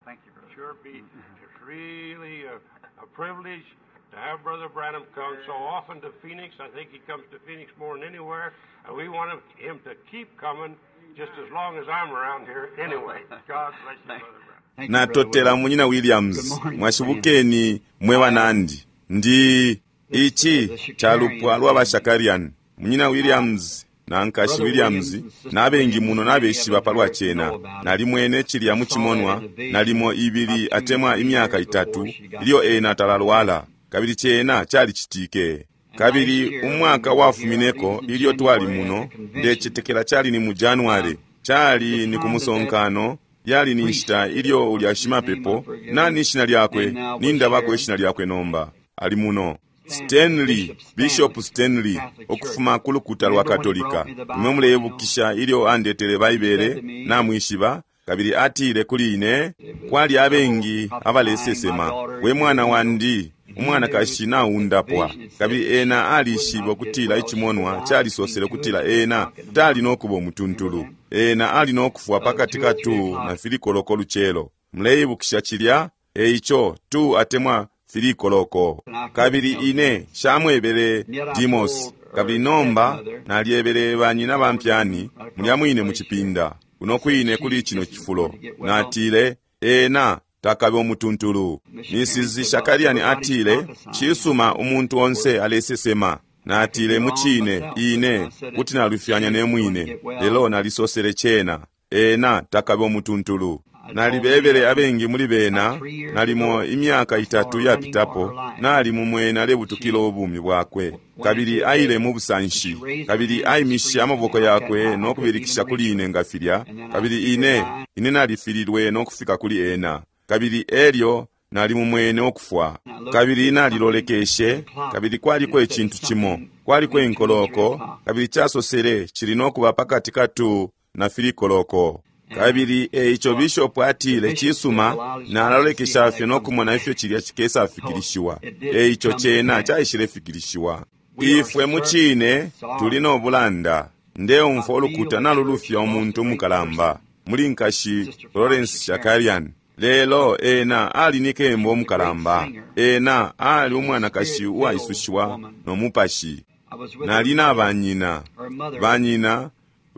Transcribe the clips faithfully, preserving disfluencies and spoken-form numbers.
Thank you, brother. Sure be it's really a, a privilege to have Brother Branham come so often to Phoenix. I think he comes to Phoenix more than anywhere, and we want him to keep coming just as long as I'm around here anyway. God bless you, Brother Branham. Thank you, Brother Natotela Williams. munyina Williams. Good morning, Mwashibukeni mwe banandi. Ndi ichi chalupwa lwa bashakarian. Munyina Williams na nkashi Brother Williams Williams and Sister n'abengi Williams, muno many of n'abeshiba them palwa here chena know about it. Nalimwene chilya Saw that muchimonwa in a vision nalimo ibili about two, atemwa three imyaka years itatu before she got ilyo sick. ena talalwala kabili chena chalichitike. And last Kabili year when umwaka we were here, I believe wafumineko it was in ilyo twali January at muno the convention, ndecetekela chali ni mu January um, chali the ni time that that kumusonkano yali ni priest, nshita ilyo ulya what's his name, I shimapepo forget nani him, ishina lyakwe name now was nindabako here, ishina lyakwe nomba ali muno Stanley, Stanley Bishop Bishop Stanley, Stanley Catholic Church. okufuma ku lukuta lwa Remember when he Katolika. brought me the Imwe Bible, you know? muleyebukisha ilyo andetele He said Baibele to me, namwishiba kabili atile kuli ine it was kwali several abengi prophesying, my abalesesema daughter we is mwana healed. wandi And he knew umwanakashi that the naundapwa vision had said kabili that she ena would alishiba not get ukutila well, she would ichimonwa die between chalisosele two and ukutila three ena o'clock in the tali morning. nokuba Remember umutuntulu that? ena ali nokufwa Uh, pakati two or ka three two na o'clock. filikoloko lucelo muleyibukisha chilya eicho two atemwa filikoloko And I couldn't kabili tell ine Demas. shamwebele And yet I Demos told kabili her nomba stepmother, nalyebele banyina over bampyani right across mulya the mwine mu place here, chipinda kuno said kwine she kuli chino isn't chifulo going to get well. natile ena takabe umutuntulu. Miss Shakarian Missus said, well, Shakarian everybody's atile prophesying. I chisuma said, umuntu of onse course, alesesema I could be natile wrong muchine myself, but ine I said it, kuti she nalufyanya ne isn't going to mwine get well. lelo nalisosele chena ena takabe umutuntulu. I told many Nalibebele of them abengi muli about bena three years nalimo ago, imyaka I saw itatu her running for her yapitapo life. nali mumwene alebutukila She ubumi bwakwe went kabili into a aile bed mu and busanshi she raised her kabili hand and aimishe screamed at me amaboko like that. yakwe I, I couldn't even nokubilikisha reach kuli her. ine nga filya And then I kabili see her ine dying. ine nalifililwe nokufika kuli ena kabili elyo nali mumwene okufwa And I looked, kabili there was something at nalilolekeshe the clock, kabili and kwaliko it said ichintu chimo something kwaliko between two and three inkoloko o'clock. kabili chasosele chili nokuba pakati ka two na filikoloko And kabili eicho so bishopu the atile bishop said, chisuma well, I'll just wait and see how nalolekesha fye that comes to nokumona ifyo pass. chilya So chikesafikilishiwa it did eicho come to chena pass. chaishilefikilishiwa. We are Ifwe certainly muchine tuli sorry. nobulanda ndeumfwa I feel ulukuta the church nalulufya has lost a umuntu great umukalamba person, muli nkashi Sister Florence Florence Shakarian. Shakarian lelo ena ali ni She kemba was a great umukalamba singer ena ali and a umwanakashi spirit-filled uwaisushiwa woman. nomupashi. I was with her Nali na mother. banyina Her mother banyina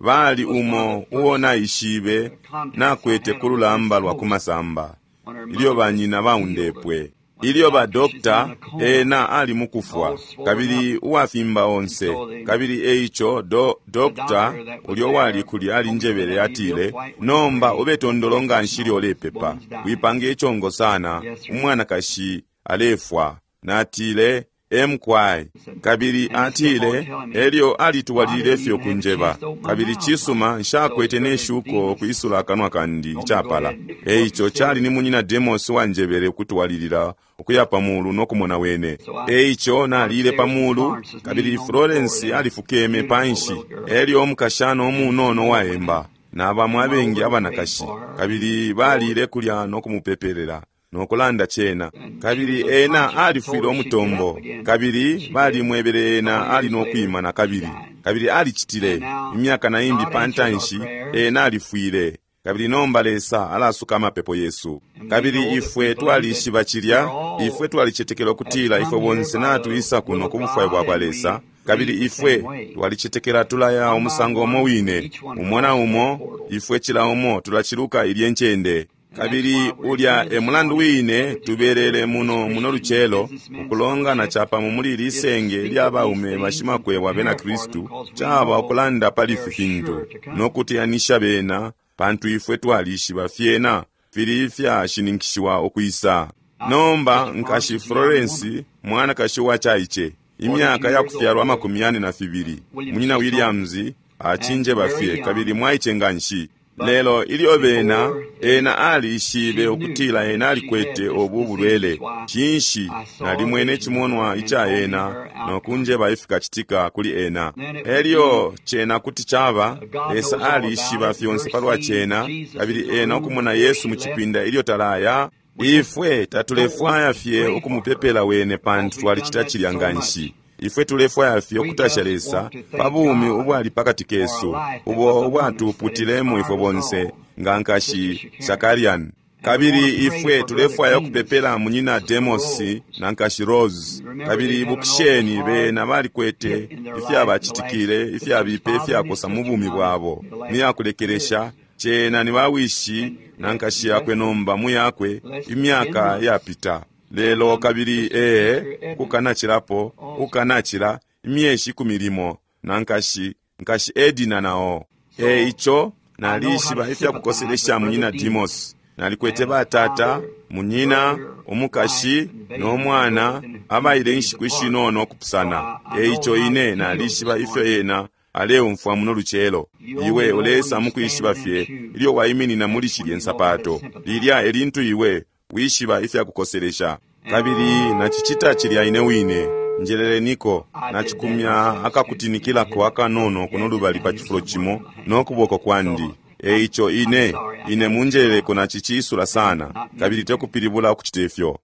bali was one of umo the uo first naishibe uh, contacts I nakwete had ku on the West lulamba lwa Coast kumasamba when her ilyo mother was banyina healed. baundepwe When the ilyo ba doctor, she's in dokta a coma, ena ali all mukufwa swollen kabili up. uwafimba And onse so the, kabili eicho do, the dokta doctor that was ulyo wali there kuli ali told me njebele that be real atile quiet when you nomba pray. ube tondolo nga nshili No, this olepepa woman's dying. wipange ichongo sana Yes, sir. umwanakashi alefwa natile emkwai Said, kabili and he kept on atile telling me, elyo I didn't alitwalilile fye even have a okunjeba chance to open my kabili mouth like chisuma those nshakwete brother neshuko Demas okwisula akanwa kandi told me to go ichapala ahead and eicho what chali consider. ni munyina Demos wanjebele okutwalilila okuya pamulu nokumona wene So I eicho went nalile upstairs and pamulu Florence was kabili kneeling on the floor Florence there, alifukeme beautiful panshi little girl. elyo omukashana omunono And waemba women n'abamu went abengi over and prayed abanakashi for her. kabili balile kulya nokumupepelera nokulanda chena And she kabili was ena unconscious and alifwile told her she'd get up omutombo again. And kabili she did. balimwebele A ena couple ali years later, nokwima na she kabili died. kabili alichitile And now imyaka na imbi God answered our pantanshi prayers, ena alifwile kabili nomba Lesa alasuka amapepo yesu and we kabili know that ifwe we believe that twalishiba we're chilya all ifwe twalichetekela have okutila ifwe come here bonse by the natuisa will kuno of ku bufwayo God, bwa kwa and Lesa we kabili leave the same ifwe way. twalichetekela tulaya One by umusango umo one, wine each one umo na crosses that umo portal. ifwe chila umo tulachiluka ilye nchende And that's kabili why we're ulya here e this mulandu morning wine gathered together tubelele in this muno muno Christian lucelo businessmen's ukulongana fellowship chapamo muli is to lisenge speak lya of these baume things and bashimakwebo abena prepare for them Kristu because we chaba know okulanda pali they're ifi fintu sure to come. nokutiyanisha bena pantu ifwe twalishiba fyena fili fyashininkishiwa okwisa. Now, Nomba Sister Florence nkashi is a young woman, Florence mwanakashi wachaiche imyaka forty-two years yakufyalwa old. amakumi yane na fibili Williams munyina just told me, Williams and achinje very bafye kabili young, mwaiche nganshi but lelo ilyo bena before they, ena alishibe she knew okutila ena that she had alikwete this obu disease. bulwele That's why chinshi I saw a nalimwene vision chimonwa and icha told me ena her outcome. nokunjeba ifikachitika kuli ena Then it would elyo be chena kuti chaba uh, God Lesa knows all about alishiba it. fyonse Her palwa seeing chena Jesus in kabili the ena room okumona before Yesu she mu left, chipinda ilyo talaya we just ifwe don't want tatulefwaya to fye pray for her okumupepela wene because pantu we've done twalichita that chilya so nganshi much. ifwe tulefwaya fye We okutasha just Lesa want to pa thank bumi God ubwali pakati for a kesu life that ubo was among us that ubwatuputilemo ifwe inspired us bonse all. nga Sister nkashi Shakarian. Shakarian. Kabili ifwe tulefwaya ukupepela munyina Demos na nkashi Rose. Kabili ibukisheni bena balikwete ifyabacitikile ifyabipa ifyakosa mu bumi bwabo muyakulekelesha cena ni bawishi na nkashi yakwe nomba muyakwe imyaka yapita lelo kabili ee ukukanacilapo ukukanacila imyeshi ikumi limo na nkashi nkashi Edina nao. E ico nalishiba ifyakukoselesha munyina Demos. Nalikwete batata, munyina, umukashi no mwana abaile inshiku ishinono okupusana. E ico ine nalishiba ifyo ena aleumfwa muno lucelo. Iwe ulesa mukwishiba fye ilyo waiminina muli shilye nsapato. Lilya elintu iwe wishiba ifyakukoselesha. Kabili nachicita chilya ine wine. Njeleleniko nachikumya akakutinikilako akanono kuno lubali pa chifulo chimo nokuboko kwandi. E ico ine ine munjeleleko nachichiisula sana kabili tekupilibula okuchita ifyo.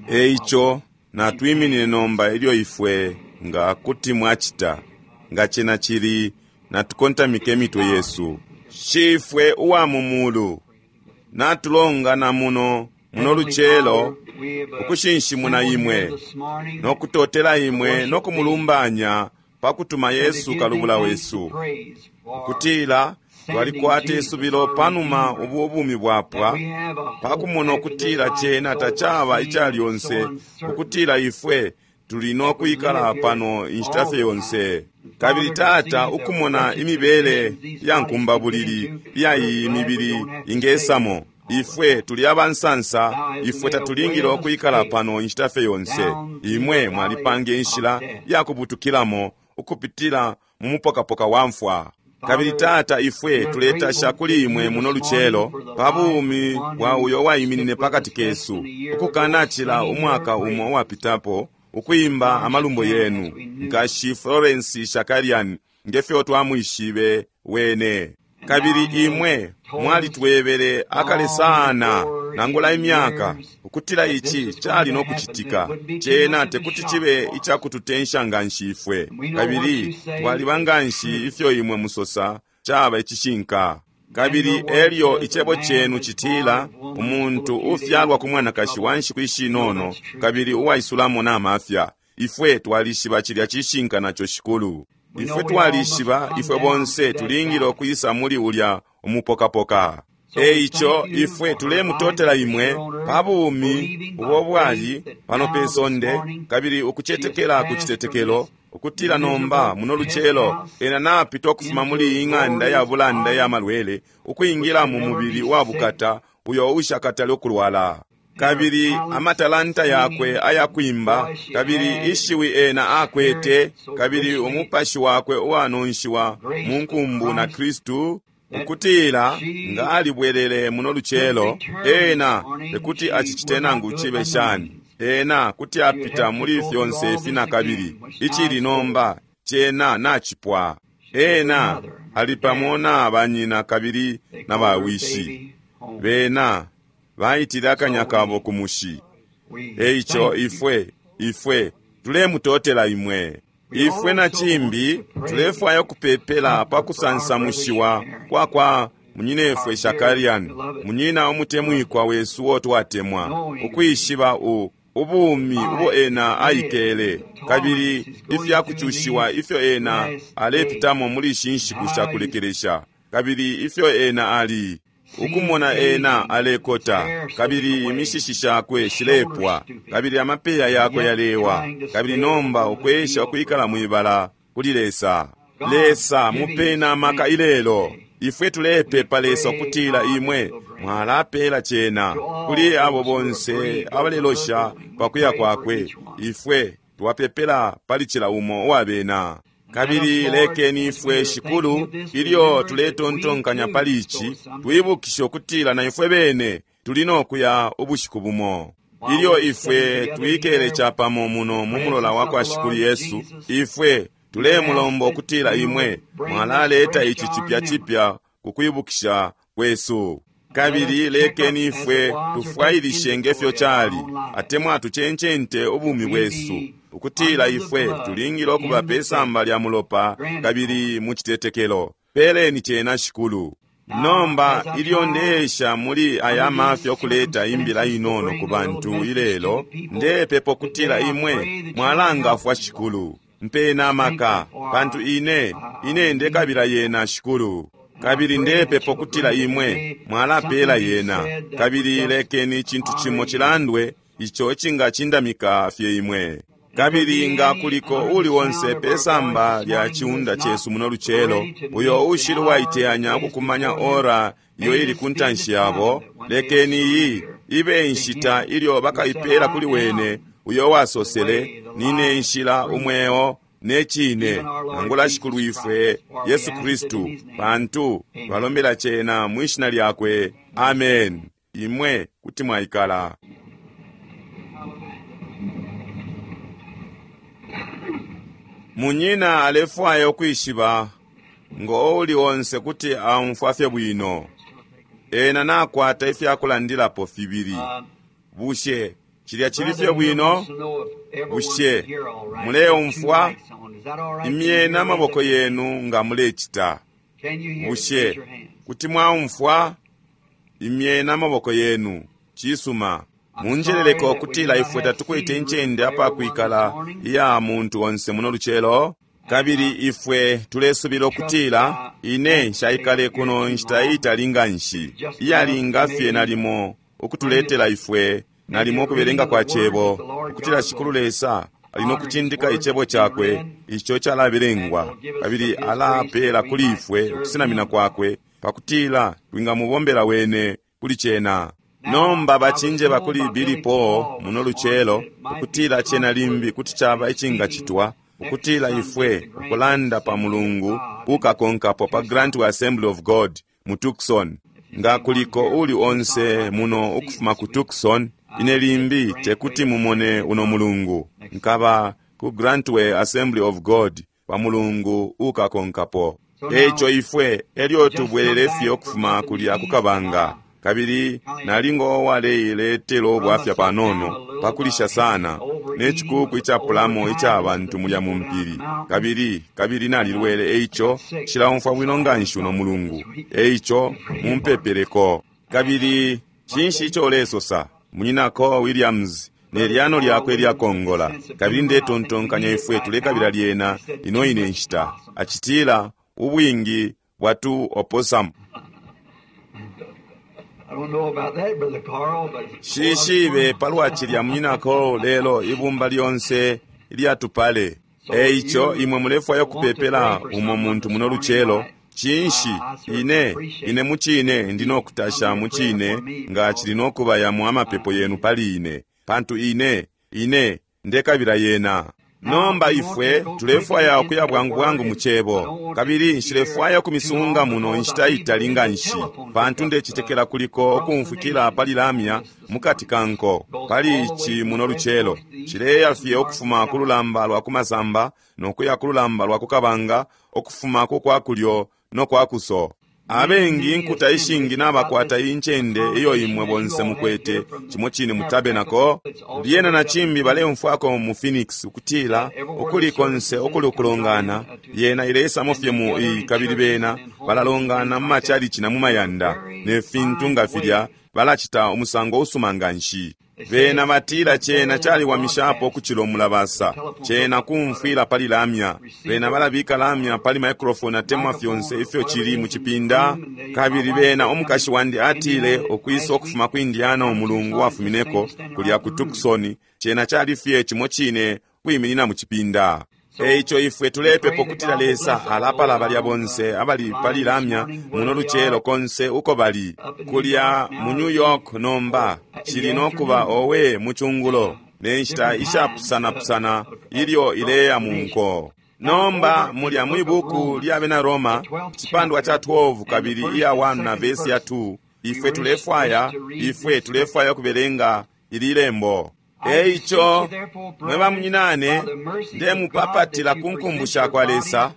E ico natwiminine nomba ilyo ifwe nga kuti mwachita nga chena chili natukontamike emitwe yesu. Shifwe uwa mumulu, natulongana muno muno lucelo ukushinshimuna imwe nokutotela imwe nokumulumbanya pakutuma Yesu kalubula wesu, ukutila twalikwata isubilo panuma ubu ubumi bwapwa, pakumona ukutila chena tachaba ichalyonse, ukutila ifwe tuli nokwikala pano inshita fye yonse. Kabili Tata, ukumona imibele ya nkumbabulili iya iyi mibili ingesamo, ifwe tuli abansansa, ifwe tatulingile okwikala pano inshita fye yonse. Imwe mwalipanga inshila ya kubutukilamo ukupitila mu mupokapoka wa mfwa. Kabili Tata, ifwe tuletasha kuli imwe muno lucelo pa bumi bwa uyo waiminine pakati kesu ukukanachila umwaka umo uwapitapo ukuimba amalumbo yenu, nkashi Florence Shakarian, ngefyo twamwishibe wene. Kabili imwe mwalitwebele akale sana nangula imyaka ukutila ichi chali nokuchitika. Chena tekuti chibe ichakututensha nganshi ifwe, kabili twaliba nganshi ifyo imwe musosa chaba ichishinka. Kabili elyo icebo chenu chitila umuntu ufyalwa ku mwanakashi wa nshiku ishinono kabili uwaisulamo na mafya. Ifwe twalishiba chilya chishinka nacho Shikulu. Ifwe twalishiba ifwe bonse tulingile okwisa muli ulya umupokapoka. E ico ifwe tulemutotela imwe pa bumi ubo bwali pano pe sonde, kabili ukuchetekela ku chitetekelo ukutila nomba muno lucelo ena napita okufuma muli iyi ng'anda ya bulanda ya malwele ukwingila mu mubili wa bukata uyo ushakatale okulwala. Kabili amatalanta yakwe ayakwimba, kabili ishiwi ena akwete, kabili umupashi wakwe uwanonshiwa mu nkumbu na Kristu, ukutila nga alibwelele muno lucelo ena tekuti achichite nangu chibe shani. Ena kuti apita muli fyonse ifi na kabili ichili nomba chena nachipwa. Ena ali pamo na banyina kabili na bawishi bena baitile akanya kabo ku mushi. E ico ifwe ifwe tulemutotela imwe. Ifwe na chimbi tulefwaya kupepela pakusansamushiwa kwa kwa munyinefwe Shakarian, munyina umutemwikwa wesu wo twatemwa, ukwishiba u ubumi ubo ena aikele, kabili ifyakuchushiwa ifyo ena alepitamo muli ishi nshiku shakulekelesha, kabili ifyo ena ali ukumona ena alekota, kabili imishishi shakwe shilepwa, kabili amapeya yakwe yalewa, kabili nomba ukwesha ukwikala mwibala kuli Lesa. Lesa mupena amaka ilelo. Ifwe tulepepa Lesa ukutila imwe mwalapela chena kuli abo bonse abalelosha pakuya kwakwe. Ifwe twapepela pali chila umo uwabena. Kabili lekeni ifwe Shikulu, ilyo tuletontonkanya pali ichi, twibukishe ukutila na ifwe bene tuli nokuya ubushiku bumo. Ilyo ifwe twikele chapamo muno mu mulola wa kwa Shikulu Yesu, ifwe tulemulomba ukutila imwe mwalaleta ichi chipya chipya kukwibukisha kwesu. Kabili lekeni ifwe tufwailishe ngefyo chali atemwa tuchenchente ubumi bwesu, ukutila ifwe tulingile okuba pe samba lya mulopa kabili mu chitetekelo. Peleni chena Shikulu. Nomba ilyo ndeesha muli aya mafya okuleta imbila inono ku bantu ilelo, ndepepa ukutila imwe mwalangafwa Shikulu. Mpena amaka, pantu ine, ine ndekabila yena Shikulu. Kabili ndepepa ukutila imwe mwalapela yena, kabili lekeni icintu cimo chilandwe ico icingacindamika fye imwe. Kabili nga kuliko uli onse pesamba lya chiunda chesu muno lucelo, uyo ushili waiteyanya ukukumanya ora iyo ili ku ntanshi yabo, lekeni iyi ibe inshita ilyo bakaipela kuli wene uyo wasosele, nine nshila, umweo ne cine, nangula Shikulu ifwe Yesu Kristu, pantu twalombela cena mwishina lyakwe. Amen. Imwe kuti mwaikala. Munyina alefwaya ukwishiba ngo uli onse kuti aumfwa fye bwino. Ena nakwata ifyakulandilapo fibili. Bushe cilya cili fye bwino? Bushe muleumfwa? Imyeni amaboko yenu nga mulecita. Bushe kuti mwaumfwa? Imyeni amaboko yenu. Cisuma. Munjeleleko kutila ifwe tatukwete incende apakwikala iya muntu onse muno lucelo, kabili ifwe tulesubila ukutila ine nshaikale kuno nshita itali nganshi, iyalinga fye nalimo ukutuletela ifwe nalimo ukubelenga kwa cebo, ukutila Shikulu Lesa ali nokucindika icebo cakwe ico calabelengwa, kabili alapela kuli ifwe ukusinamina kwakwe pakutila twingamubombela wene kuli cena. Nomba bachinjeba kuli Billy Paul muno lucelo ukutila cena limbi kuti chaba icingachitwa ukutila ifwe ukulanda pa mulungu ukakonkapo pa Grant Assembly of God mu Tucson. Nga kuliko uli onse muno ukufuma ku Tucson, ine limbi tekuti mumone uno mulungu, nkaba ku Grantway Assembly of God pa mulungu ukakonkapo. Eco ifwe elyo tubwelele fye ukufuma kulya kukabanga, kabili nalingo waleiletela ubwafya panono pakulisha sana ne chikuku icapulamo ica bantu mulya mu mpili, kabili kabili nalilwele, eico nshilaumfwa bwino nganshi uno mulungu, eico mumpepeleko. Kabili cinshi ico ulesosa munyinako Williams ne lyano lyakwe lyakongola, kabili ndetontonkanya ifwe tulekabila lyena ino ine nshita, acitila ubwingi bwatu opossum. Shishibe palwa cilya munyinako, lelo ibumba lyonse ilyatupale. Eico imwe mulefwaya kupepela umo muntu muno lucelo, cinshi ine ine mucine ndi nokutasha mucine nga cili nokuba yamwe amapepo yenu pali ine, pantu ine ine ndekabila yena. Nomba ifwe tulefwaya ukuya bwangu bwangu mu cebo, kabili nshilefwaya kumisunga muno inshita itali nganshi, pantu ndecitekela kuliko ukumfwikila pali lamya mukati kanko pali ici muno lucelo. Cileya fye ukufuma ku lulamba lwa kumasamba nokuya ku lulamba lwa kukabanga, ukufuma ku kwa kulyo no kwa kuso. Abengi nkuta ishingi nabakwata incende iyo imwe bonse mukwete cimo cine mu tabernacle. Lyena na cimbi baleumfwako mu Phoenix ukutila ukuli konse ukuli ukulongana yena ilesamo fye mu iyi, kabili bena balalongana mu machalichi na mu mayanda ne fintu nga filya, balacita umusango usuma nganshi. Bena batila cena caliwamishapo ukucila omulabasa, cena kumfwila pali lamya. Bena balabika lamya pali microphone atemwa fyonse ifyo cili mu cipinda. Kabili bena omukashi wandi atile ukwisa ukufuma ku Indiana umulungu wafumineko kulya ku Tucson, cena cali fye cimo cine kwiminina mu cipinda. Eico ifwe tulepepa ukutila Lesa alapala balya bonse abali pali lamya muno lucelo konse uko bali kulya mu New York. Nomba cili nokuba owe mucungulo ne nshita ishapusanapusana ilyo ileya mu nko. Nomba mulya mwibuku lya bena Roma cipandwa cha twelve kabili iya one na vesi ya two, ifwe tulefwaya ifwe tulefwaya kubelenga ili lembo. Eico mwe bamunyinane, ndemupapatila ku nkumbu sha kwa Lesa,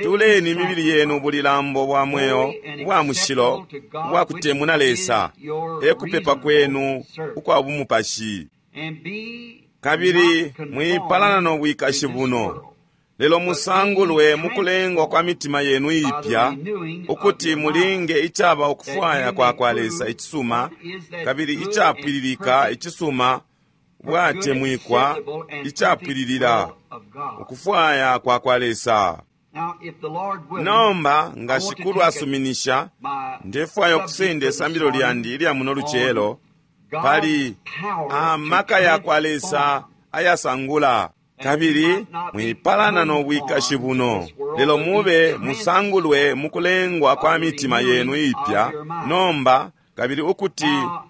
tuleni imibili yenu bulilambo bwa mweo bwa mushilo bwa kutemuna Lesa, ekupepa kwenu ukwa bumupashi. Kabili mwipalana no bwikashi buno, Lelo musangulwe mukulengwa kwa mitima yenu ipya, ukuti mulinge icaba ukufwaya kwa kwa Lesa icisuma, kabili icapwililika icisuma bwatemwikwa icapwililila ukufwaya kwa kwa Lesa. Nomba nga Shikulu asuminisha, ndefwaya ukusenda isambililo lyandi ilya muno lucelo pali amaka ya kwa Lesa ayasangula. Kabili mwipalana no bwikashi buno, lelo mube musangulwe mukulengwa kwa mitima yenu ipya nomba, kabili ukuti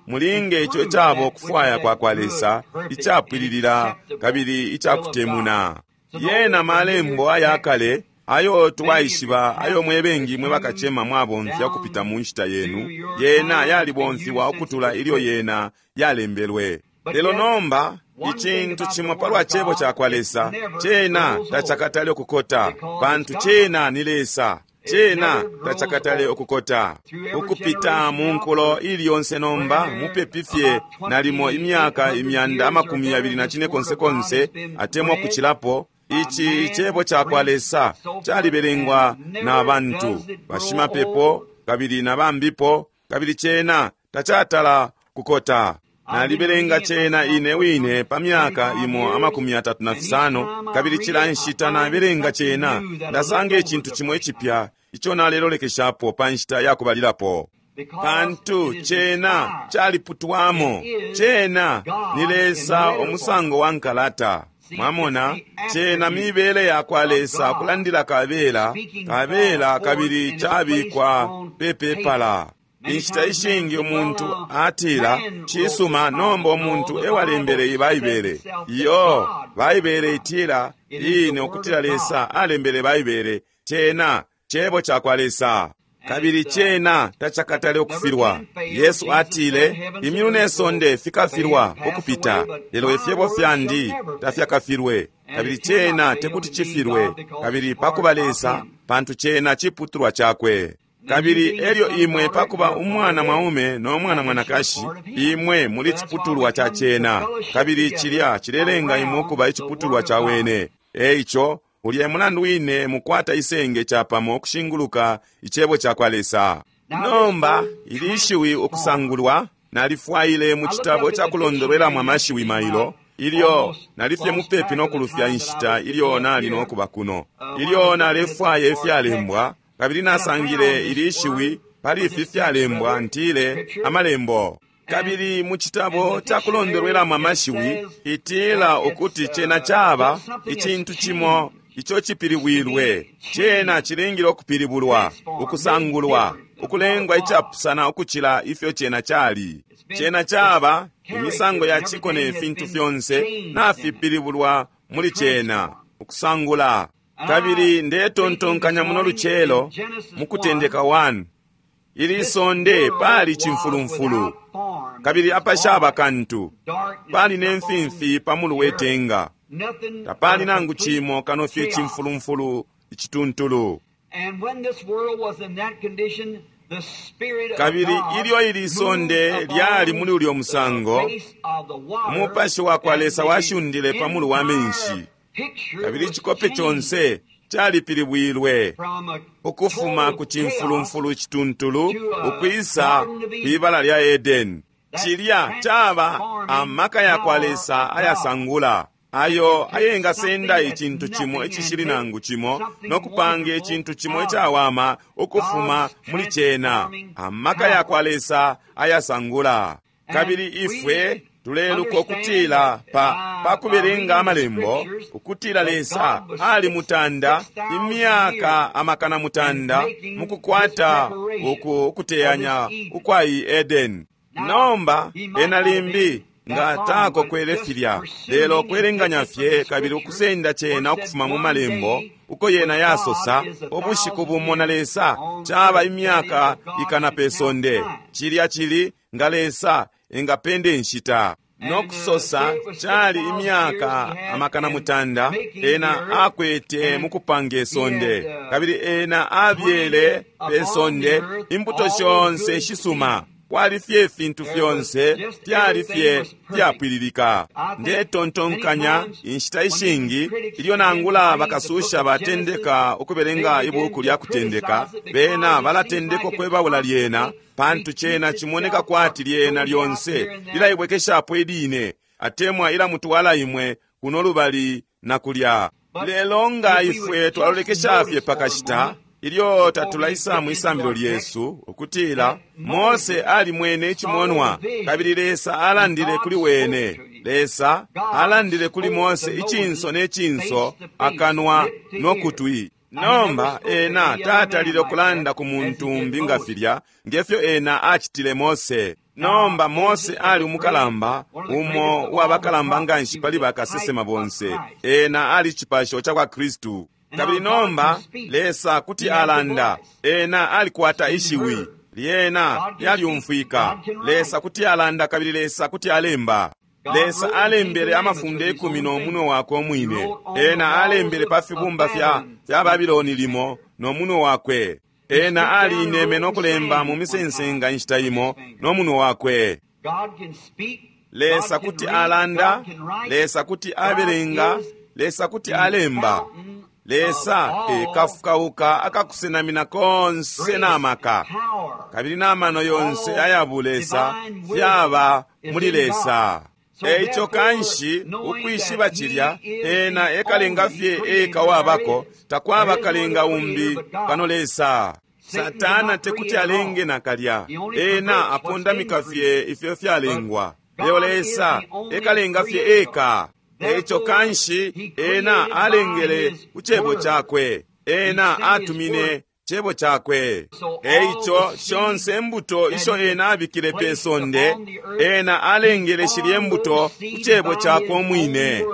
mulinge ico icaba ukufwaya kwa kwa Lesa icapwililila kabili icakutemuna. Yena malembo ayakale ayo twaishiba, ayo mwebengi mwe bakacema mwabomfya ukupita mu nshita yenu, yena yalibomfiwa ukutula ilyo yena yalembelwe. Lelo nomba icintu cimo palwa cebo ca kwa Lesa, cena tacakatale ukukota, pantu cena ni Lesa. Cena tacakatale ukukota ukupita mu nkulo ili yonse. Nomba mupepi fye nalimo imyaka imyanda amakumi yabili na cine konse konse atemwa kucilapo, ici cebo ca kwa Lesa calibelengwa na bantu bashimapepo kabili na bambipo, kabili cena tacatala kukota. Nalibelenga cena ine wine pa myaka imo amakumi atatu na fisano, kabili cila nshita nabelenga cena ndasanga icintu cimo icipya ico nalelolekeshapo pa nshita yakubalilapo, pantu cena caliputwamo. Cena ni Lesa umusango wa nkalata. Mwamona, cena mibele ya kwa Lesa kulandila kabela kabela, kabili cabikwa pepepala. Inshita ishingi umuntu atila, cisuma, nomba umuntu ewalembele Baibele. Iyo, Baibele itila ine ukutila Lesa alembele Baibele. Cena cebo ca kwa Lesa, kabili cena tacakatale ukufilwa. Yesu atile, imyulu ne sonde fikafilwa ukupita, lelo ifyebo fyandi tafyakafilwe. Kabili cena tekuti cifilwe, kabili pakuba Lesa, pantu cena ciputulwa cakwe. Kabili elyo imwe pakuba umwana mwaume no mwana mwanakashi, imwe muli ciputulwa ca cena, kabili cilya cilelenga imwe ukuba iciputulwa ca wene. Eico ulya mulandu wine mukwata isenge capamo ukushinguluka icebo ca kwa Lesa. Nomba ili ishiwi ukusangulwa nalifwaile mu citabo ca kulondolwelamo amashiwi mailo, ilyo nalifye mupepi no kulufya inshita ilyo nali no kuba kuno, ilyo nalefwaya ifyalembwa, kabili nasangile ili ishiwi pali ifi fyalembwa, ntile amalembo. Kabili mu citabo ca kulondolwelamo amashiwi itila ukuti cena caba icintu cimo ico cipilibwilwe. Cena cilingile ukupilibulwa, ukusangulwa, ukulengwa icapusana ukucila ifyo cena cali. Cena caba imisango ya ciko ne fintu fyonse nafipilibulwa muli cena, ukusangula. Kabili ndetontonkanya muno lucelo mu Kutendeka one, ili sonde pali cimfulumfulu, kabili apashaba kantu, pali ne mfimfi pa mulu wetenga, tapali nangu cimo kano fye cimfulumfulu icituntulu. Kabili ilyo ili sonde lyali muli ulyo musango, umupashi wa kwa Lesa washundile pa mulu wa menshi, kabili icikope conse calipilibwilwe ukufuma ku cimfulumfulu icituntulu ukwisa kwibala lya Edeni. Cilya caba amaka ya kwa Lesa ayasangula, ayo ayengasenda icintu cimo icishili nangu cimo no kupanga icintu cimo icawama ukufuma muli cena. Amaka ya kwa Lesa ayasangula. Kabili ifwe tuleluka ukutila pa, pa kubelenga amalembo ukutila Lesa ali mutanda imyaka amakana mutanda mukukwata uku ukuteyanya ukwa i Edeni. Nomba ena limbi nga takokwele filya, lelo kwelenganya fye kabili ukusenda cena ukufuma mu malembo uko yena yasosa ubushiku bumo na Lesa caba imyaka ikana pe sonde. Cilya cili nga Lesa engapende nshita no kusosa cali imyaka amakana mutanda ena akwete mukupanga isonde, kabili ena abyele pe sonde imbuto shonse shisuma Kwali fye ifintu fyonse fyali fye fyapwililika. Ndetontonkanya inshita ishingi ilyo nangula bakasusha batendeka ukubelenga ibuku lya Kutendeka, bena balatendeka ukwebaula lyena, pantu cena cimoneka kwati lyena lyonse lilaibwekeshapo iline, atemwa ilamutwala imwe kuno lubali na kulya. Lelo nga ifwe twalolekesha fye pakashita ilyo tatulaisa mwisambililo lyesu, ukutila Mose alimwene icimonwa, kabili Lesa alandile kuli wene. Lesa alandile kuli Mose icinso ne cinso, akanwa no kutwi. Nomba ena tatalile ukulanda ku muntu umbi nga filya, ngefyo ena acitile Mose. Nomba Mose ali umukalamba, umo uwabakalamba nganshi pali bakasesema bonse. Ena ali cipasho cakwa Kristu. Kabili nomba Lesa kuti alanda, ena alikwata ishiwi lyena lyalyumfwika. Lesa kuti alanda kabili Lesa kuti alemba. Lesa alembele amafunde ikumi no munwe wakwe umwine. Ena alembele pa fibumba fya, fya Babiloni limo no munwe wakwe. Ena alineme no kulemba mu misensenga inshita imo no munwe wakwe. Lesa kuti alanda, Lesa kuti abelenga, Lesa kuti alemba. Lesa ekafukauka akakusenamina konse n'amaka, kabili n'amano yonse aya Lesa fyaba muli Lesa. Eico kanshi ukwishiba cilya, ena ekalenga fye eka wabako, takwaba kalenga umbi kano Lesa. Satana tekuti alenge nakalya, ena apondamika fye ifyo fyalengwa. Lelo Lesa ekalenga fye eka. Eico kanshi ena alengele ku cebo cakwe, ena atumine cebo cakwe. Eico shonse embuto isho ena abikile pe sonde, ena alengele shilye embuto ku cebo cakwe umwine,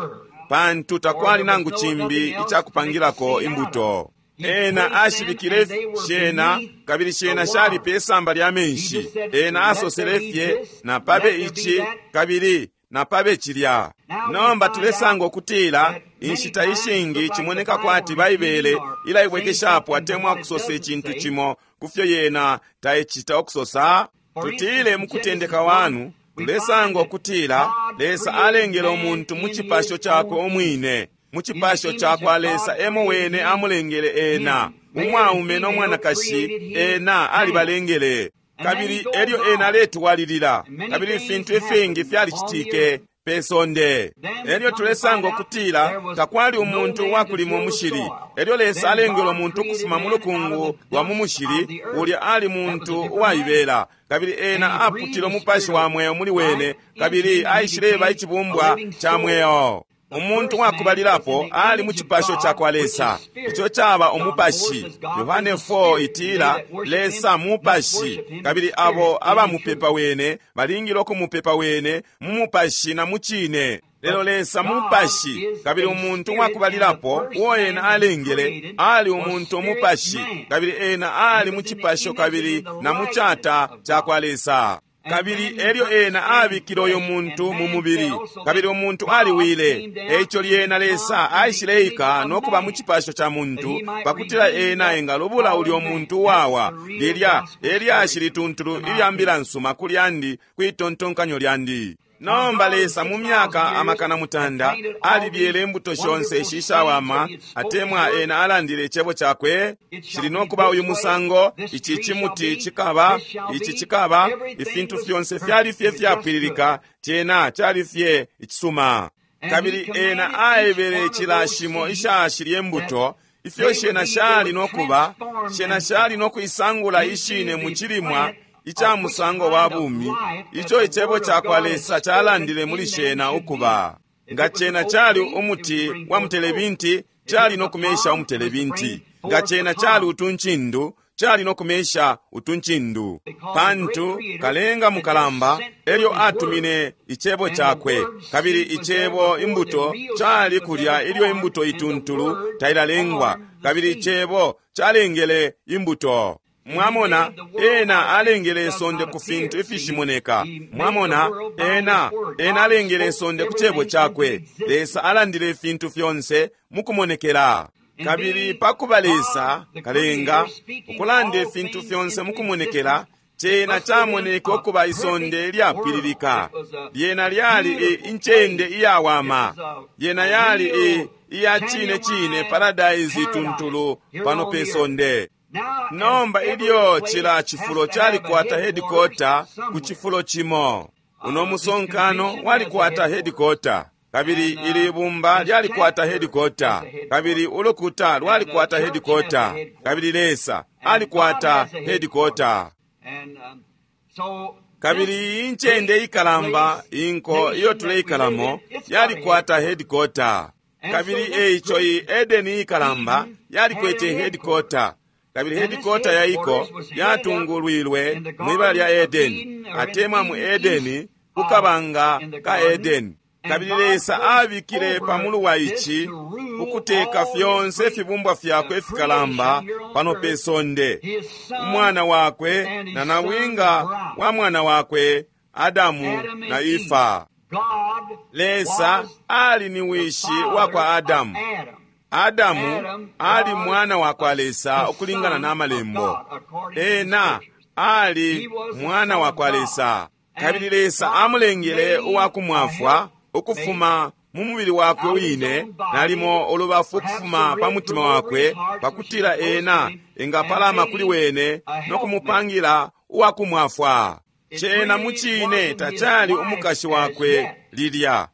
pantu takwali nangu cimbi icakupangilako imbuto. Ena ashibikile shena, kabili shena shali pe samba lya menshi. Ena asosele fye, na pabe ici kabili na pabe cilya. Nomba tulesanga ukutila inshita ishingi cimoneka kwati Baibele ilaibwekeshapo atemwa kusosa icintu cimo kufyo yena taicita ukusosa. Tutile mukutendeka wanu, tulesanga ukutila Lesa alengele umuntu mu cipasho cakwe umwine. Mu cipasho cakwa Lesa emo wene amulengele ena, umwaume no mwanakashi ena alibalengele. Kabili elyo ena aletwalilila, kabili ifintu ifingi fyalicitike pe sonde. Elyo tulesanga ukutila takwali umuntu wakulima umushili. Elyo Lesa alengele umuntu ukufuma mu lukungu lwa mu mushili, ulya ali muntu uwaibela, kabili ena aputile umupashi wa mweo muli wene, kabili aishileba icibumbwa ca mweo. Umuntu wakubalilapo ali mu cipasho cakwa Lesa, ico caba umupashi. Yohane four itila Lesa mupashi, kabili abo abamupepa wene balingile ukumupepa wene mu mupashi na mu cine. Lelo Lesa mupashi, kabili umuntu wakubalilapo uo ena alengele ali umuntu umupashi, kabili ena ali mu cipasho kabili na mu cata cakwa Lesa. Kabili elyo ena abikile uyo muntu mu mubili, kabili umuntu aliwile. Eico lyena Lesa aishileika no kuba mu cipasho ca muntu, pakutila ena engalubula ulyo muntu wawa. Lilya elyashi lituntulu ilya mbila nsuma ku lyandi, kwitontonkanyo lyandi. Nomba Lesa mu myaka amakana mutanda alibyele imbuto shonse ishishawama, atemwa ena alandile icebo cakwe, shili nokuba uyu musango, ici cimuti cikaba, ici cikaba, ifintu fyonse fyali fye fyapwililika, cena cali fye icisuma. Kabili ena aebele cilashimo ishashilye mbuto, ifyo shena shali nokuba, shena shali nokuisangula ishine mu cilimwa ica musango wa bumi, ico icebo cakwa Lesa calandile muli shena ukuba. Nga cena cali umuti wa mutelebinti, cali nokumesha umutelebinti. Nga cena cali utuncindu, cali nokumesha utuncindu. Pantu kalenga mukalamba elyo atumine icebo cakwe, kabili icebo imbuto cali kulya ilyo imbuto ituntulu tailalengwa, kabili icebo calengele imbuto. Mwamona, ena alengele isonde ku fintu ifishimoneka. Mwamona, ena ena alengele isonde ku cebo cakwe. Lesa alandile ifintu fyonse mukumonekela. Kabili pakuba Lesa kalenga ukulanda ifintu fyonse mukumonekela, Cena camoneke ukuba isonde lyapwililika. Lyena lyali incende iyawama. Yena yali iya cine cine paradise ituntulu pano pe sonde. Nomba ilyo cila cifulo calikwata headquarter ku cifulo cimo. Uno musonkano walikwata headquarter. Kabili ili bumba lyalikwata headquarter. Kabili ulukuta lwalikwata headquarter. Kabili Lesa alikwata headquarter. Kabili incende ikalamba inko iyo tuleikalamo yalikwata headquarter. Kabili eico iyi Edeni ikalamba yalikwete headquarter. Kabili headquarter yaiko yatungulwilwe mwibala lya Edeni, atemwa mu Edeni kukabanga ka Edeni. Kabili Lesa abikile pamulu wa ici ukuteka fyonse fibumbwa fyakwe fikalamba pano pe sonde. Umwana wakwe na nabwinga wa mwana wakwe Adamu na Efa. Lesa ali ni wishi wa kwa Adamu. Adamu ali mwana wa kwa Lesa ukulingana na malembo. Ena ali mwana wa kwa Lesa. Kabili Lesa amulengele uwa kumwafwa ukufuma mu mubili wakwe wine, nalimo ulubafu ukufuma pa mutima wakwe, pakutila ena engapalama kuli wene no kumupangila uwa kumwafwa. Cena mucine tacali umukashi wakwe lilya,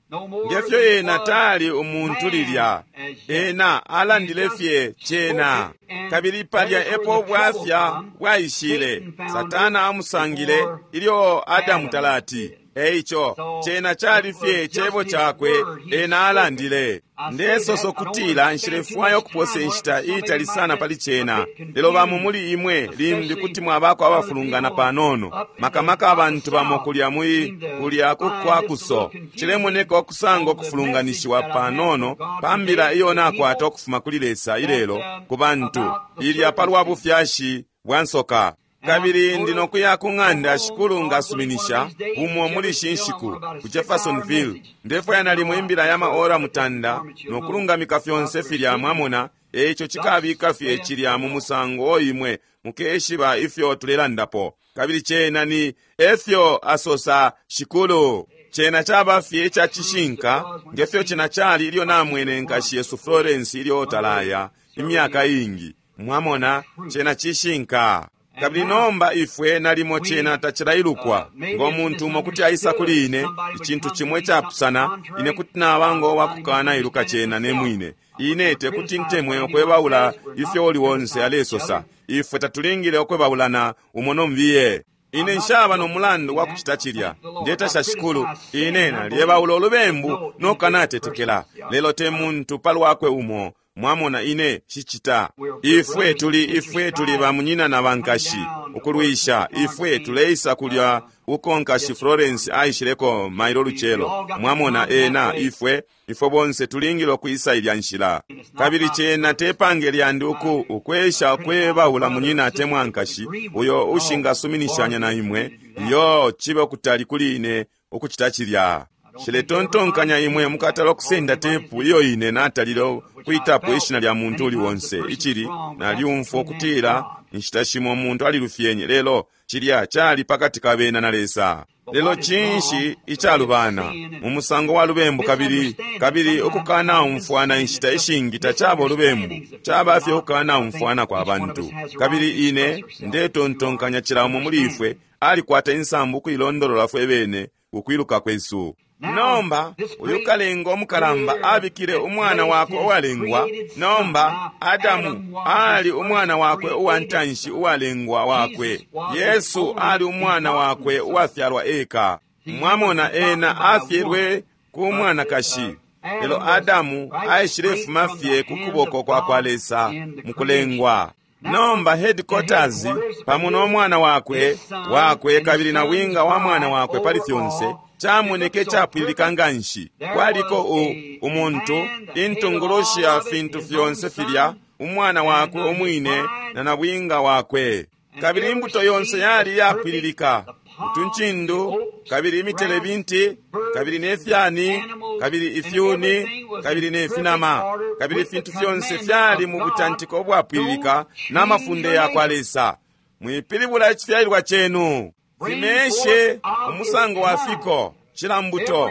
ngefyo ena tali umuntu lilya. Ena alandile fye cena. Kabili palya epo bwafya bwaishile. Satana amusangile ilyo Adamu talati. Eico cena cali fye cebo cakwe ena alandile. Ndesoso kutila nshilefwaya ukuposa inshita iitali sana pali cena, lelo bamo muli imwe limbi kuti mwabako abafulungana panono, makamaka abantu bamo kulya mui kulya kukwakuso. Cilemoneka okusanga okufulunganishiwa panono pa mbila iyo nakwata ukufuma kuli Lesa ilelo ku bantu ilya palwa bufyashi bwa nsoka. Kabili ndino kuya ku ng'anda shikulu ngasuminisha umo muli shinshiku ku Jeffersonville. Ndefwaya nalimo imbila ya maora mutanda nokulungamika fyonse filya mwamona. Eico cikabika fye cilya mu musango oimwe mukeshiba ifyo tulelandapo. Kabili cena ni efyo asosa shikulu. Cena caba fye ca cishinka ngefyo cena cali ilyo namwene nkashi Yesu Florence ilyo talaya imyaka ingi. Mwamona, cena cishinka. Kabili nomba ifwe nalimo cena tacilailukwa ngo muntu umo kuti aisa kuli ine icintu cimwe icapusana, ine kuti naba ngo wakukana iluka cena ne mwine. Ine tekuti ntemwe okwebaula ifyo uli wonse alesosa. Ifwe tatulingile okwebaulana umo nombiye. Ine nshaba no mulandu wa kucita cilya. Ndetasha shikulu, ine nalyebaula olubembu nokanatetekela, lelo te muntu palwakwe umo. Mwamona, ine shicita. Ifwe tuli ifwe tuli bamunyina na bankashi ukulwisha. Ifwe tuleisa kulya uko nkashi Florence aishileko mailo lucelo. Mwamona, ena ifwe ifwe bonse tulingile okuisa ilya nshila. Kabili cena tepange lyandi uku ukwesha kwebaula munyina atemwa nkashi uyo ushingasuminishanya na imwe. Iyo chibe okutali kuli ine ukucita cilya. Shiletontonkanya imwe mukatala okusenda tepu iyo ine natalile kuitapo ishina lya muntu uli wonse. Ichili nalyumfwa okutila inshita shimo umuntu alilufyenye, lelo cilya cali pakati ka bena na Lesa. Lelo cinshi icalubana mu musango wa lubembu, kabili kabili ukukana umfwana inshita ishingi tacaba ulubembu, caba fye ukukana umfwana kwa bantu. Kabili ine ndetontonkanya cila umo muli ifwe alikwata insambu ukuilondolola fwe bene ukwiluka kwesu. Nomba uyu kalenga omukalamba abikile umwana wakwe uwalengwa. Nomba Adamu ali umwana wakwe uwantanshi uwalengwa wakwe. Yesu ali umwana wakwe uwafyalwa eka. Mwamona, ena afyelwe ku mwanakashi, lelo Adamu aishilefuma fye ku kuboko kwa kwa Lesa mukulengwa. Nomba headquarters pamo n'omwana wakwe wakwe kabili na winga wa mwana wakwe pali fyonse camoneke capwililika nganshi. Kwaliko u umuntu intungulushi ya fintu fyonse filya, umwana wakwe umwine na nabwinga wakwe. Kabili imbuto yonse yali yapwililika, utuncindu kabili imitelebinti kabili nefyani kabili ifyuni kabili nefinama kabili ifintu fyonse fyali mu butantiko obwapwililika n'amafunde ya kwa Lesa. Mwipilibula icifyalilwa cenu. Fimeshe umusango wa fiko, cila mbuto.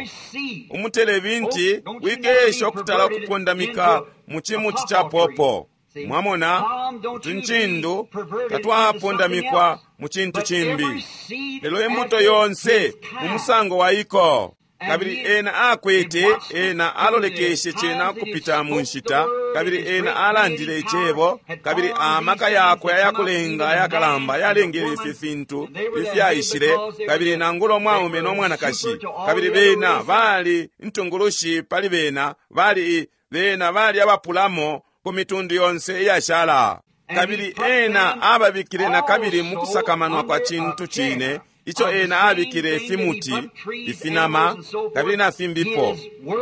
Umutelebinti wikesha okutala okupondamika mu chimuti cha popo. Mwamona, utuncindu tatwapondamikwa mu cintu cimbi. Lelo imbuto yonse mu musango wa iko. Kabili ena akwete, ena alolekeshe cena kupita mu nshita, kabili ena alandile icebo, kabili amaka yakwe ayakulenga ayakalamba yalengele ifi fintu ifyaishile, kabili nangula umwaume no mwanakashi, kabili bena bali intungulushi pali bena, bali bena bali abapulamo ku mitundu yonse iyashala. Kabili ena ababikile na kabili mu kusakamanwa kwa cintu cine ico ena abikile ifimuti, ifinama, kabili na fimbipo,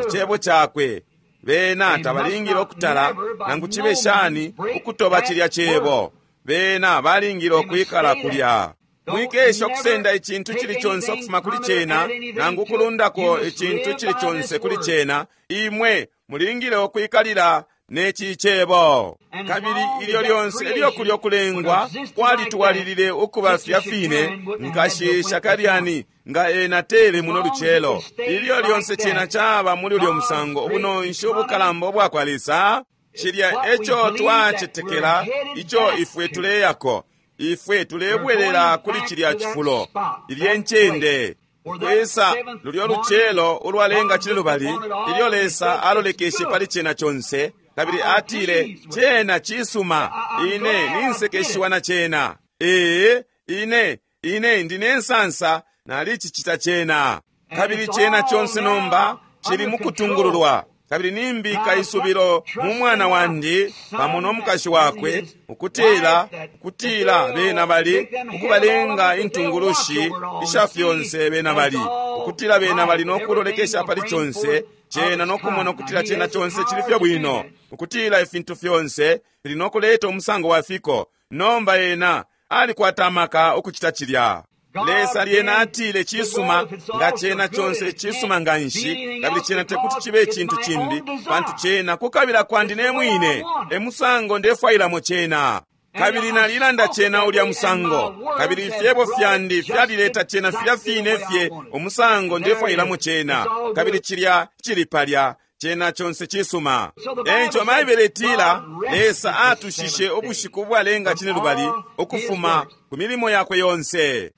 icebo cakwe. Bena tabalingile okutala nangu cibe shani ukutoba cilya cebo. Bena balingile okwikala kulya. Mwikesha okusenda icintu cili conse okufuma kuli cena, nangu kulundako icintu cili conse kuli cena. Imwe mulingile okwikalila neci cebo. Kabili ilyo lyonse ilyo kulyo kulengwa kwalitwalilile ukuba fya fine, nkashi Shakariani nga ena tele muno lucelo. Ilyo lyonse cena caba muli ulyo musango, ubunonshi ubukalamba ubwakwa Lesa, cilya eco twacetekela, ico ifwe tuleyako. Ifwe tulebwelela kuli cilya cifulo, ilye ncende. Kwesa lulyo lucelo ulwalenga cile lubali, ilyo Lesa alolekeshe pali cena conse, kabili atile, cena cisuma, ine ninsekeshiwa na cena. Ee, ine, ine ndine nsansa nalicicita cena. Kabili cena conse nomba cili mukutungululwa. Kabili nimbika isubilo mu mwana wandi pamo no mukashi wakwe, ukutila, ukutila bena bali ukubalenga intungulushi isha fyonse bena bali, ukutila bena bali no kulolekesha pali conse cena no kumona ukutila cena conse cili fye bwino, ukutila ifintu fyonse fili no kuleta umusango wa fiko. Nomba ena alikwata amaka ukucita cilya. Lesa lyena atile cisuma, nga cena conse cisuma nga nshi, kabili cena tekuti cibe icintu cimbi, pantu cena kukabila kwandi ne mwine, e musango ndefwailamo cena. Kabili nalilanda cena ulya musango, kabili ifyebo fyandi fyalileta cena filya fine fye umusango ndefwailamo cena, kabili cilya cili palya. Cena conse cisuma. Eico Baibele itila, Lesa atushishe ubushiku ubwalenga cine lubali ukufuma ku milimo yakwe yonse.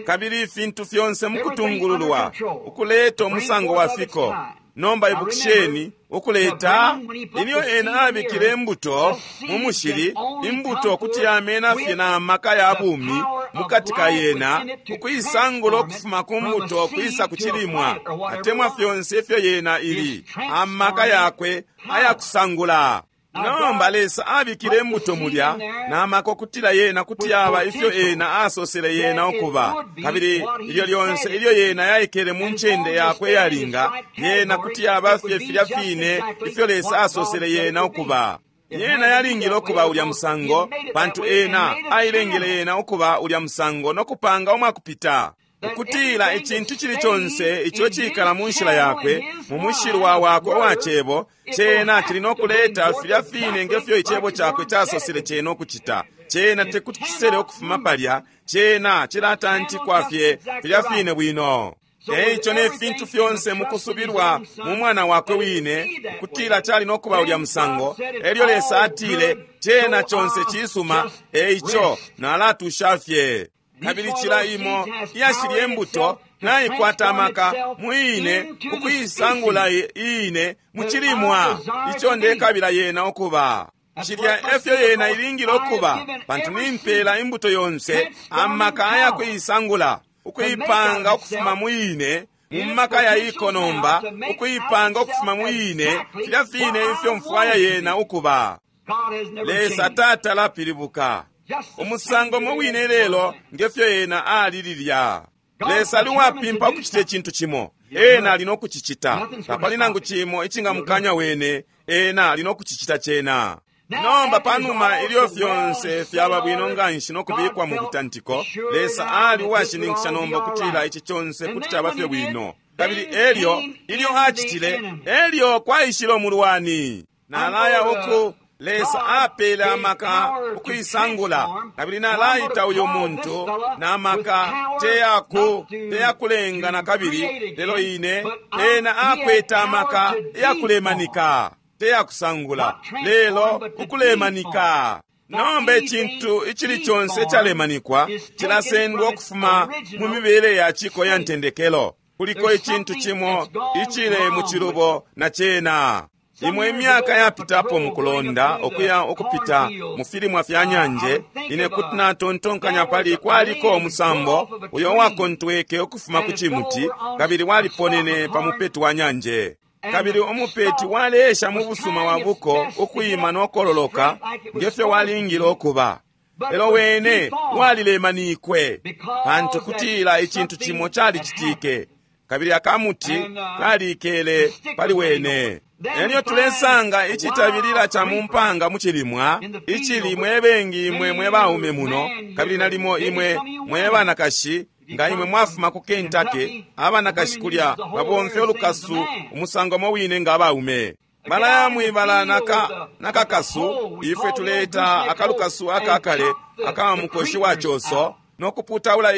Kabili ifintu fyonse mukutungululwa, ukuleta umusango wa fiko. Nomba ibukisheni ukuleta, ilyo ena abikile imbuto mu mushili, imbuto kuti yamena fye na maka ya bumi mukati ka yena, ukuisangula ukufuma ku mbuto ukwisa ku cilimwa, atemwa fyonse ifyo yena ili, amaka yakwe ayakusangula. Nomba Lesa abikile imbuto mulya na maka okutila yena kuti yaba ifyo ena asosele yena ukuba. Kabili ilyo lyonse ilyo yena yaikele mu ncende yakwe yalinga, yena kuti yaba fye filya fine ifyo Lesa asosele yena ukuba. Yena yalingile ukuba ulya musango, pantu ena ailengele yena ukuba ulya musango no kupanga umwakupita. Ukutila icintu cili conse ico cikala mu nshila yakwe, mu mushilwa wakwe uwa cebo, cena cili no kuleta filya fine ngefyo icebo cakwe casosele cena ukucita. Cena tekuti cisele ukufuma palya, cena cilatantikwa fye filya fine bwino. Eico ne fintu fyonse mukusubilwa mu mwana wakwe wine, ukutila cali no kuba ulya musango, elyo Lesa atile, cena conse cisuma, eico nalatusha fye. Kabili cila imo iyashilye imbuto naikwata amaka muine ukuisangula iine mucilimwa ico ndekabila yena ukuba. Cilya efyo yena ilingile ukuba, pantu nimpela imbuto yonse amaka ayakuisangula, ukuipanga ukufuma muine mu maka yaiko nomba, ukuipanga ukufuma muine filya fine ifyo mfwaya yena ukuba. Lesa tatala pilibuka. Umusango mu wine lelo ngefyo ena ali lilya. Lesa ali uwapimpa ukucita icintu cimo, ena ali no kucicita. Tapali nangu cimo icingamukanya wene, ena ali no kucicita cena. Nomba panuma ilyo fyonse fyaba bwino nganshi no kubikwa mu butantiko, Lesa ali uwashininkisha nomba ukutila ici conse kuti caba fye bwino. Kabili elyo ilyo acitile, elyo kwaishile umulwani. Nalaya uku Lesa apele amaka ukuisangula, kabili nalaita uyo muntu na maka teyaku teyakulenga na kabili, lelo ine ena akwete amaka yakulemanika, teyakusangula, lelo ukulemanika. Nomba icintu icili conse icalemanikwa cilasendwa ukufuma mu mibele ya ciko ya ntendekelo. Kuliko icintu cimo icile mu cilubo na cena. Imwe imyaka yapitapo mukulonda ukuya ukupita mu filimwa fya nyanje, ine kuti natontonkanya pali kwaliko umusambo uyo wakontweke ukufuma ku cimuti kabili waliponene pa mupeti wa nyanje. Kabili umupeti waleesha mu busuma wa buko ukwima nokololoka ngefyo walingile okuba, lelo wene walilemanikwe pantu kutila icintu cimo calicitike, kabili akamuti kalikele pali wene. Elyo tulesanga icitabilila ca mumpanga mucilimwa icili mwe bengi imwe mwe baume muno, kabili nalimo imwe mwe banakashi. Nga imwe mwafuma ku Kentucky, abanakashi kulya babomfya ulukasu umusango mo wine nga abaume. Balaya mwibala nakakasu, ifwe tuleta akalukasu akakale aka mukoshi wa choso nokuputaula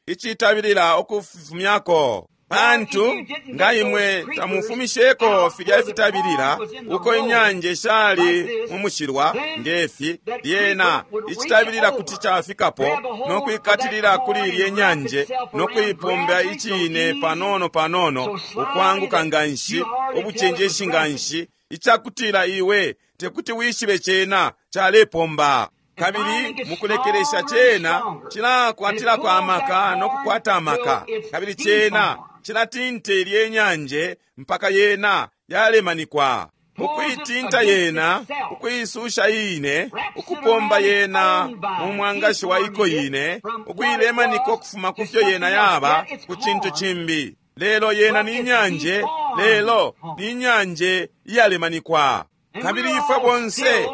icitabilila ukufumyako. Pantu nga imwe tamufumisheko filya ifitabilila uko inyanje shali mu mushilwa ngefi, lyena icitabilila kuti cafikapo nokwikatilila kuli ilye nyanje nokuipombya icine panono panono, ukwanguka nganshi, ubucenjeshi nganshi, icakutila iwe tekuti wishibe cena calepomba. Kabili mukulekelesha cena cilakwatilako amaka nokukwata amaka, kabili cena cilatinta ilye nyanje mpaka yena yalemanikwa. Ukuitinta yena, ukuisusha ine, ukupomba yena mu mwangashi wa iko ine, ukuilemanika ukufuma kufyo yena yaba ku cintu cimbi. Lelo yena ni nyanje, lelo ni nyanje iyalemanikwa. Kabili ifwe bonse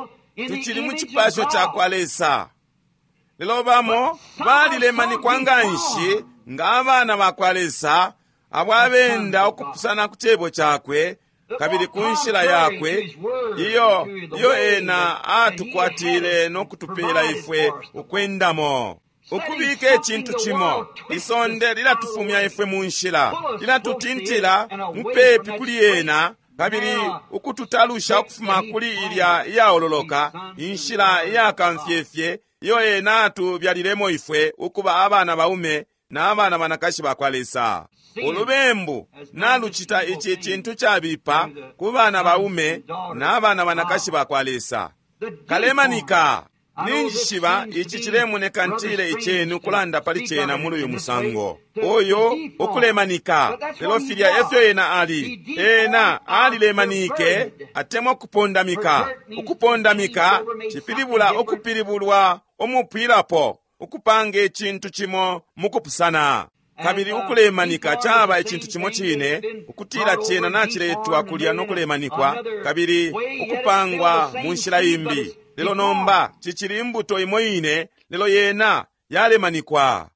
tucili mu cipasho ca kwa Lesa, lelo bamo balilemanikwa nganshi nga abana ba kwa Lesa abo abenda ukupusana ku cebo cakwe kabili ku nshila yakwe iyo iyo ena atukwatile nokutupela ifwe ukwendamo. Ukubika icintu cimo, isonde lilatufumya ifwe mu nshila, lilatutintila mupepi kuli ena, kabili ukututalusha ukufuma kuli ilya iyaololoka inshila iyakamfyefye iyo ena atubyalilemo ifwe ukuba abana baume na abana banakashi ba kwa Lesa. Ulubembu nalucita ici cintu cabipa ku bana baume na abana banakashi ba kwa Lesa. Kalemanika. Ninjishiba ici cilemoneka ntile icenu kulanda pali cena muli uyu musango uyu ukulemanika, lelo filya efyo ena ali. Ena alilemanike atemwa ukupondamika. Ukupondamika cipilibula ukupilibulwa umupwilapo, ukupanga icintu cimo mukupusana. Kabili ukulemanika caba icintu cimo cine, ukutila cena naciletwa kulya nokulemanikwa kabili ukupangwa mu nshila imbi. Lelo nomba cicili imbuto imo ine, lelo yena yalemanikwa.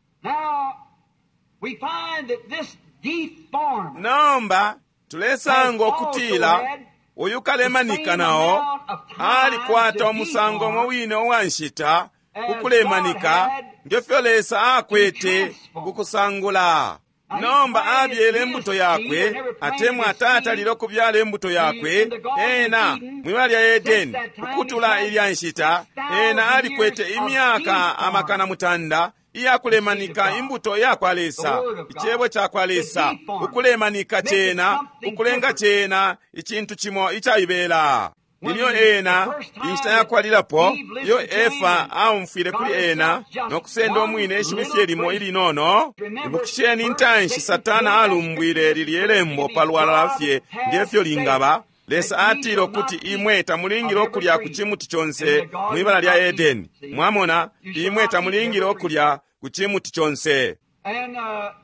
Nomba tulesanga ukutila uyu kalemanika nao alikwata umusango umo wine uwa nshita kukulemanika ngefyo Lesa akwete kukusangula. Nomba abyele imbuto yakwe, atemwa atatalile ukubyala imbuto yakwe ena mwibala lya Edeni. Ukutula ilya nshita ena alikwete imyaka amakana mutanda iyakulemanika imbuto yakwa Lesa, icebo cakwa Lesa, ukulemanika cena, ukulenga cena icintu cimo icaibela. Ilyo ena inshita yakwalilapo iyo Efa aumfwile kuli ena nokusenda umwine ishiwi fye limo ilinono. Ibukisheni intanshi Satana alumbwile lilye lembo palwalala fye ngefyo lingaba. Lesa atile ukuti imwe tamulingile okulya ku cimuti conse mwibala lya Edeni. Mwamona, imwe tamulingile okulya ku cimuti conse.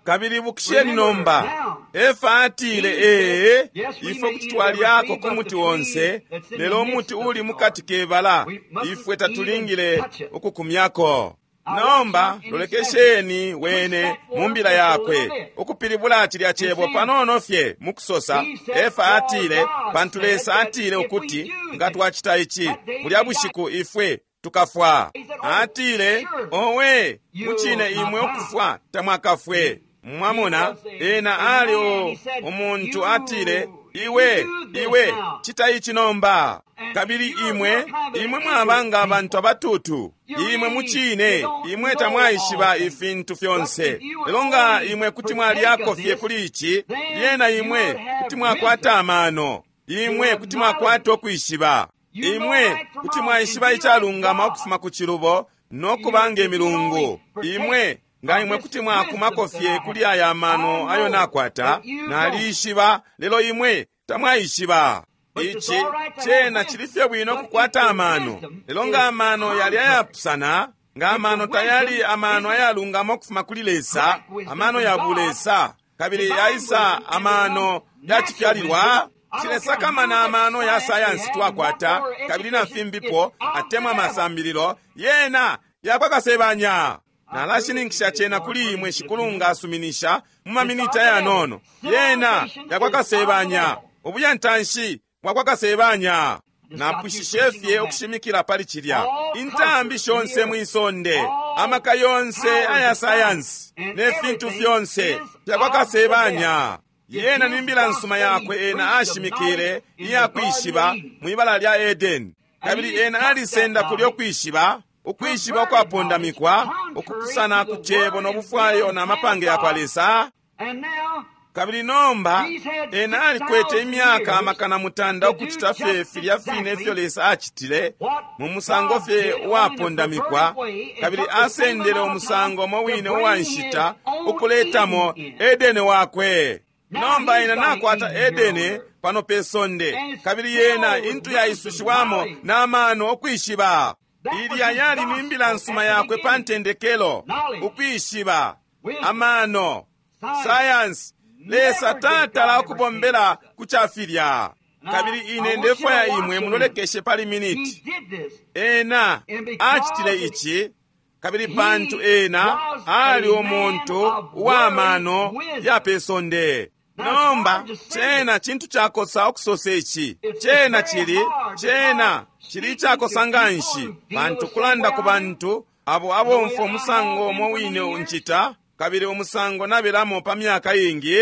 Kabili ibukisheni nomba, Efa atile, ee, ifwe kuti twalyako ku muti wonse, lelo umuti uli mukati kebala ifwe tatulingile ukukumyako. Nomba lolekesheni wene mu mbila yakwe ukupilibula cilya cebo panono fye mukusosa. Efa atile, pantu Lesa atile ukuti nga twacita ici bulya bushiku ifwe tukafwa. Atile, owe, mucine imwe ukufwa tamwakafwe. Mwamona, ena ali o umuntu atile, iwe iwe cita ici nomba. Kabili imwe imwe mwaba nga abantu abatutu, imwe mucine imwe tamwaishiba ifintu fyonse. Lelo nga imwe kuti mwalyako fye kuli ici, lyena imwe kuti mwakwata amano, imwe kuti mwakwata ukwishiba, imwe kuti mwaishiba icalungama ukufuma ku cilubo no kuba nge milungu. Imwe nga imwe kuti mwakumako fye kuli aya mano ayo nakwata, nalishiba, lelo imwe tamwaishiba. Ici cena chili fye bwino kukwata amano, lelo nga amano yali ayapusana, nga amano tayali amano ayalungama ukufuma kuli Lesa, amano ya bulesa, kabili yaisa amano yacifyalilwa. Cilesakamana amano ya sayansi twakwata kabili na fimbipo atemwa masambililo yena yakwakasebanya. Nalashininkisha cena kuli imwe Shikulu nga asuminisha mu maminita yanono. Yena yakwakasebanya, ubuyantanshi bwakwakasebanya. Napwishishe fye ukushimikila pali cilya. Intambi shonse mwisonde, amaka yonse aya sayansi ne fintu fyonse fyakwakasebanya. Yena ni mbila nsuma yakwe ena ashimikile iyakwishiba mwibala lya Edeni, kabili ena alisenda kulyo kwishiba, ukwishiba ukwapondamikwa ukupusana ku cebo no bufwayo na mapange yakwa Lesa. Kabili nomba ena alikwete imyaka amakana mutanda ukucita fye filya fine ifyo Lesa acitile mu musango fye uwapondamikwa, kabili asendele umusango umo wine uwa nshita ukuletamo Edeni wakwe. Nomba ena nakwata Edeni pano pe sonde, kabili yena intu yaisushiwamo na mano okwishiba. Ilya yali ni mbila nsuma yakwe pa ntendekelo, ukwishiba, amano, sayansi. Lesa tatala okubombela ku cafilya. Kabili ine ndefwaya imwe mulolekeshe pali miniti. Ena acitile ici, kabili pantu ena ali umuntu uwa mano ya pe sonde. Nomba cena cintu cakosa okusosa ici, cena cili cena cili icakosa nganshi, pantu kulanda ku bantu abo abomfwa umusango umo wine uncita kabili umusango nabelamo pa myaka ingi.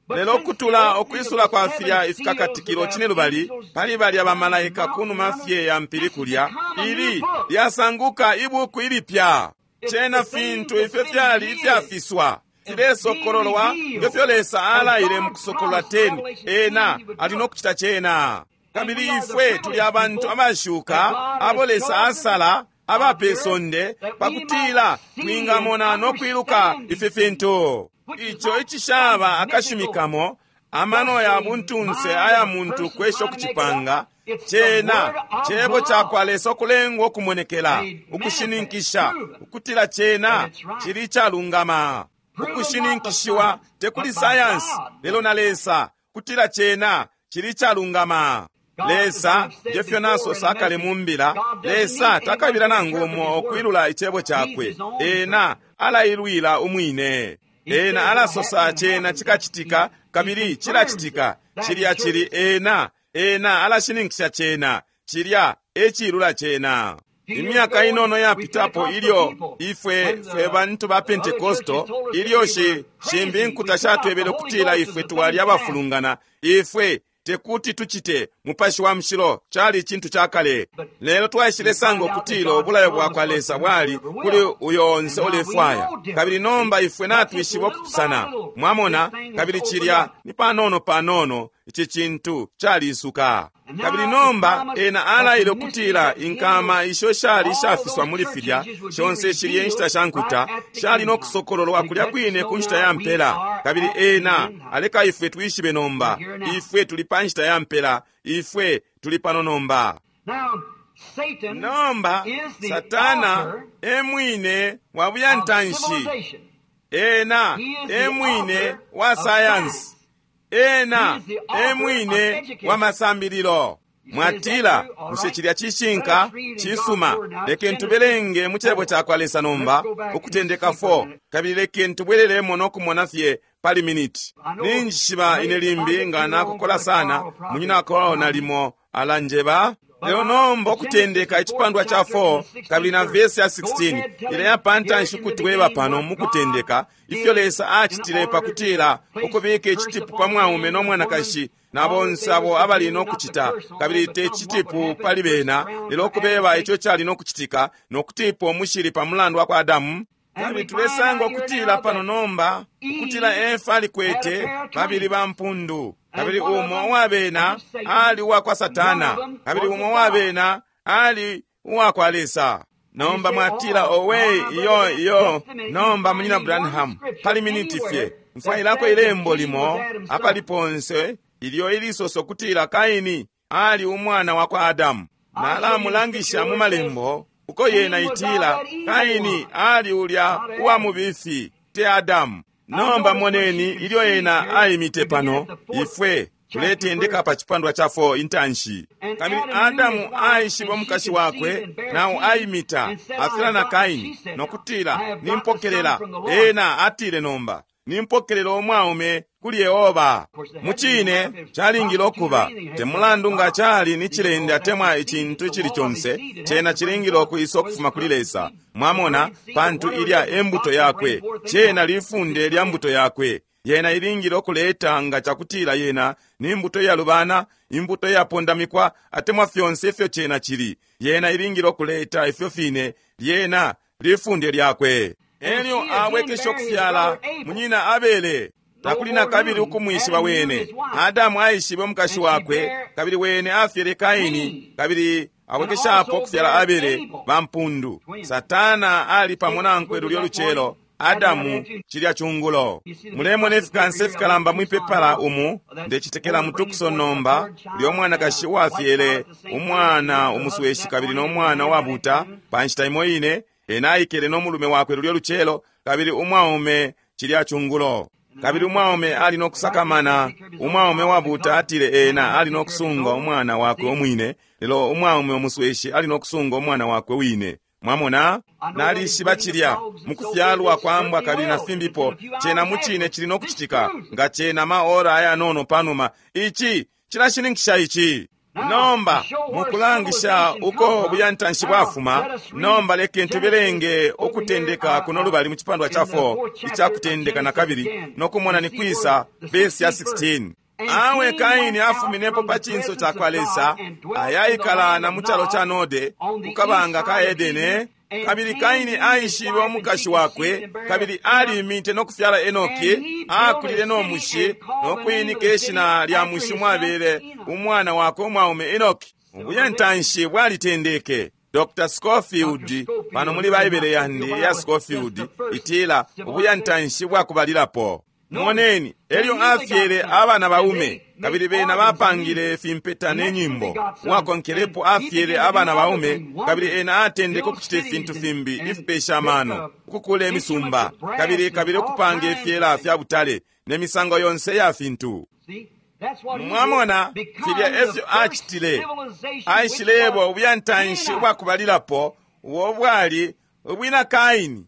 Lelo kutula okwisula kwa filya ifikakatikilo cine lubali pali balya bamalaika kunuma fye ya mpili kulya, ili lyasanguka ibuku ilipya. Cena fintu ifyo fyali ifyafiswa filesokololwa ngefyo Lesa alaile mu kusokolola teni. Ena ali no kucita cena. Kabili ifwe tuli abantu abashuka abo Lesa asala abape sonde pakutila twingamona no kwiluka ifi fintu. Ico icishaba akashimikamo amano ya buntunse aya muntu kwesha okucipanga, cena cebo cakwa Lesa okulengwa okumonekela, ukushininkisha ukutila cena cili icalungama. Ukushininkishiwa tekuli sayansi lelo na Lesa kutila cena cili icalungama. Lesa ngefyo nasosa akale mu mbila, Lesa takabila nangu umo okwilula icebo cakwe. Ena alailwila umwine. Ena alasosa cena cikacitika kabili cilacitika. Cilya cili ena, ena alashininkisha cena, cilya ecilula cena. Imyaka inono yapitapo ilyo ifwe fwe bantu ba Pentekosto, ilyo shi shimbi nkuta shatwebele kutila ifwe twali abafulungana, ifwe tekuti tucite mupashi wa mushilo cali icintu cakale. Lelo twaishile sanga ukutila ubulayo bwakwa Lesa bwali kuli uyo onse ulefwaya, kabili nomba ifwe natwishiba okupusana. Mwamona, kabili cilya ni panono panono ici cintu calisuka. Kabili nomba ena alaile ukutila inkama isho shali ishafiswa muli filya shonse shilye inshita sha nkuta shali no kusokololwa kulya kwine ku nshita ya mpela. Kabili ena aleka ifwe twishibe nomba, ifwe tuli pa nshita ya mpela, ifwe tuli pano nomba. Nomba Satana emwine wa buyantanshi, ena emwine wa sayansi, ena emwine wa masambililo. Mwatila, bushe cilya cishinka? Cisuma, lekeni tubelenge mu cebo cakwa Lesa nomba, Ukutendeka four, kabili lekeni tubwelelemo no kumona fye pali miniti. Ninjishiba ine limbi nga nakukola sana, munyina Carl nalimo alanjeba. Lelo nomba Ukutendeka icipandwa cha four kabili na vesi ya sixteen ileya pantanshi kutweba pano mu Kutendeka ifyo Lesa acitile pakutila ukubika icitipu pa mwaume no mwanakashi na bonse abo abali no kucita, kabili te citipu pali bena, lelo kubeba ico cali no kucitika no kutipa umushili pa mulandu wa kwa Adamu. Kabili tulesanga ukutila pano nomba ukutila Efa alikwete babili ba mpundu, kabili umo uwabena ali uwa kwa Satana, kabili umo uwabena ali uwa kwa Lesa. Nomba mwatila, owe, iyo iyo, nomba munyina Branham, pali miniti fye mfwailako ilembo limo apali ponse ilyo ilisoso kutila Kaini ali umwana wa kwa Adamu. Nalamulangisha mu malembo uko yena itila Kaini ali ulya uwa mubifi, te Adamu. Nomba moneni ilyo yena aimite pano, ifwe tuletendeka pa chipandwa cha four intanshi. Kabili Adamu aishiba umukashi wakwe, nawo aimita afila na Kaini nokutila, nimpokelela. Ena atile nomba, nimpokelela umwaume kuli Yehova. Mucine calingile okuba temulandu nga cali ni cilende atemwa icintu icili conse, cena cilingile okwisa okufuma kuli Lesa. Mwamona, pantu ilya embuto yakwe, cena lifunde lya mbuto yakwe. Yena ilingile okuleta nga cakutila yena ni mbuto iyalubana, imbuto iyapondamikwa, atemwa fyonse ifyo cena cili. Yena ilingile okuleta ifyo fine, lyena lifunde lyakwe. Elyo awekesha okufyala munyina Abele. Takuli na kabili ukumwishiba wene. Adamu aishibe umukashi wakwe, kabili wene afyele Kaini, kabili awekeshapo okufyala Abele bampundu. Satana ali pamo nankwe lulyo lucelo, Adamu cilya chungulo. Mulemona ifikansa ifikalamba mwipepala umu, ndecitekela mutukuso nomba, ulyo mwanakashi uwafyele umwana umusweshi kabili no mwana uwabuta pa nshita imo ine, ena aikele no mulume wakwe lulyo lucelo, kabili umwaume cilya chungulo. Kabili umwaume ali no kusakamana, umwaume wabuta atile ena ali no kusunga umwana wakwe umwine, lelo umwaume umusweshi ali no kusunga umwana wakwe wine. Mwamona, nalishiba cilya mukufyalwa kwa mbwa kabili na fimbipo, cena mucine cili no kucitika nga cena maora ayanono panuma. Ici cilashininkisha ici. Nomba mukulangisha uko buyantanshi bwafuma, nomba lekeni tubelenge Ukutendeka kuno lubali mu chipandwa cha four ichakutendeka na kabili nokumona ni kwisa vesi ya sixteen. Awe Kaini afuminepo pa chinso cha kwa Lesa, ayaikala na muchalo cha Node kukabanga ka Edene. Kabili Kaini aishibe umukashi wakwe, kabili alimite nokufyala Enoki, akulile no mushi nokwinika ishina lya mushi mwabele umwana wakwe umwaume Enoki. Ubuyantanshi bwalitendeke. Doctor Scofield pano muli Baibele yandi ya Scofield itila ubuyantanshi bwakubalilapo. Moneni, elyo afyele abana baume, kabili bena bapangile fimpeta ne nyimbo. Uwakonkelepo afyele abana baume, kabili ena atendeke okucita ifintu fimbi ifipesha amano, ukukula imisumba, kabili kabili okupanga ifyela fya butale ne misango yonse ya fintu. Mwamona, filya efyo acitile. Aishilebo ubuyantanshi ubwakubalilapo, ubo bwali ubwina Kaini.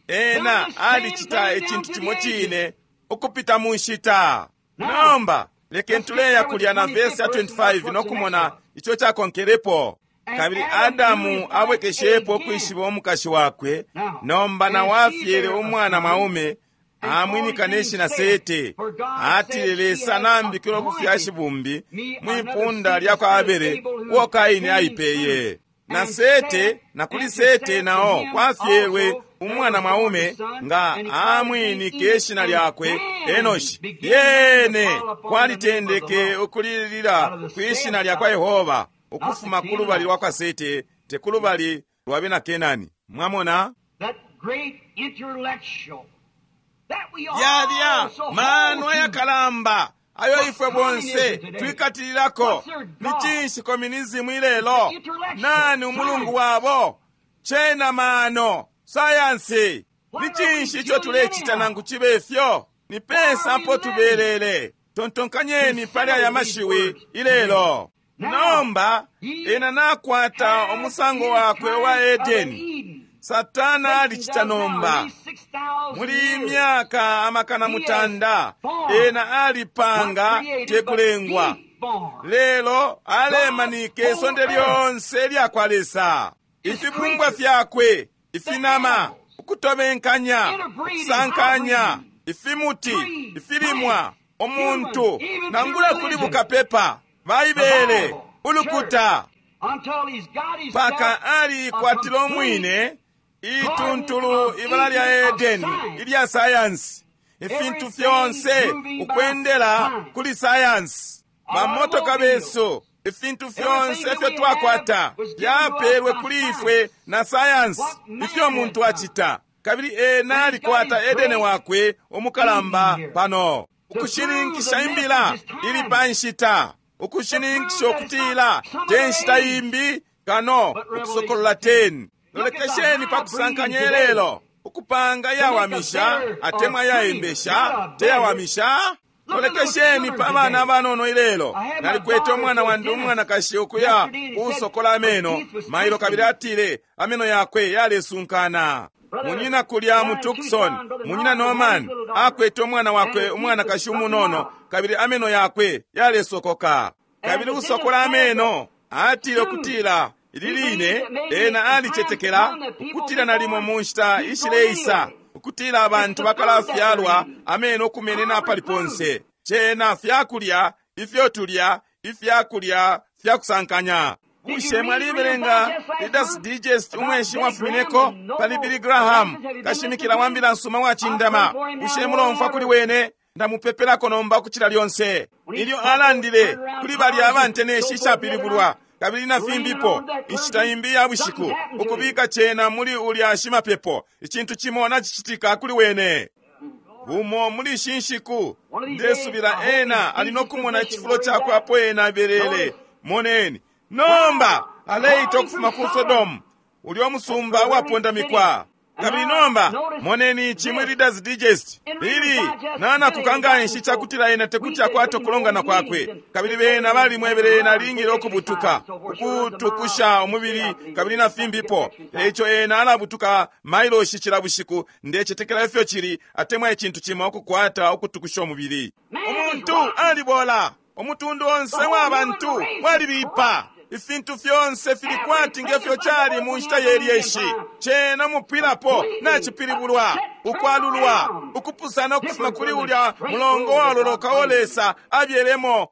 Ena alicita icintu cimo cine ukupita mu nshita. Nomba lekeni tuleya kulya na vesi ya twenty-five nokumona ico cakonkelepo. Kabili Adamu abwekeshepo ukwishiba umukashi wakwe, nomba nawo afyele umwana mwaume, amwinika ne shina Sete. Atile Lesa nambikile ubufyashi bumbi mwipunda lya kwa Abele uo Kaini aipeye. Na Sete, na kuli Sete nao kwafyelwe umwana mwaume nga amwinike ishina lyakwe Enoshi. Yene kwalitendeke ukulilira kwishina lya kwa Yehova ukufuma ku lubali lwa kwa Sete, te ku lubali lwa bena Kenani. Mwamona, yalya mano ayakalamba ayo ifwe bonse twikatililako. Ni cinshi kominizimu ilelo? Nani umulungu wabo? Cena mano, sayansi. Ni cinshi ico tulecita nangu cibe ifyo? Ni pesa apo tubelele. Tontonkanyeni pali aya mashiwi ilelo. Nomba ena nakwata umusango wakwe wa Edeni. Satana alicita nomba muli myaka amakana mutanda ena alipanga tekulengwa, lelo alemanike isonde lyonse lyakwa Lesa, ifibumbwa fyakwe, ifinama, ukutobenkanya, ukusankanya, ifimuti, ifilimwa, umuntu, nangula kuli bukapepa, Baibele, ulukuta, paka alikwatila umwine ituntulu ibala lya Edeni ilya sayansi, ifintu fyonse ukwendela kuli sayansi, bamotoka besu, ifintu fyonse ifyo twakwata byapelwe kuli ifwe na sayansi, ifyo muntu acita. Kabili ena alikwata Edeni wakwe umukalamba pano, ukushininkisha imbila ili pa nshita, ukushininkisha ukutila te nshita imbi kano ukusokolola ten. Lolekesheni pa kusankanya lelo, ukupanga yawamisha atemwa yaembesha teyawamisha. Lolekesheni pa bana abanono ilelo. Nalikwete umwana wandi umwanakashi ukuya kusokola ameno mailo, kabili atile ameno yakwe yalesunkana. Munyina kulya mu Tucson, munyina Norman akwete umwana wakwe umwanakashi umunono, kabili ameno yakwe yalesokoka. Kabili usokola ameno atile ukutila ili line ena alicetekela ukutila nalimo mu nshita ishileisa ukutila abantu bakalafyalwa ameno kumenena pali ponse. Cena fyakulya ifyo tulya, ifyakulya fyakusankanya. Bushe mwalibelenga Reader's Digest umweshi mwafumineko pali Billy Graham, kashimikila wa mbila nsuma wacindama? Bushe mulomfwa kuli wene? Ndamupepelako nomba ukucila lyonse. Ilyo alandile kuli balya abanteneshi ishapilibulwa kabili na fimbipo, inshita imbi ya bushiku, ukubika cena muli ulya shimapepo, icintu cimo nacicitika kuli wene. Bumo muli ishi nshiku ndesubila ena ali nokumona icifulo cakwe apo ena abelele. Moneni nomba aleita ukufuma ku Sodomu, ulyo musumba wapondamikwa. Kabili nomba moneni ici muli Reader's Digest ili nanakuka nganshi cakutila ena tekuti akwate ukulongana kwakwe. Kabili bena balimwebele ena alingile ukubutuka ukutukusha umubili kabili na fimbipo. Eico ena alabutuka mailoshi cila bushiku, ndecetekela ifyo cili, atemwa icintu cimo ukukwata ukutukusha umubili. Umuntu alibola, umutundu onse wa bantu walibipa. Ifintu fyonse fili kwati ngefyo cali mu nshita yelyeshi. Cena mupwilapo nacipilibulwa, ukwalulwa, ukupusana ukufuma kuli ulya mulongo waloloka o Lesa abyelemo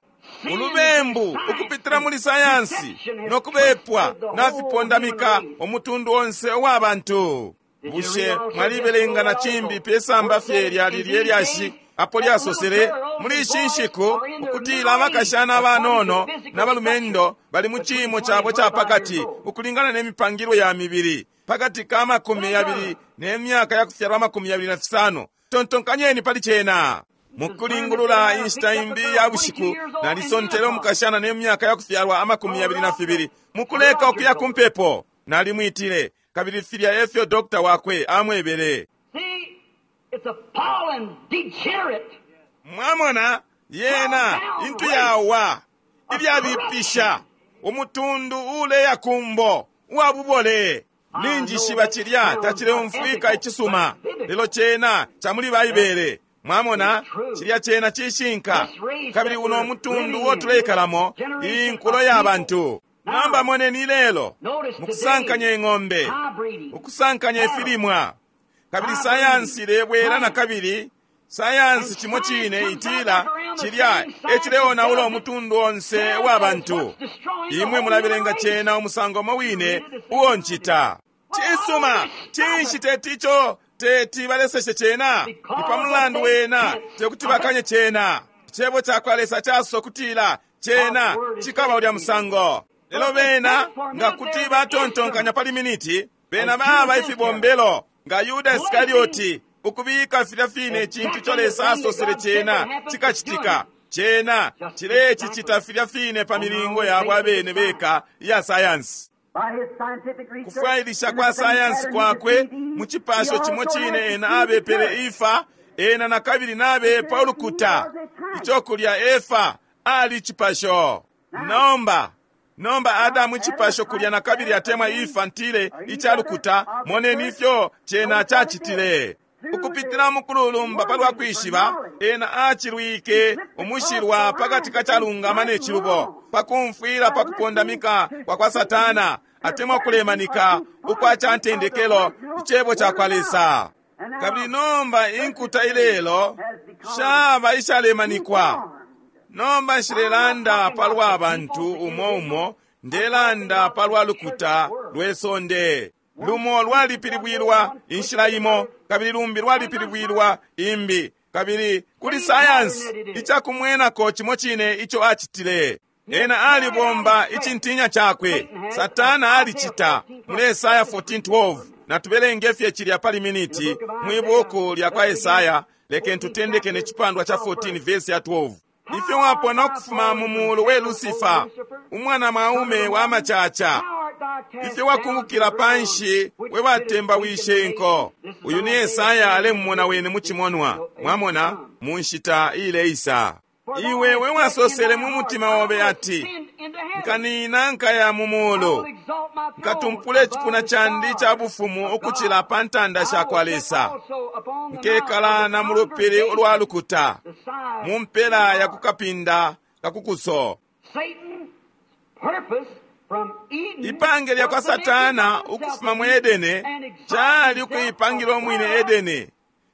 ulubembu ukupitila muli sayansi nokubepwa nafipondamika umutundu onse uwa bantu. Bushe mwalibelenga na cimbi pe samba fye lyali lyelyashi apo lyasosele muli ishi nshiku ukutila abakashana abanono n'abalumendo bali mu ciimo cabo ca pakati ukulingana n'emipangilwe ya mibili pakati ka makumi yabili n'emyaka ya kufyalwa amakumi yabili na fisano. Tontonkanyeni pali cena. Mukulingulula inshita imbi ya bushiku nalisontele umukashana n'emyaka ya kufyalwa amakumi yabili na fibili mukuleka ukuya ku mpepo. Nalimwitile, kabili filya efyo dokta wakwe amwebele. It's appalling, degenerate. Mwamona yena intu yawa ilyabipisha, umutundu uleya kumbo uwabubole. Ninjishiba cilya tacileumfwika icisuma, lelo cena ca muli Baibele. Mwamona cilya cena cishinka. Kabili uno umutundu uo tuleikalamo, iyi nkulo ya bantu. Namba moneni lelo mukusankanya ing'ombe, ukusankanya ifilimwa. Kabili sayansi ilebwela na kabili sayansi cimo cine itila cilya ecileonaula umutundu onse wa bantu. Imwe mulabelenga cena umusango umo wine uo ncita. Cisuma, cinshi teti ico teti baleseshe cena? Ni pa mulandu wena tekuti bakanye cena. Icebo cakwa Lesa casosa ukutila cena cikaba ulya musango. Lelo bena nga kuti batontonkanya pali miniti, bena baba ifibombelo nga Yuda Iskarioti, ukubika filya fine icintu ico Lesa asosele cena cikacitika. Cena cilecicita filya fine pa milingo yabo abene beka iya sayansi. Kufwailisha kwa sayansi kwakwe mu cipasho cimo cine ena abepele Efa, ena na kabili nabepa ulukuta. Ico kulya Efa ali cipasho. Nomba nomba Adamu icipasho kulya nakabili atemwa Efa ntile icalukuta, moneni ifyo cena cacitile. Ukupitila mukululumba palwa kwishiba, ena acilwike umushilwa pakati kacalungama ne cilubo, pakumfwila pakupondamika kwa kwa Satana, atemwa kulemanika ukwa cantendekelo icebo ca kwa Lesa. Kabili nomba inkuta ilelo shaba ishalemanikwa. Nomba nshilelanda palwa bantu umo umo, ndelanda palwa lukuta lwe sonde. Lumo lwalipilibwilwa inshila imo, kabili lumbi lwalipilibwilwa imbi, kabili kuli sayansi icakumwenako cimo cine ico acitile. Ena alibomba icintinya cakwe. Satana alicita. Muli Esaya fourteen twelve, natubelenge fye cilya pali miniti mwi buku lya kwa Esaya, lekeni tutendeke ne cipandwa cha fourteen verse ya twelve. Ifyo wapona ukufuma mu mulu we Lucifer, umwana mwaume wa macaca, ifyo wakungukila panshi we watemba wishe inko. Uyu ni Esaya alemumona wene mu cimonwa, mwamona, mu nshita ileisa. Iwe we wasosele mu mutima obe ati, nkanina nkaya mu mulu, nkatumpule icipuna candi ca bufumu ukucila pa ntanda sha kwa Lesa, nkekala na mu lupili ulwa lukuta, mu mpela ya kukapinda kakukuso. Ipange lya kwa Satana ukufuma mu Edene cali ukuipangila umwine Edene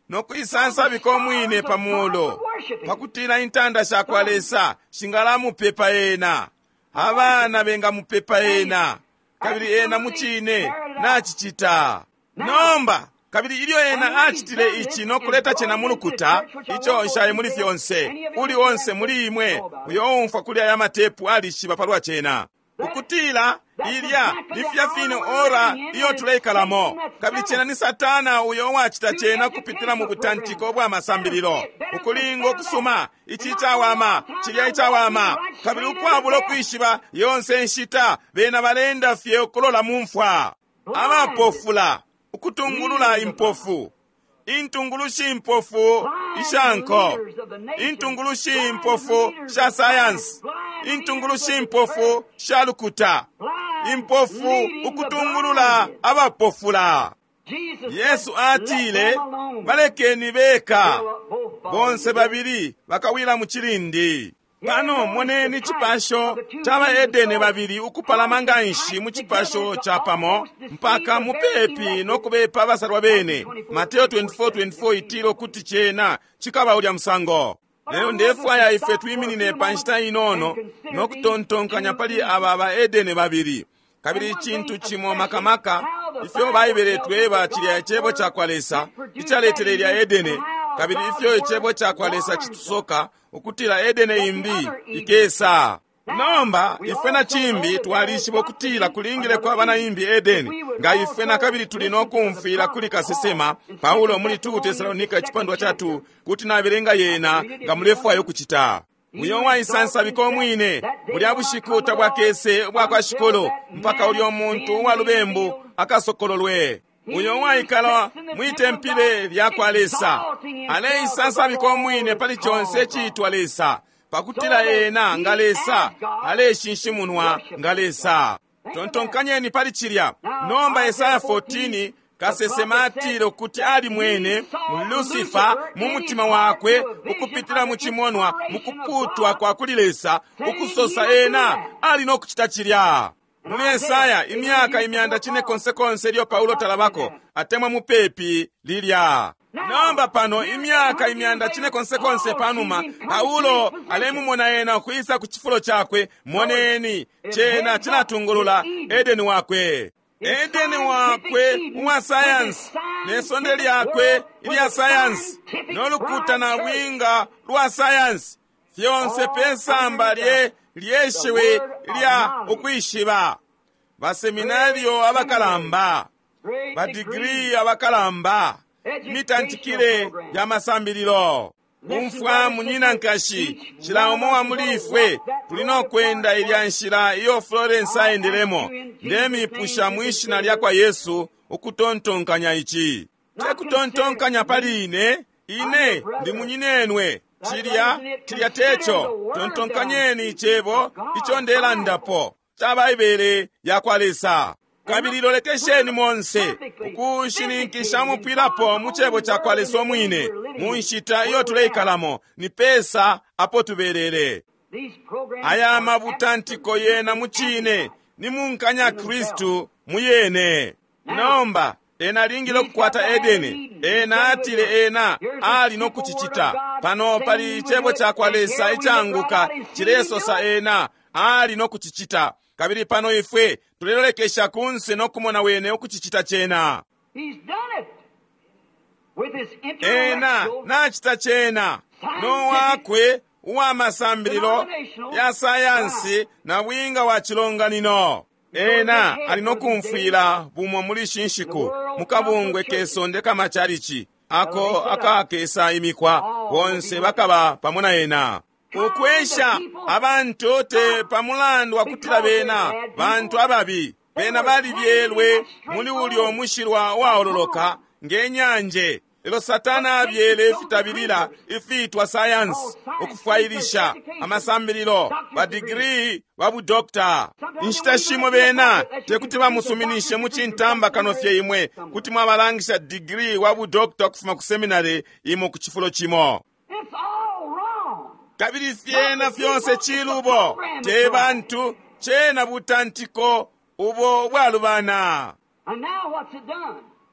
no kuisansabika umwine pa mulo, pakutila intanda sha kwa Lesa shingalamupepa ena, abana bengamupepa ena, kabili ena mucine nacicita. Nomba kabili ilyo ena acitile ici no kuleta cena mu lukuta, ico nshaye muli fyonse, uli onse muli imwe uyo umfwa kuli aya matepu alishiba palwa cena, ukutila ilya lifya fine ora iyo tuleikalamo. Kabili cena ni Satana uyo wacita cena kupitila mu butantiko bwa masambililo, ukulinga ukusuma ici icawama cilya icawama, kabili ukwabula ukwishiba yonse nshita bena balenda fye ukulola mu mfwa. Abapofula ukutungulula impofu, intungulushi impofu ishanko, intungulushi impofu sha sayansi, intungulushi impofu sha lukuta, impofu ukutungulula abapofula. Yesu atile, balekeni beka, bonse babili bakawila mu cilindi. Pano moneni cipasho ca baedene babili ukupalama nga nshi mu cipasho ca pamo mpaka mupepi no kubepa abasalwa bene. Mateo twenty-four twenty-four itila ukuti cena cikaba ulya musango. Lelo ndefwaya ife twiminine pa nshita inono no kutontonkanya pali aba baedene babili. Kabili icintu cimo makamaka ifyo Baibele tweba cilya icebo ca kwa Lesa icaletele ilya Edene, kabili ifyo icebo ca kwa Lesa citusoka ukutila Edene imbi ikesa. Nomba ifwe na cimbi twalishiba ukutila kulingile kwaba na imbi Edeni, nga ifwe na kabili tuli no kumfwila kuli kasesema Paulo muli two Tesalonika icipandwa cha two, kuti nabelenga yena nga mulefwaya ukucita. Uyo waisansabika omwine bulya bushiku tabwakese ubwa kwa Shikulu mpaka ulyo muntu uwa lubembu akasokololwe. Uyo waikala mwitempile lya kwa Lesa aleisansabika omwine pali conse iciitwa Lesa, pakutila ena nga Lesa aleshinshimunwa nga Lesa. Tontonkanyeni pali cilya. Nomba Esaya fourteen kasesema atile ukuti ali mwene Lucifer mu mutima wakwe ukupitila mu cimonwa mu kuputwa kwa kuli Lesa, ukusosa ena ali no kucita cilya. Muli Esaya imyaka imyanda cine konse konse ilyo Paulo talabako atemwa mupepi lilya. Nomba pano imyaka imyanda cine konse konse panuma Paulo alemumona ena ukuisa ku cifulo cakwe. Moneni cena cilatungulula Edeni wakwe, Edeni wakwe uwa sayansi ne sonde lyakwe ilya sayansi no lukuta na bwinga lwa sayansi, fyonse pesamba lye lyeshiwi lya ukwishiba. Baseminario abakalamba, badigiri abakalamba, imitantikile ya masambililo. Umfwa munyina nkashi, cila umo wa muli ifwe tuli no kwenda ilya nshila iyo Florence aendelemo. Ndemipusha mwishina lya kwa Yesu ukutontonkanya ici. Tekutontonkanya pali ine, ine ndi munyinenwe, Cilya cilya teco. Tontonkanyeni icebo ico ndelandapo ca Baibele yakwa Lesa. Kabili lolekesheni monse ukushininkisha umupwilapo mu cebo cakwa Lesa umwine mu nshita iyo tuleikalamo, ni pesa apo tubelele. Aya mabutantiko yena mu cine ni munkanya Kristu muyene. Nomba ena alingile ukukwata Edeni. Ena atile ena ali no kucicita. Pano pali icebo cakwa Lesa icanguka cilesosa ena ali no kucicita. Kabili pano ifwe tulelolekesha kunse no kumona wene ukucicita cena. Ena nacita cena no wakwe uwa masambililo ya sayansi na bwinga wa chilonganino. Ena ali no kumfwila bumo muli shinshiku mukabungwe kesonde kamachalichi ako akakesa imikwa bonse bakaba pamo na ena. Ukwesha abantu te pamulandu wa kutila bena bantu ababi, bena balibyelwe muli ulyo mushilwa waololoka ngenyanje. Lelo Satana abyele ifitabilila ifitwa sayansi, ukufwailisha amasambililo ba digiri ba budokta. Inshita shimo bena tekuti bamusuminishe mu cintamba kano fye imwe kuti mwabalangisha digiri wa budokta ukufuma ku seminary imo ku chifulo chimo. Kabili fyena fyonse chilubo te bantu chena butantiko ubo bwalubana.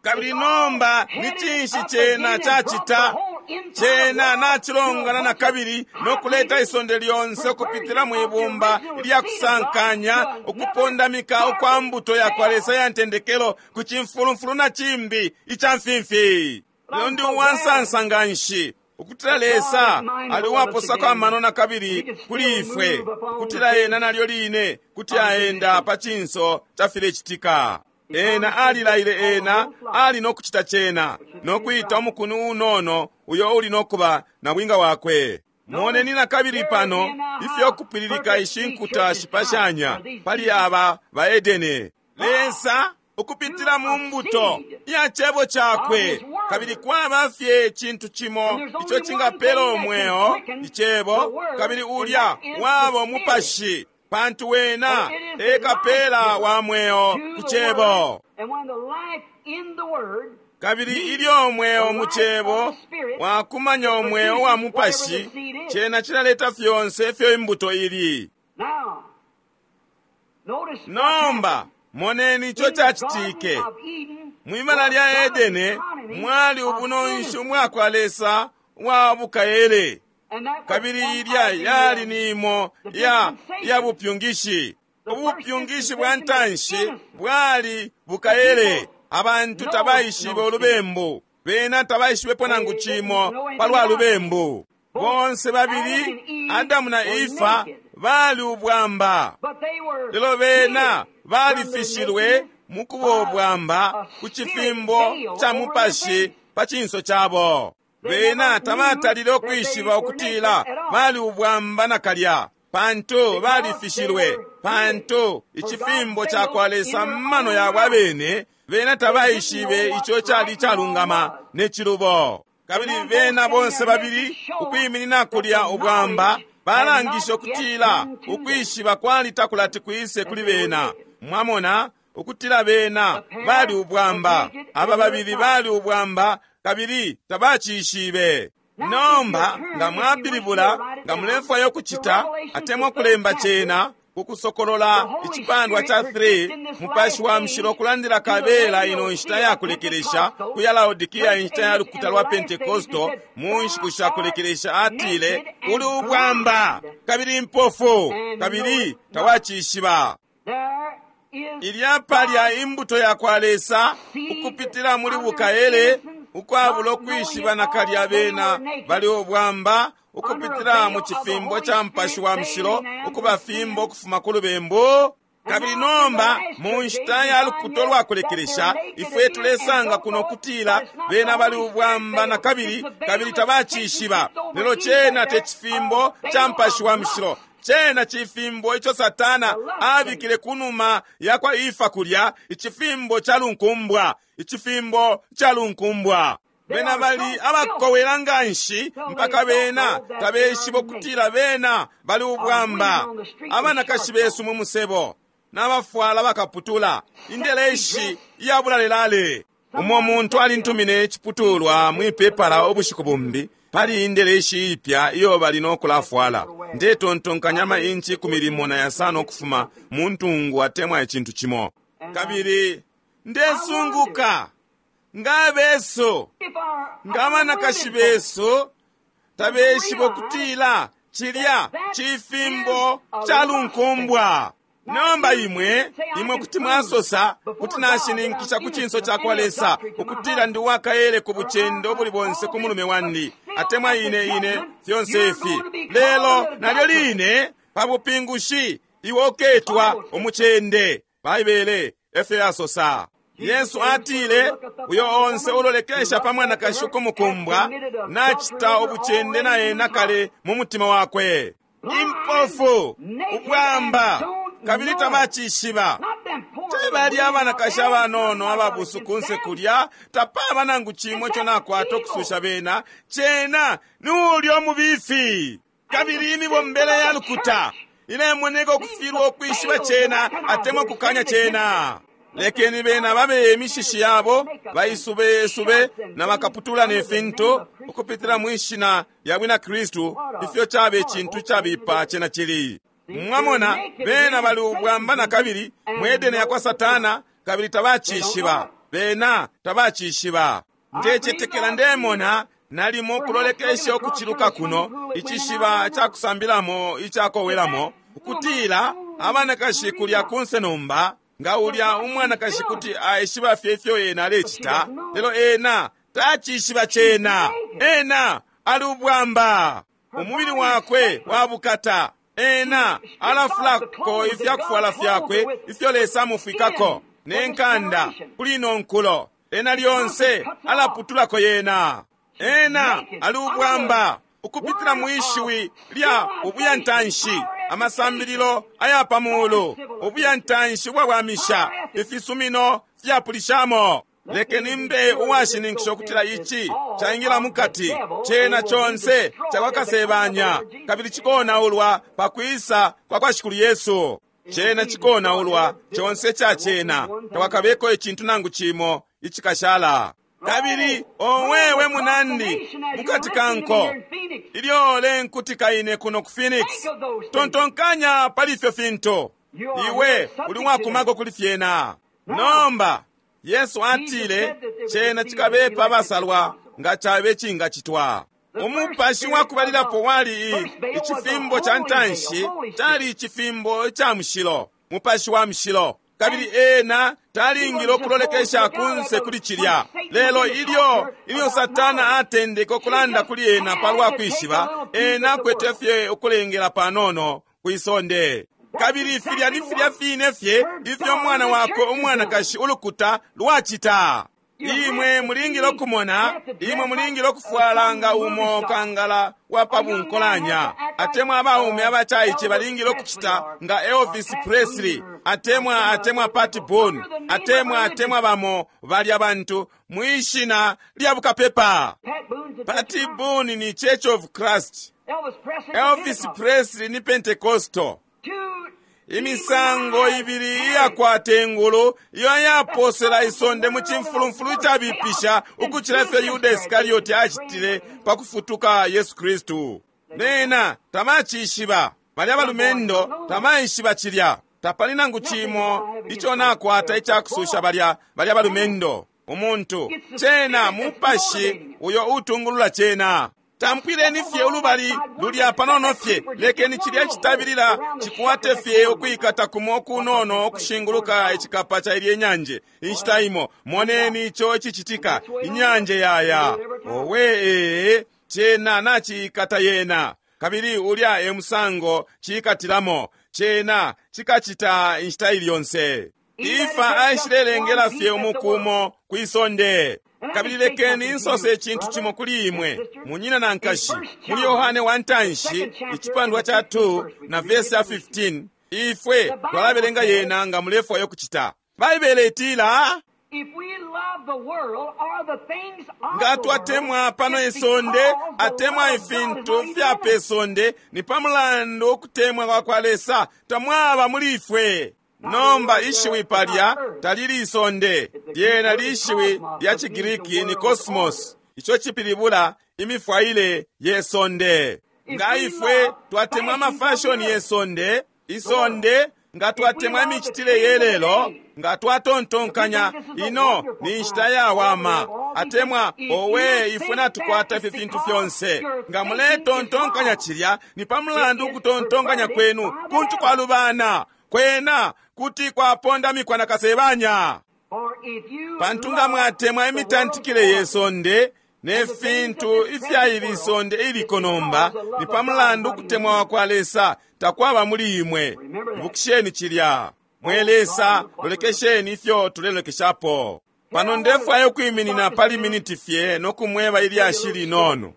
Kabili nomba ni cinshi chena chachita? Chena nachilongana na kabili nokuleta isonde lyonse ukupitila mwibumba lya kusankanya ukupondamika ukwa mbuto yakwa Lesa ya ntendekelo ku cimfulumfulu na cimbi ica mfimfi. Lelo ndi uwansansa nga nshi ukutila Lesa ali uwaposako amano na kabili kuli ifwe, ukutila ena nalyo line kuti aenda pa cinso ca filecitika. Ena alilaile ena ali nokucita cena nokwita umukuni unono uyo uli nokuba na bwinga wakwe. Moneni na kabili pano ifyo kupililika ishi nkuta shipashanya pali aba ba Edene. Lesa ukupitila mu mbuto ya cebo cakwe, kabili kwaba fye cintu cimo ico cingapela umweo, icebo, kabili ulya waba umupashi, pantu wena ekapela wa mweo ku cebo. Kabili ilyo umweo mu cebo wakumanya umweo wa mupashi, cena cilaleta fyonse ifyo imbuto ili. Nomba moneni ico cacitike mwibala lya Edene. Mwali ubunonshi umwakwa Lesa wa bukaele, kabili ilya yali nimo ya ya bupyungishi. Ubupyungishi bwa ntanshi bwali bukaele. Abantu tabaishibe ulubembu, bena tabaishibepo nangu cimo palwa lubembu. Bonse babili Adamu na Efa bali ubwamba, lelo bena balifishilwe mukuba ubwamba ku cifimbo ca mupashi pa cinso cabo. Bena tabatalile ukwishiba ukutila bali ubwamba nakalya, pantu balifishilwe, pantu icifimbo cakwa Lesa mmano yabo abene. Bena tabaishibe ico cali calungama ne cilubo. Kabili bena bonse babili ukwiminina kulya ubwamba balangisha ukutila ukwishiba kwali takulati kwise kuli bena. Mwamona ukutila bena bali ubwamba, aba babili bali ubwamba kabili tabacishibe. Nomba nga mwapilibula, nga mulefwaya ukucita atemwa kulemba cena kukusokolola icipandwa ca three, mupashi wa mushilo kulandila kabela ino nshita ya kulekelesha ku ya Laodikia, inshita ya lukuta lwa Pentekosto mu nshiku sha kulekelesha, atile uli ubwamba kabili impofu kabili tawacishiba. Ilya palya imbuto ya kwa Lesa ukupitila muli bukaele ukwabula ukwishiba nakalya bena bali ubwamba ukupitila mu cifimbo ca mupashi wa mushilo ukubafimba ukufuma ku lubembu. Kabili nomba mu nshita ya lukuto lwa kulekelesha ifwe tulesanga kuno kutila bena bali ubwamba na kabili kabili tabacishiba. Lelo cena te cifimbo ca mupashi wa mushilo, cena cifimbo ico Satana abikile kunuma ya kwa Efa kulya, icifimbo ca lunkumbwa, icifimbo ca lunkumbwa. Bena bali abakowela nganshi mpaka bena tabeshiba ukutila bena bali ubwamba. Abanakashi besu mu musebo n'abafwala bakaputula indeleshi iyabulalelale. Umo muntu alintumine iciputulwa mwipepala ubushiku bumbi pali indeleshi ipya iyo bali nokulafwala. Ndetontonkanya ama inchi ikumi limo na yasano ukufuma mu ntungu atemwa icintu cimo. Kabili ndesunguka nga besu, nga abanakashi besu tabeshiba ukutila cilya cifimbo calunkumbwa. Nomba imwe, imwe kuti mwasosa kuti nashininkisha ku cinso cakwa Lesa ukutila ndi wakaele ku bucendo ubuli bonse ku mulume wandi, atemwa ine ine fyonse ifi. Lelo nalyo line pa bupingushi iwe uketwa umucende. Baibele efyo yasosa. Yesu atile, uyo onse ulolekesha pa mwanakashi ukumukumbwa nachita ubucende na ena kale mu mutima wakwe. Impofu, ubwamba, kabili tabacishiba. Tebali abanakashi abanono ababusu kunse kulya, tapaba nangu cimo ico nakwata ukususha bena, cena ni ulya umubifi. Kabili imibombele ya lukuta ilemoneka ukufilwa ukwishiba cena atemwa ukukanya cena. Lekeni bena babe imishishi yabo baisubesube na bakaputula ne fintu ukupitila mwishina lya bwina Kristu, ifyo cabe cintu cabipa cena cili. Mwamona, bena bali ubwamba na kabili mwedene yakwa Satana, kabili tabacishiba. Bena tabacishiba. Ndecetekela ndemona nalimo kulolekesha ukuciluka kuno icishiba cakusambilamo icakowelamo, ukutila abanakashi kulya kunse nomba nga ulya umwanakashi kuti aishiba fye ifyo ena alecita, lelo ena tacishiba cena. Ena ali ubwamba, umubili wakwe wabukata. Ena alafulako ifyakufwala fyakwe ifyo Lesa amufwikako ne nkanda kuli ino nkulo. Ena lyonse alaputulako yena. Ena ali ubwamba ukupitila mwishiwi lya ubuyantanshi, amasambililo aya pamulu, ubuyantanshi ubwawamisha, ifisumino fyapulishamo. Lekeni mbe uwashininkisha ukutila ici caingila mukati cena conse cakwa Kasebanya, kabili cikonaulwa pakwisa kwa kwa Shikulu Yesu. Cena cikonaulwa conse ca cena, takwakabeko icintu nangu cimo icikashala. Kabili owewe munandi mukati kanko ilyo lenkutika ine kuno ku Phoenix, tontonkanya pali ifyo fintu. Iwe uli wakumako kuli fyena. Nomba Yesu atile cena cikabepa abasalwa nga cabe cingacitwa. Umupashi wakubalilapo wali icifimbo ca ntanshi, cali icifimbo ca mushilo, mupashi wa mushilo. Kabili ena talingile ukulolekesha kunse kuli cilya. Lelo ilyo ilyo Satana atendeke ukulanda kuli ena palwa kwishiba, ena akwete fye ukulengela panono kwisonde. Kabili filya ni filya fine fye ifyo mwana wakwe umwanakashi ulukuta lwacita. Imwe mulingile ukumona, imwe mulingile ukufwala nga umo kangala wa pa bunkolanya, atemwa abaume abacaice balingile ukucita nga Elvis Presley, atemwa atemwa Pat Boone, atemwa atemwa bamo balya bantu mwishina lya bukapepa. Pat Boone ni Church of Christ, Elvis Presley ni Pentecostal. Imisango ibili iyakwata engulu iyo yaposela isonde mu cimfulumfulu icabipisha ukucila ifyo Yuda Iskarioti acitile pa kufutuka Yesu Kristu. Bena tabacishiba, balya balumendo tabaishiba cilya. Tapali nangu cimo ico nakwata icakususha balya balya balumendo. Umuntu cena mupashi uyo utungulula cena. Tampwileni fye ulubali lulya panono fye, lekeni cilya citabilila cikwate fye ukwikata kumo kunono ukushinguluka icikapa ca ilye nyanje. Inshita imo moneni ico icicitika, inyanje yaya owe ee, cena nacikata yena. Kabili ulya e musango cikatilamo, cena cikacita inshita ili yonse. Ifa aishilelengela fye umukumo kwisonde. Kabili lekeni insose icintu cimo kuli imwe, munyina na nkashi, muli Yohane wa ntanshi icipandwa ca two na vesi ya fifteen, ifwe twalabelenga yena nga mulefwayo kucita. Baibele itila, Nga twatemwa pano isonde atemwa ifintu fya pe sonde, ni pa mulandu ukutemwa kwa kwa Lesa tamwaba muli ifwe. Nomba ishiwi palya talili isonde, lyena lishiwi lya Chigiriki ni kosmos, ico cipilibula imifwaile ye sonde. Nga ifwe twatemwa amafashoni ye sonde, isonde, nga twatemwa imicitile ye lelo, nga twatontonkanya ino ni nshita yawama, atemwa owe ifwe natukwata ifi fintu fyonse, nga muletontonkanya cilya ni pa mulandu ukutontonkanya kwenu kuntu kwalubana, kwena kuti kwapondamikwa na kasebanya. Pantu nga mwatemwa imitantikile ye sonde ne fintu ifya ili sonde iliko nomba, ni pa mulandu ukutemwa kwa Lesa takwaba muli imwe. Ibukisheni cilya. Mwe Lesa, lolekesheni ifyo tulelekeshapo. Pano ndefwaya ukwiminina pali miniti fye nokumweba ilyashi linono.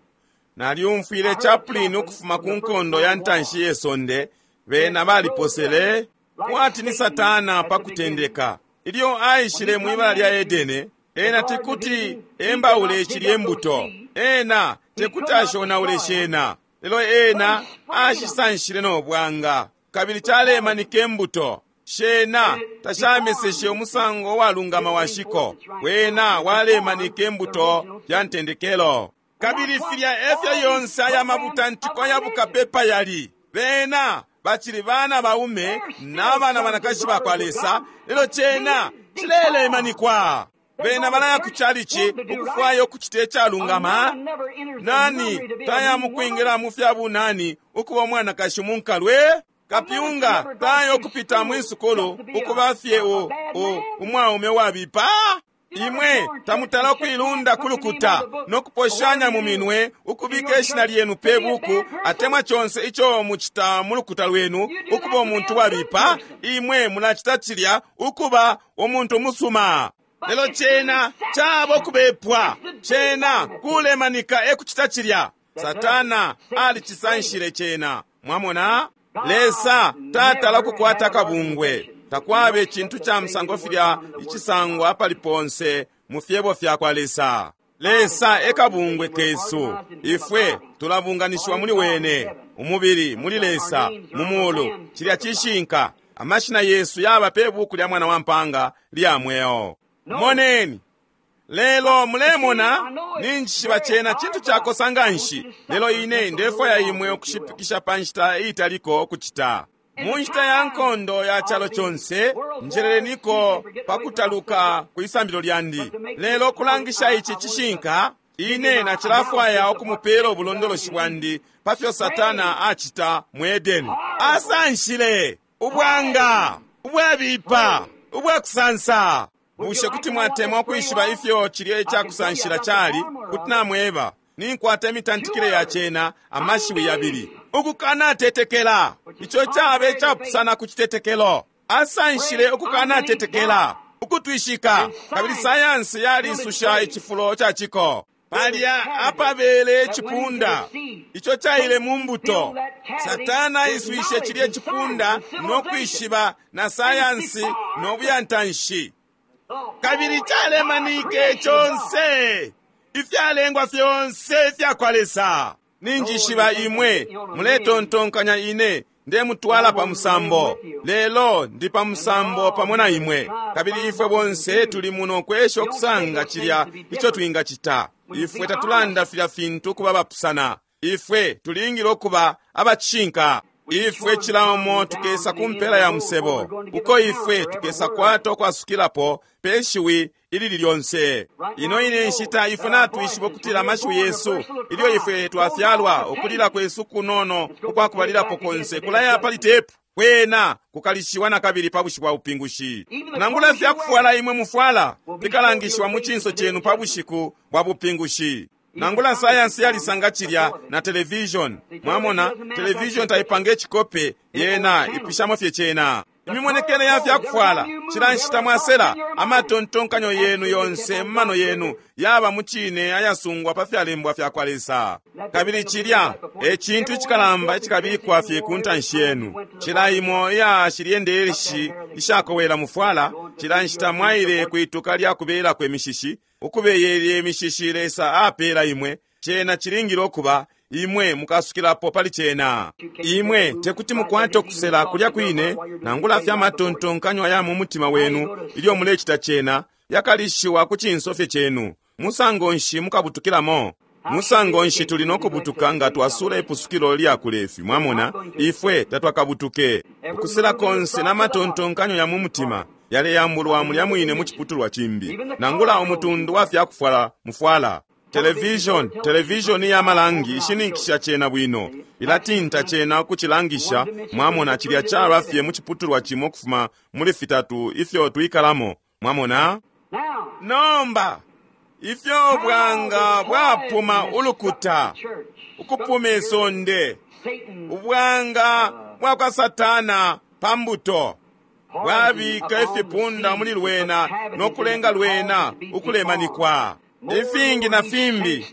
Nalyumfwile chaplain ukufuma ku nkondo ya ntanshi ye sonde, bena baliposele kwati ni Satana pa kutendeka. Ilyo aishile mwibala lya Edene, ena tekuti embaule cilye mbuto, ena tekuti ashonaule shena, lelo ena ashisanshile no bwanga, kabili calemanika embuto. Shena tashameseshe umusango walungama wa shiko, wena walemanika embuto ya ntendekelo. Kabili filya efyo yonse aya mabutantiko ya bukapepa yali, bena bacili bana baume na bana banakashi bakwa Lesa, lelo cena cilelemanikwa. Bena balaya ku chalichi ukufwaya ukucita icalungama. Nani taya mukwingira mu fya bunani ukuba umwanakashi munkalwe? Kapyunga taya ukupita mwisukulu ukuba fye u, u, umwaume wabipa? Imwe tamutala ukuilunda kulukuta nokuposhanya mu minwe ukubika ishina lyenu pe buku atemwa chonse icho muchita mu lukuta lwenu ukuba umuntu wabipa. Imwe mulacita cilya ukuba umuntu musuma. Lelo cena cabo kubepwa, cena kulemanika ekucita cilya. Satana alicisanshile cena. Mwamona, Lesa tatala kukwata kabungwe. Takwabe cintu ca musango filya icisangwa apali ponse mu fyebo fya kwa Lesa. Lesa ekabungwe kesu, ifwe tulabunganishiwa muli wene, umubili muli Lesa mu mulu. Cilya cishinka. Amashina yesu yaba pe buku lya mwana wa mpanga lya mweo. Moneni lelo mulemona ninjishiba cena cintu cakosa nganshi, lelo ine ndefwaya imwe ukushipikisha pa nshita iitaliko kucita. Mu nshita ya nkondo ya calo conse njerereniko pakutaluka ku isambilo lyandi, lelo kulangisha ici cishinka, ine nacilafwaya ukumupela ubulondoloshi bwandi pa fyo Satana acita mu Edeni. Asanshile ubwanga ubwabipa ubwakusansa. Bushe kuti mwatemwa ukwishiba ifyo cilya icakusanshila cali? Kuti namweba, ninkwata imitantikile ya cena amashiwi yabili. Ukukanatetekela, ico cabe icapusana ku citetekelo. Asanshile ukukanatetekela, ukutwishika, kabili sayansi yalisusha icifulo ca ciko. Palya apabele icipunda ico caile mu mbuto. Satana aiswishe cilya icipunda no kwishiba na sayansi no buyantanshi, kabili calemanike conse ifyalengwa fyonse ifya kwa Lesa. Ninjishiba imwe muletontonkanya ine ndemutwala pa musambo, lelo ndi pa musambo pamo na imwe, kabili ifwe bonse tuli muno kwesha okusanga cilya ico twingacita. Ifwe tatulanda filya fintu kuba bapusana, ifwe tulingile okuba abacishinka. Ifwe cila umo tukesa ku mpela ya musebo, uko ifwe tukesa kwata okwasukilapo pe shiwi ilili lyonse. Ino ine nshita ifwe natwishiba ukutila amashiwi yesu ilyo ifwe twafyalwa, ukulila kwesu kunono ukwakubalilapo konse kulaya pali tepu, kwena kukalishiwa na kabili pa bushiku bwa bupingushi. Nangula fyakufwala imwe mufwala fikalangishiwa mu cinso cenu pa bushiku bwa bupingushi. Nangula sayansi yalisanga cilya na television. Mwamona, television taipanga icikope, yena ipishamo fye cena. Imimonekele ya fyakufwala cila nshita mwasela, amatontonkanyo yenu yonse mumano yenu yaba mu cine ayasungwa pa fyalembwa fya kwa Lesa. Kabili cilya e cintu icikalamba icikabikwa fye ku ntanshi yenu. Cila imo iya shilye ndeshi ishakowela mufwala Cila nshita mwaile kwituka lya kubelako imishishi, ukubeyelya imishishi Lesa apela imwe, cena cilingile ukuba imwe mukasukilapo pali cena. Imwe tekuti mukwate ukusela kulya kwine, nangula fya matontonkanyo aya mu mutima wenu ilyo mulecita cena, yakalishiwa ku cinso fye cenu. Musango nshi mukabutukilamo? Musango nshi tuli nokubutuka nga twasula ipusukilo lya kulefi? Mwamona, ifwe tatwakabutuke. Ukusela konse n'amatontonkanyo ya mu mutima yaleyambulwa mulya mwine mu ciputulwa cimbi, nangula umutundu wa fyakufwala mufwala. Television, television ya malangi ishininkisha cena bwino, ilatinta cena ukucilangisha. Mwamona, cilya caba fye mu ciputulwa cimo kufuma muli fitatu ifyo twikalamo. Mwamona? Nomba ifyo bwanga bwapuma ulukuta, ukupuma isonde, ubwanga bwa kwa Satana pa mbuto bwabika ifipunda muli lwena nokulenga lwena ukulemanikwa. Ifingi na fimbi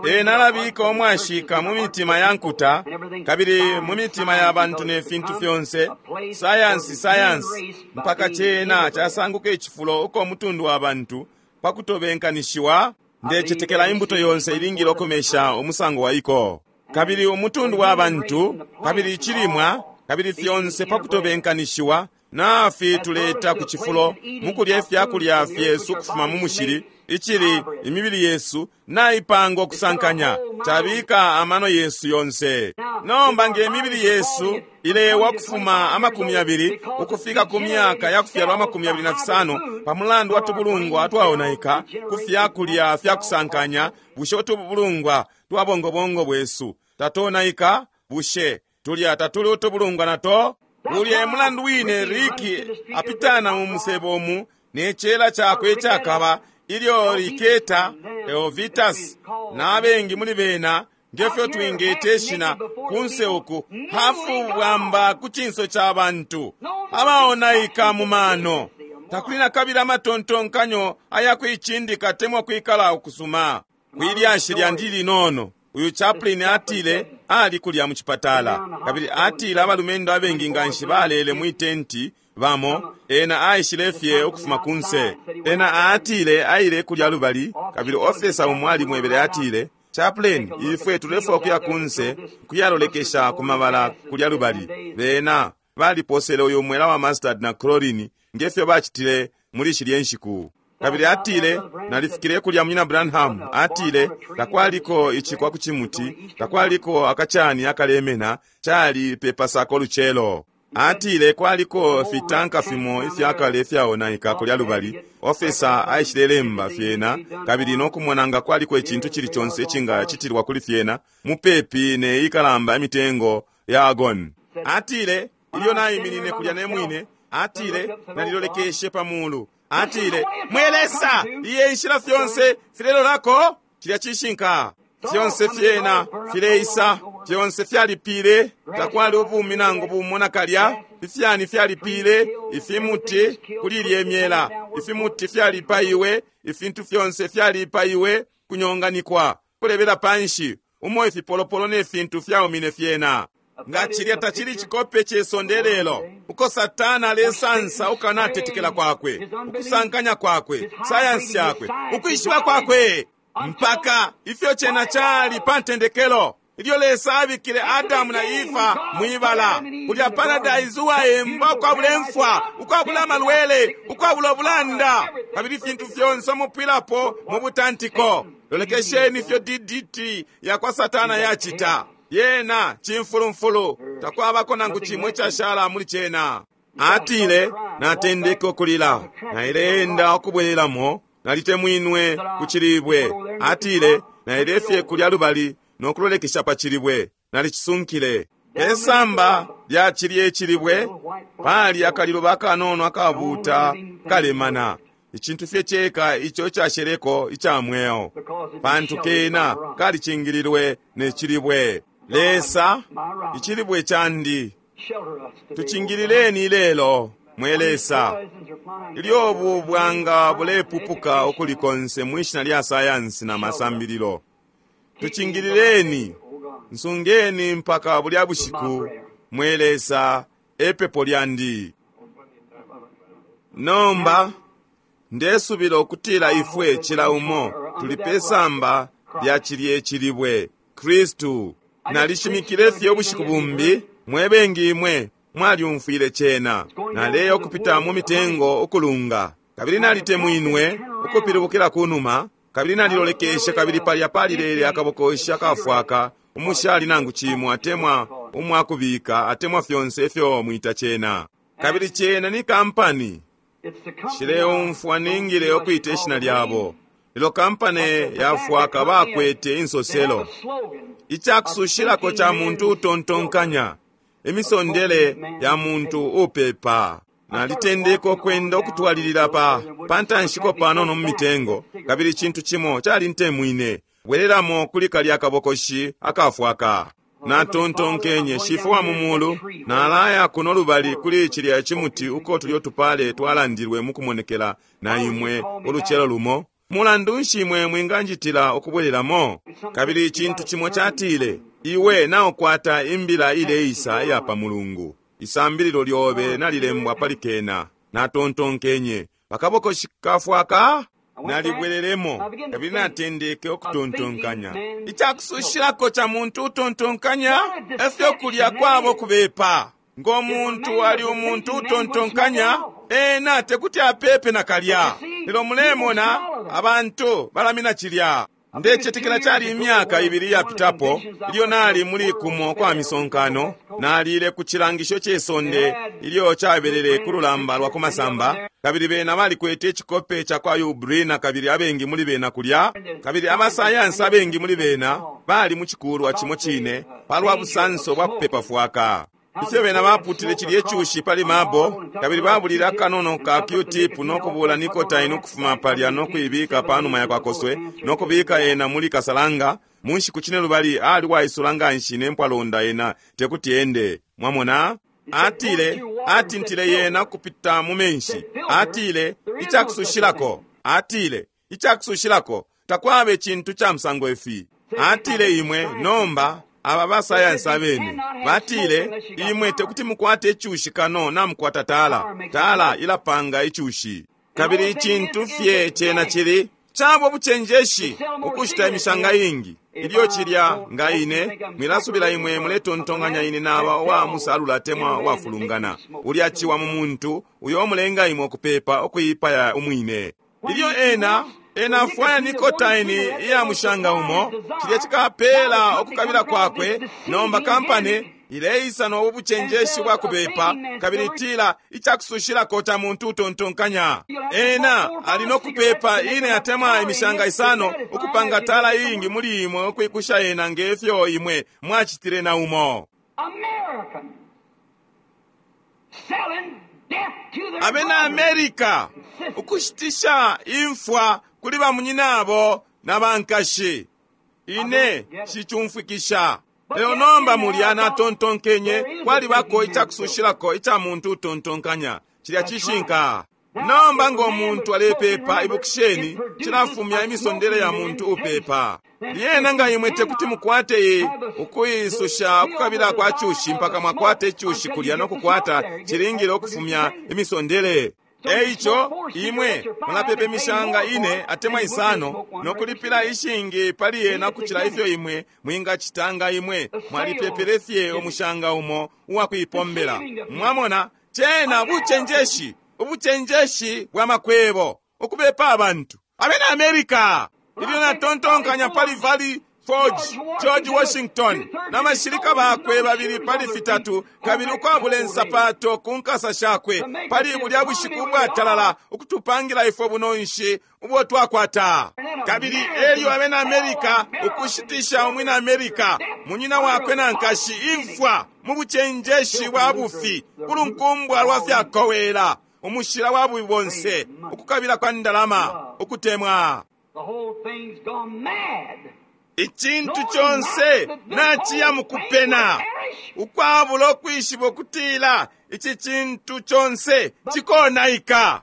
ena alabika umwashika mu mitima ya nkuta kabili mu mitima ya bantu ne fintu fyonse, sayansi sayansi, mpaka cena casanguka icifulo uko mutundu wa bantu pakutobenkanishiwa. Ndecetekela imbuto yonse ilingile ukumesha umusango wa iko, kabili umutundu wa bantu, kabili icilimwa, kabili fyonse pakutobenkanishiwa nafi tuleta ku cifulo mukulya ifyakulya fyesu ukufuma mu mushili, icili imibili yesu naipanga ukusankanya, cabika amano yesu yonse. Nomba nge mibili yesu ilewa kufuma amakumi yabili ukufika ku myaka ya kufyalwa amakumi yabili na fisano pamulandu wa tubulungwa twaonaika ku fyakulya fyakusankanya, bushe utubulungwa twa bongobongo bwesu tatonaika? Bushe tulya tatuli utubulungwa nato? Ulya mulandu wine Riki apitana mu musebo omu ne cela chakwe icakaba ilyo Riketa, Elvitas n'abengi muli bena ngefyo twingete ishina kunse uku hafu bwamba ku cinso ca bantu abaonaika mu mano. Takuli na kabili amatontonkanyo ayakuicindika temwa kwikala ukusuma. Kwilyashi lyandi linono, uyu chaplain atile ali kulya mu chipatala, kabili atile abalumendo abengi nganshi balele mwi tenti bamo. Ena aishile fye ukufuma kunse. Ena atile aile kulya lubali, kabili ofesa umo alimwebele atile, chaplain, ifwe tulefwa ukuya kunse kuyalolekesha ku mabala kulya lubali. Bena baliposele uyu mwela wa mustard na chlorine ngefyo bacitile muli shilye nshiku. Kabili atile nalifikile kulya munyina Branham, atile takwaliko icikwa ku cimuti, takwaliko akacani akalemena, cali pepasako lucelo. Atile kwaliko fitanka fimo ifyakale ifyaonaika kulya lubali. Ofesa aishilelemba fyena kabili nokumona nga kwaliko icintu cili conse icingacitilwa kuli fyena mupepi ne ikalamba imitengo ya argon. Atile ilyo naiminine kulya ne mwine, atile nalilolekeshe pa mulu. Atile mwe Lesa, iye inshila fyonse filelolako. Cilya cishinka fyonse fyena fileisa, fyonse fyalipile, takwali ubumi nangu bumo nakalya. Ifyani fyalipile, ifimuti kuli ilye myela, ifimuti fyalipaiwe, ifintu fyonse fyalipaiwe, kunyonganikwa, kulebela panshi umo ifipolopolo ne fintu fyaumine fyena. Nga cilya tacili cikope ce sonde lelo, uko Satana alesansa ukanatetekela kwakwe, ukusankanya kwakwe, sayansi yakwe, ukwishiba kwakwe, mpaka ifyo cena cali pa ntendekelo ilyo Lesa abikile Adamu na Ifa mwibala kulya paradise uwaemba ukwabula imfwa, ukwabula amalwele, ukwabula ubulanda, kabili ifintu fyonse mupwilapo mu butantiko. Lolekesheni ifyo D D T yakwa Satana yacita. Yena cimfulumfulu, takwabako nangu cimwe cashala muli cena. Atile natendeke ukulila, naileenda ukubwelelamo, nalitemwinwe ku cilibwe. Atile nailefye kulya lubali nokulolekesha pa cilibwe, nalicisunkile. Pesamba lya cilye cilibwe pali akaliluba akanono akabuuta kalemana, icintu fye ceka ico casheleko ica mweo, pantu kena kalicingililwe ne cilibwe. Lesa, icilibwe candi, tucingilileni lelo mwe Lesa, ilyo obu bwanga bulepupuka ukuli konse mwishina lya sayansi na masambililo. Tucingilileni, nsungeni mpaka bulya bushiku, mwe Lesa, epepo lyandi. Nomba ndesubila ukutila ifwe cila umo tuli pe samba lya cilye cilibwe Kristu. Nalishimikile fye ubushiku bumbi, mwebengi imwe mwalyumfwile cena. Naleya ukupita mu mitengo ukulunga, kabili nalitemwinwe ukupilibukila kunuma, kabili nalilolekeshe, kabili palya palilele akabokoshi akafwaka umushali nangu cimo atemwa umwakubika atemwa fyonse ifyo mwita cena. Kabili cena ni kampani. Shileumfwa ningile ukwita ishina lyabo, lelo kampani yafwaka bakwete insoselo. Icakusushilako ca muntu utontonkanya, imisondele ya muntu upepa. Nalitendeka ukwenda ukutwalilila pa pantanshiko panono mu mitengo, kabili icintu cimo calintemwine bwereramo kuli kalya kabokoshi akafwaka. Natontonkenye, Shifwe wa mu mulu, nalaya kuno lubali kuli cilya cimuti uko tulyo tupale twalandilwe mukumonekela na imwe ulucelo lumo. Mulandu nshi imwe mwinganjitila ukubwereramo? Kabili icintu cimo catile, iwe naukwata imbila ileisa iya pa mulungu. Isambililo lyobe nalilembwa pali kena. Natontonkenye, pakabokoshi kafwaka? Nalibwereremo, kabili natendeke ukutontonkanya. Icakusushilako ca muntu utontonkanya efyo kulya kwabo kubepa. Ngo muntu ali umuntu utontonkanya, ena tekuti apepe nakalya. Lelo mulemona abantu balamina cilya. Ndecetekela cali imyaka ibili yapitapo ilyo nali muli kumo kwa misonkano, nalile ku cilangisho ce sonde ilyo cabelele ku lulamba lwa ku masamba, kabili bena balikwete icikope ca kwa Yubrina, kabili abengi muli bena kulya, kabili abasayansi abengi muli bena bali mu cikulwa cimo cine palwa busanso bwa kupepa fwaka. Ifyo bena baputile cilye cushi pali mabo, kabili babulile akanono ka Q-tip nokubula nicotine ukufuma palya nokuibika panuma ya kwakoswe, nokubika ena muli kasalanga. Mu nshiku cine lubali ali waisula nganshi ne mpwalonda ena tekuti ende. Mwamona? Atile, atintile yena kupita mu menshi. Atile, icakusushilako. Atile, icakusushilako. Takwaba icintu ca musango ifi. Atile imwe, nomba, aba basayansi abene batile, imwe tekuti mukwate icushi kano namukwata tala. Tala ilapanga icushi. Kabili icintu fye cena cili cabo bucenjeshi ukushita imishanga ingi. Ilyo cilya nga ine mwilasubila imwe muletontonkanya ine naba wa musalula atemwa wafulungana. Ulya ciwa mu muntu uyo mulenga imwe ukupepa ukuipaya umwine. Ilyo ena ena afwaya nicotine iya mushanga umo, cilya cikapela ukukabila kwakwe. Nomba kampani ileisa no bucenjeshi bwa kubepa, kabili itila icakusushilako ca muntu utontonkanya. Ena ali no kupepa ine atemwa imishanga isano ukupanga tala iingi muli imwe ukwikusha ena ngefyo imwe mwacitile na umo. American selling death to their Abena brothers. America ukushitisha imfwa kuli bamunyinabo na bankashi. Ine shicumfwikisha. Lelo nomba mulya natontonkenye kwalibako icakusushilako ica muntu utontonkanya. Cilya cishinka. Nomba ngo muntu alepepa, ibukisheni, cilafumya imisondele ya muntu upepa. Lyena nga imwe tekuti mukwate iyi ukuisusha ukukabila kwa cushi mpaka mwakwata icushi kulya no kukwata cilingile ukufumya imisondele. Eico imwe mulapepa imishanga ine atemwa isano nokulipila ishingi pali yena kucila ifyo imwe mwingacita nga imwe mwalipepele fye umushanga umo uwakuipombela. Mwamona, cena bucenjeshi, ubucenjeshi bwa makwebo, ukubepa abantu. Abena America, ilyo natontonkanya pali Valley Forge, George Washington na bashilika bakwe babili pali fitatu, kabili ukwabula insapato ku nkasa shakwe pali bulya bushiku ubwatalala ukutupangila ifwe bunonshi ubwo twakwata. Kabili elyo abena America ukushitisha umwina America munyina wakwe na nkashi imfwa mu bucenjeshi bwa bufi kulunkumbwa lwa fyakowela, umushila wa bubi bonse, ukukabila kwa ndalama, ukutemwa. The whole thing's gone mad. Icintu conse naciya mukupena, ukwabula ukwishiba ukutila ici cintu conse cikonaika.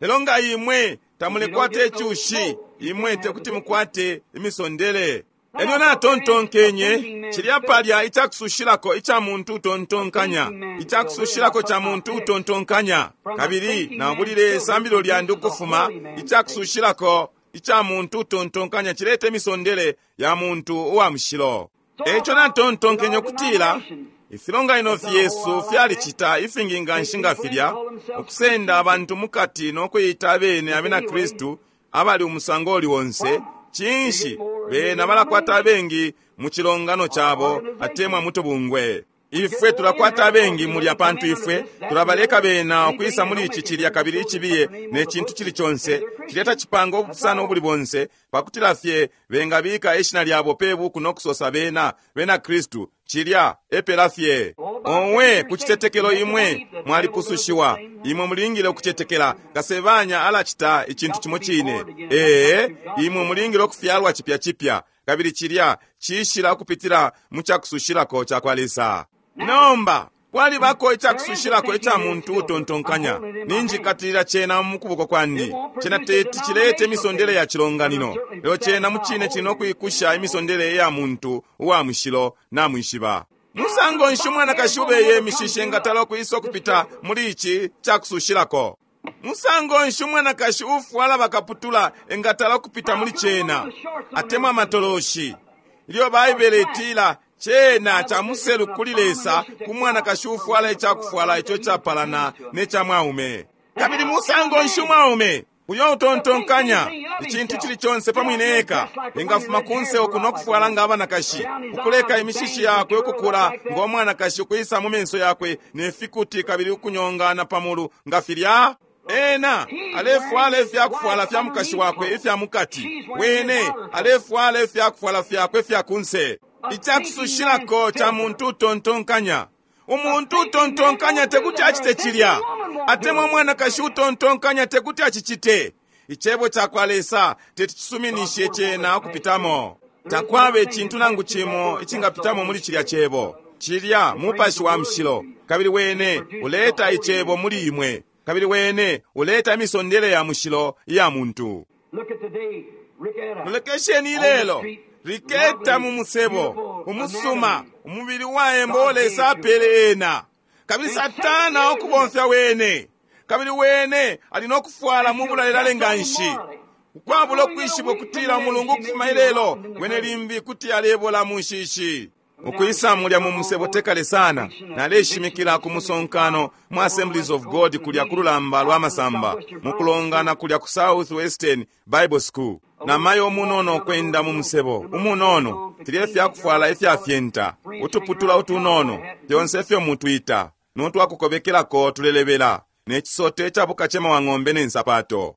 Lelo nga imwe tamulekwata icushi, imwe tekuti mukwate imisondele. Elyo natontonkenye cilya palya icakusushilako ica muntu utontonkanya, icakusushilako ca muntu utontonkanya. Kabili nabulile isambililo lyandi ukufuma icakusushilako ica muntu utontonkanya cileta imisondele ya muntu uwa mushilo. Eco natontonkenye ukutila ifilonganino fyesu fyalicita ifingi nganshi nga filya, ukusenda abantu mukati nokuyita abene abena Kristu abali umusango uli onse. Cinshi bena balakwata abengi mu cilongano cabo atemwa mutubungwe. Ifwe tulakwata abengi mulya pantu ifwe tulabaleka bena ukwisa muli ici cilya kabili icibiye ne cintu cili conse cileta cipanga ubupusano ubuli bonse pakutila fye bengabika ishina lyabo pe buku nokusosa bena bena Kristu. Cilya epela fye. Owe ku citetekelo imwe mwalipusushiwa. Imwe mulingile ukucetekela. Kasebanya alacita icintu cimo cine. Ee, imwe mulingile ukufyalwa chipya chipya, kabili cilya cishila ukupitila mu cakusushilako ca kwa Lesa. Nomba kwalibako icakusushilako ica muntu utontonkanya. Ninjikatilila cena mu kuboko kwandi. Cena teti cilete imisondele ya cilonganino, lelo cena mucine cino kwikusha imisondele ya muntu uwa mushilo namwishiba. Musango nshi umwanakashi ubeye imishishi engatala ukwisa ukupita muli ici cakusushilako? Musango nshi umwanakashi ufwala bakaputula engatala ukupita muli cena atemwa amatoloshi? Ilyo Baibele itila cena ca muselu kuli Lesa ku mwanakashi ufwala icakufwala ico capalana ne ca mwaume. Kabili musango nshi umwaume uyo utontonkanya icintu cili conse pamwine eka engafuma kunse uku nokufwala nga abanakashi, ukuleka imishishi yakwe ukukula ngo mwanakashi, ukwisa mu menso yakwe ne fikuti kabili ukunyongana pamulu nga filya? Ena alefwala ifyakufwala fya mukashi wakwe ifya mukati, wene alefwala ifyakufwala fyakwe fya kunse. Icakusushilako ca muntu utontonkanya. Umuntu utontonkanya tekuti acite cilya, atemwa mwanakashi utontonkanya tekuti acicite. Icebo ca kwa Lesa teti cisuminishe cena ukupitamo. Takwaba icintu nangu cimo icingapitamo muli cilya cebo. Cilya mupashi wa mushilo, kabili wene uleta icebo muli imwe, kabili wene uleta imisondele ya mushilo iya muntu. Mulekesheni ilelo Riketa mu musebo umusuma umubili waemba Lesa apele ena, kabili Satana ukubomfya wene, kabili wene ali nokufwala mu bulalelale nganshi ukwabula ukwishiba ukutila umulungu ukufuma ilelo wene limbi kuti alebola mu nshishi. Ukwisa mulya mu musebo tekale sana, naleshimikila ku musonkano mu Assemblies of God kulya ku lulamba lwa masamba mukulongana kulya ku South Western Bible School. Namayo umunono ukwenda mu musebo umunono, filye fyakufwala ifyafyenta, utuputula utunono, fyonse ifyo mutwita notwakukobekelako tulelebela, ne cisote icabukacema wa ng'ombe ne nsapato.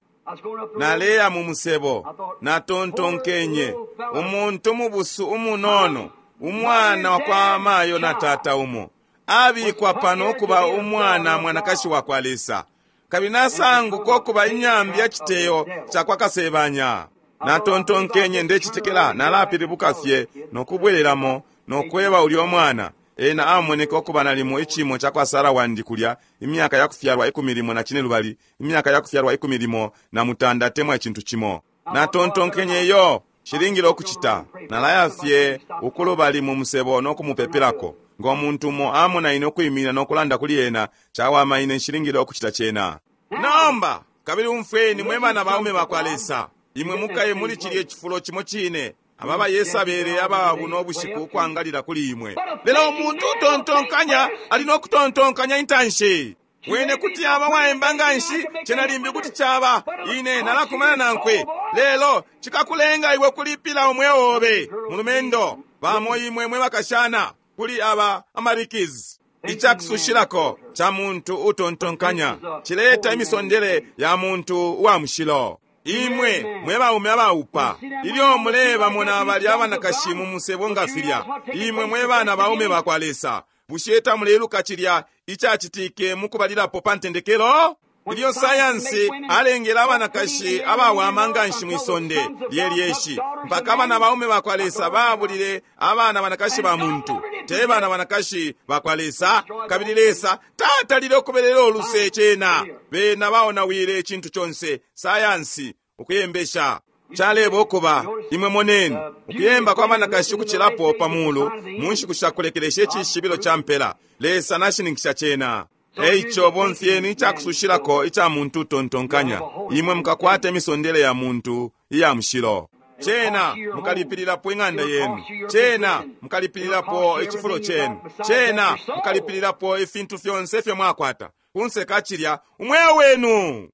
Naleya mu musebo, natontonkenye umuntu mubusu umunono, umwana wakwa mayo na tata umo abikwa pano ukuba umwana mwanakashi wakwa Lesa, kabili nasanguka ukuba inyambi ya citeyo cakwa Kasebanya. Natontonkenye ndecitekela nalapilibuka fye nokubwereramo nokweba ulya mwana. Ena amoneka ukuba nalimo icimo cakwa Sara wandi kulya imyaka yakufyalwa ikumi limo na cine lubali, imyaka yakufyalwa ikumi limo na mutanda atemwa icintu cimo. Natontonkenye yo shilingile okucita, nalaya fye ukulubali mu musebo nokumupepelako. Ngo muntu umo amona ine ukwimina nokulanda kuli ena, cawama ine nshilingile okucita cena. Nomba kabili umfweni mwe bana baume bakwa Lesa, imwe mukaye muli cilye cifulo cimo cine ababa Yesabele ababu n'obushiku ukwangalila kuli imwe. Lelo umuntu utontonkanya ali nokutontonkanya intanshi. Wene kuti aba waemba nganshi, cena limbi kuti caba ine nalakumana nankwe, lelo cikakulenga iwe kulipila umweo obe. Mulumendo bamo imwe mwe bakashana kuli aba amarikizi. Icakusushilako ca muntu utontonkanya cileta imisondele ya muntu uwa mushilo. Imwe mwe baume abaupa, ilyo mulebamona balya abanakashi mu musebo nga filya, imwe mwe bana baume bakwa Lesa, bushe tamuleluka cilya icacitike mukubalilapo pa ntendekelo? Ilyo sayansi alengele abanakashi abawama nganshi mwisonde lyelyeshi, mpaka abana baume bakwa Lesa babulile abana banakashi ba muntu, te bana banakashi bakwa Lesa. Kabili Lesa tatalile ukubelela oluse cena, bena baonawile icintu conse, sayansi ukuyembesha. Caleba ukuba imwe moneni ukuyemba kwa banakashi ukucilapo pa mulu mu nshiku shakulekelesha icishibilo ca mpela. Lesa nashininkisha cena. Eico bomfyeni icakusushilako ica muntu utontonkanya, imwe mukakwata imisondele ya muntu iya mushilo. Cena mukalipilirapo ing'anda yenu, cena mukalipilirapo icifulo chenu, cena mukalipilirapo ifintu fyonse ifyo mwakwata kunse kachilya umweo wenu.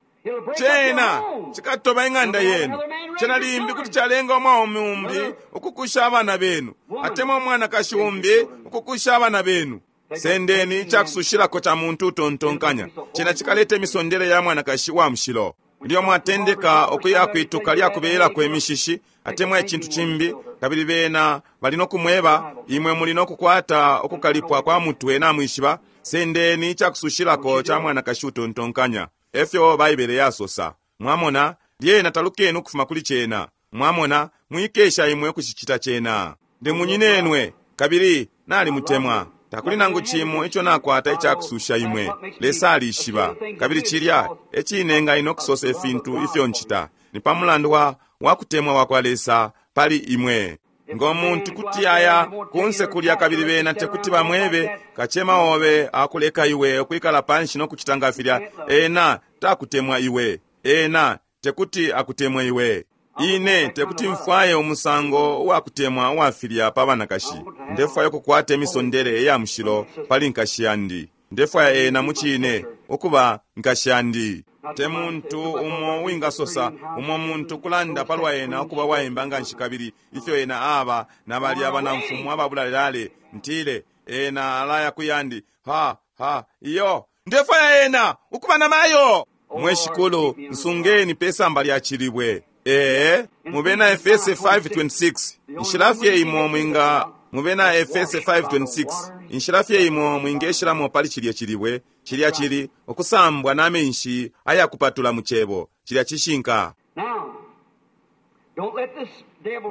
Cena cikatoba ing'anda yenu. Cena limbi kuti calenga umwaume umbi ukukusha abana benu, atemwa umwanakashi umbi ukukusha abana benu. Sendeni icakusushilako ca muntu utontonkanya, cena cikaleta imisondele ya mwanakashi wa mushilo. Ilyo mwatendeka ukuya kwituka lyakubeyelako imishishi atemwa icintu cimbi, kabili bena bali nokumweba imwe muli nokukwata ukukalipwa kwa mutwe namwishiba, sendeni icakusushilako ca mwanakashi utontonkanya. Efyo Baibele yasosa. Mwamona, lyena talukeni ukufuma kuli cena. Mwamona, mwikesha imwe ukucicita cena. Ndi munyinenwe kabili nalimutemwa. Takuli nangu chimo icho nakwata icakususha imwe. Lesa alishiba kabili chilya ecinenga ino kusosa ifintu ifyo nchita ni pa mulandu wa wakutemwa wa kwa Lesa pali imwe. Ngo muntu kuti aya kunse kulya kabili bena tekuti bamwebe kachema obe akuleka iwe okwikala panshi nokuchita nga filya, ena takutemwa iwe, ena tekuti akutemwe iwe. Ine tekuti mfwaye umusango uwakutemwa uwafilya pa banakashi. Ndefwaya ukukwata imisondele iya mushilo pali nkashi yandi. Ndefwaya ena mucine ukuba nkashi yandi. Te muntu umo wingasosa umo muntu kulanda palwa ena ukuba waimba nganshi kabili ifyo ena aba na bali abanamfumu ababulalelale. Ntile ena alaya kuyandi ha ha iyo ndefwaya ena ukuba namayo. Mwe shikulu nsungeni pesamba lya chilibwe. Ee, mubena Efese five twenty-six inshilafye imo mwinga mubena Efese five twenty-six inshilafye imo mwingeshilamo pali chilye chilibwe chilya chili okusambwa n'amenshi ayakupatula mu chebo chilya chishinka.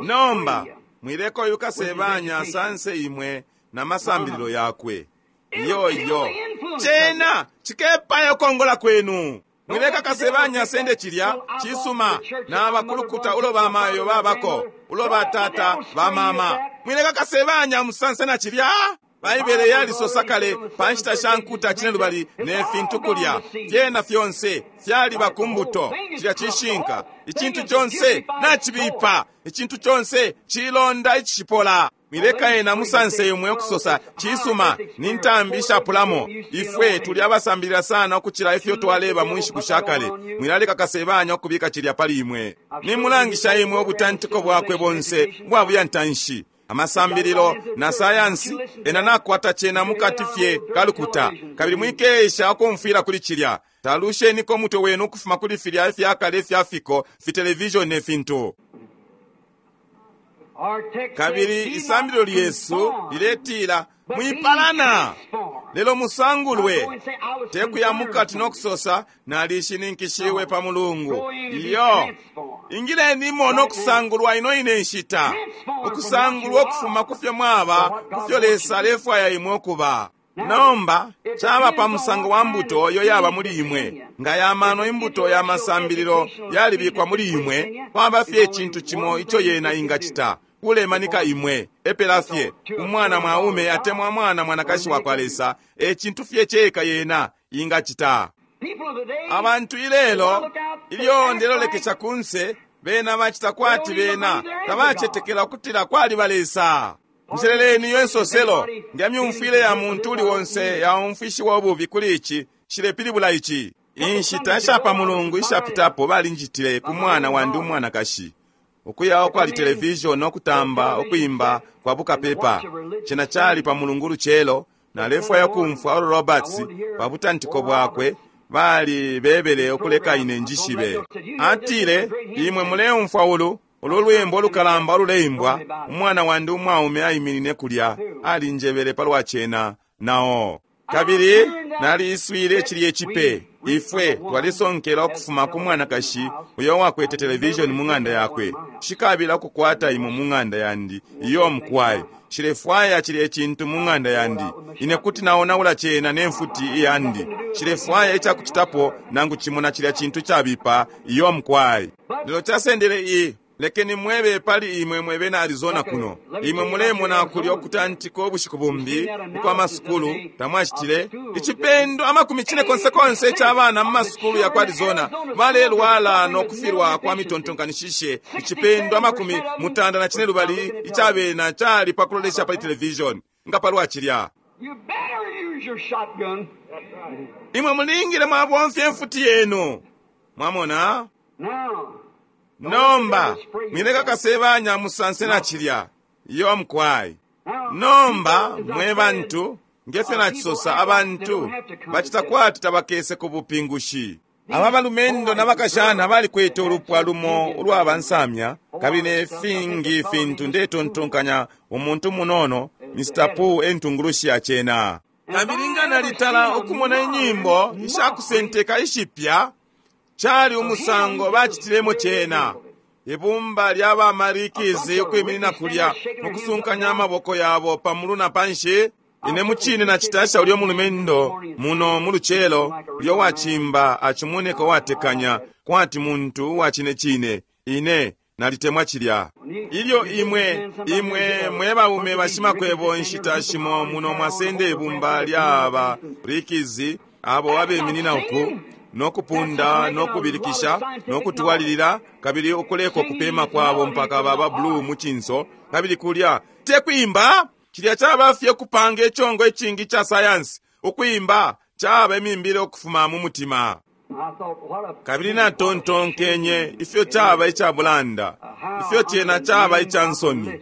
Nomba mwileko yukasebanya asanse imwe na masambililo yakwe. Iyo iyo cena chikepaya okongola kwenu. Mwileka kasebanya sende chilya chisuma na bakulukuta ulo bamayo babako ulo batata bamama. Mwileka kasebanya musanse na chilya. Baibele yalisosa kale panshita sha nkuta chinelubali ne fintu kulya fyena fyonse fyaliba kumbuto. Chilya chishinka ichintu chonse nachibipa, ichintu chonse chilonda ichishipola. Mwileka ena musanse imwe okusosa chisuma ni ntambi ishapulamo. Ifwe tuli abasambilila sana okuchila ifyo twaleba mu nshiku sha kale. Mwilaleka kasebanya okubika chilya pali imwe. Nimulangisha imwe obutantiko bwakwe bonse bwabuya ntanshi amasambililo na sayansi ena nakwata chena mukati fye kalukuta kabili mwikesha okumfwila kuli chilya. Talusheniko mutwe wenu ukufuma kuli filya ifyakale ifyafiko fitelevishoni ne fintu. Kabili isambililo lyesu liletila mwipalana lelo musangulwe tekuya mukati nokusosa nalishininkishiwe pa mulungu. Iyo ingilenimo nokusangulwa ino ine nshita, ukusangulwa okufuma kufyo mwaba kufyo Lesa alefwaya imwe okuba. Nomba chaba pa musango wa mbuto yo yaba muli imwe. Nga yamano imbuto ya masambililo yalibikwa muli imwe, kwaba fye ichintu chimo icho yena ingachita kulemanika imwe epela fye umwana mwaume atemwa mwana mwanakashi wa kwa Lesa echintu fye cheka yena ingachita. Abantu ilelo ilyo ndelolekesha kunse bena bachita kwati bena tabachetekela ukutila kwali balesa. Njeleleni iyo ensoselo nga myumfwile ya muntu uli wonse yaumfishiwa obubi kuli ichi shilepilibula ichi. Inshita shapa mulungu ishapitapo balinjitile ku mwana wandi umwanakashi ukuya okwali television okutamba okuimba kwa bukapepa. Chena chali pa mulungu luchelo nalefwaya kumfwa Oral Roberts pa butantiko bwakwe bali bebele okuleka ine njishibe. Atile imwe muleumfwa ulu ulu lwimbo olukalamba oluleimbwa umwana wandi umwaume ayiminine kulya alinjebele palwa chena nao. Kabili naliiswile chilye chipe ifwe twalisonkela okufuma ku mwanakashi uyo wakwete television mu ng'anda yakwe. Shikabila okukwata imwe mu ng'anda yandi iyo mukwayi shilefwaya chilye chintu mu ng'anda yandi ine kuti naonaula chena nemfuti iyandi. Shilefwaya ichakuchitapo nangu chimo na chilya chintu chabipa iyo mukwayi. Lelo chasendele i Lekeni mwebe pali imwe mwebena Arizona kuno. Imwe mulemona kulya okutantika obushiku bumbi ukwa masukulu tamwachitile icipendo amakumi chine konse konse eky'abaana mu masukulu ya ku Arizona balelwala n'okufirwa kwa mitontonkanishishe. Icipendo amakumi mutanda na chine lubali ikyabena kyali pakulolesha pali television nga palwa chilya. You better use your shotgun. Imwe mulingile mwabomfya enfuti yenu. Mwamona? Now, Nomba mwileka kasebanya musanse na chilya. Iyo mkwai. now, Nomba mwe bantu ngefyo nachisosa abantu bachita kwati tabakese ku bupingushi. Aba balumendo n'abakashana balikwete olupwa lumo ulwabansamya kabili ne fingi fintu ndetontonkanya umuntu munono Mister Pooh entungulushi yachena. Kabili nga nalitala okumona enyimbo ishakusenteka ishipya chali umusango bachitilemo chena. Ibumba ly'abamarikizi ukwiminina kulya mukusunkanya amaboko yabo pamulu na panshi. Ine muchine na chitasha ulyo mulumendo muno muluchelo ulyo wachimba achimoneka watekanya kwati muntu wa chine chine. Ine nalitemwa chilya. Ilyo imwe imwe mwe baume bashimakwebo nshita shimo muno mwasende ibumba ly'aba rikizi abo abeminina uku nokupunda nokubilikisha nokutwalilila kabili okuleka okupema kwabo mpaka baba blue muchinso kabili kulya tekwimba chilya kyaba fye okupanga ekyongo ekingi kya sayansi okwimba kyaba emimbire okufuma mu mutima. I thought, what a Kabili natontonkenye ifyo kyaba ekyabulanda ifyo kyena kyaba ekyansoni.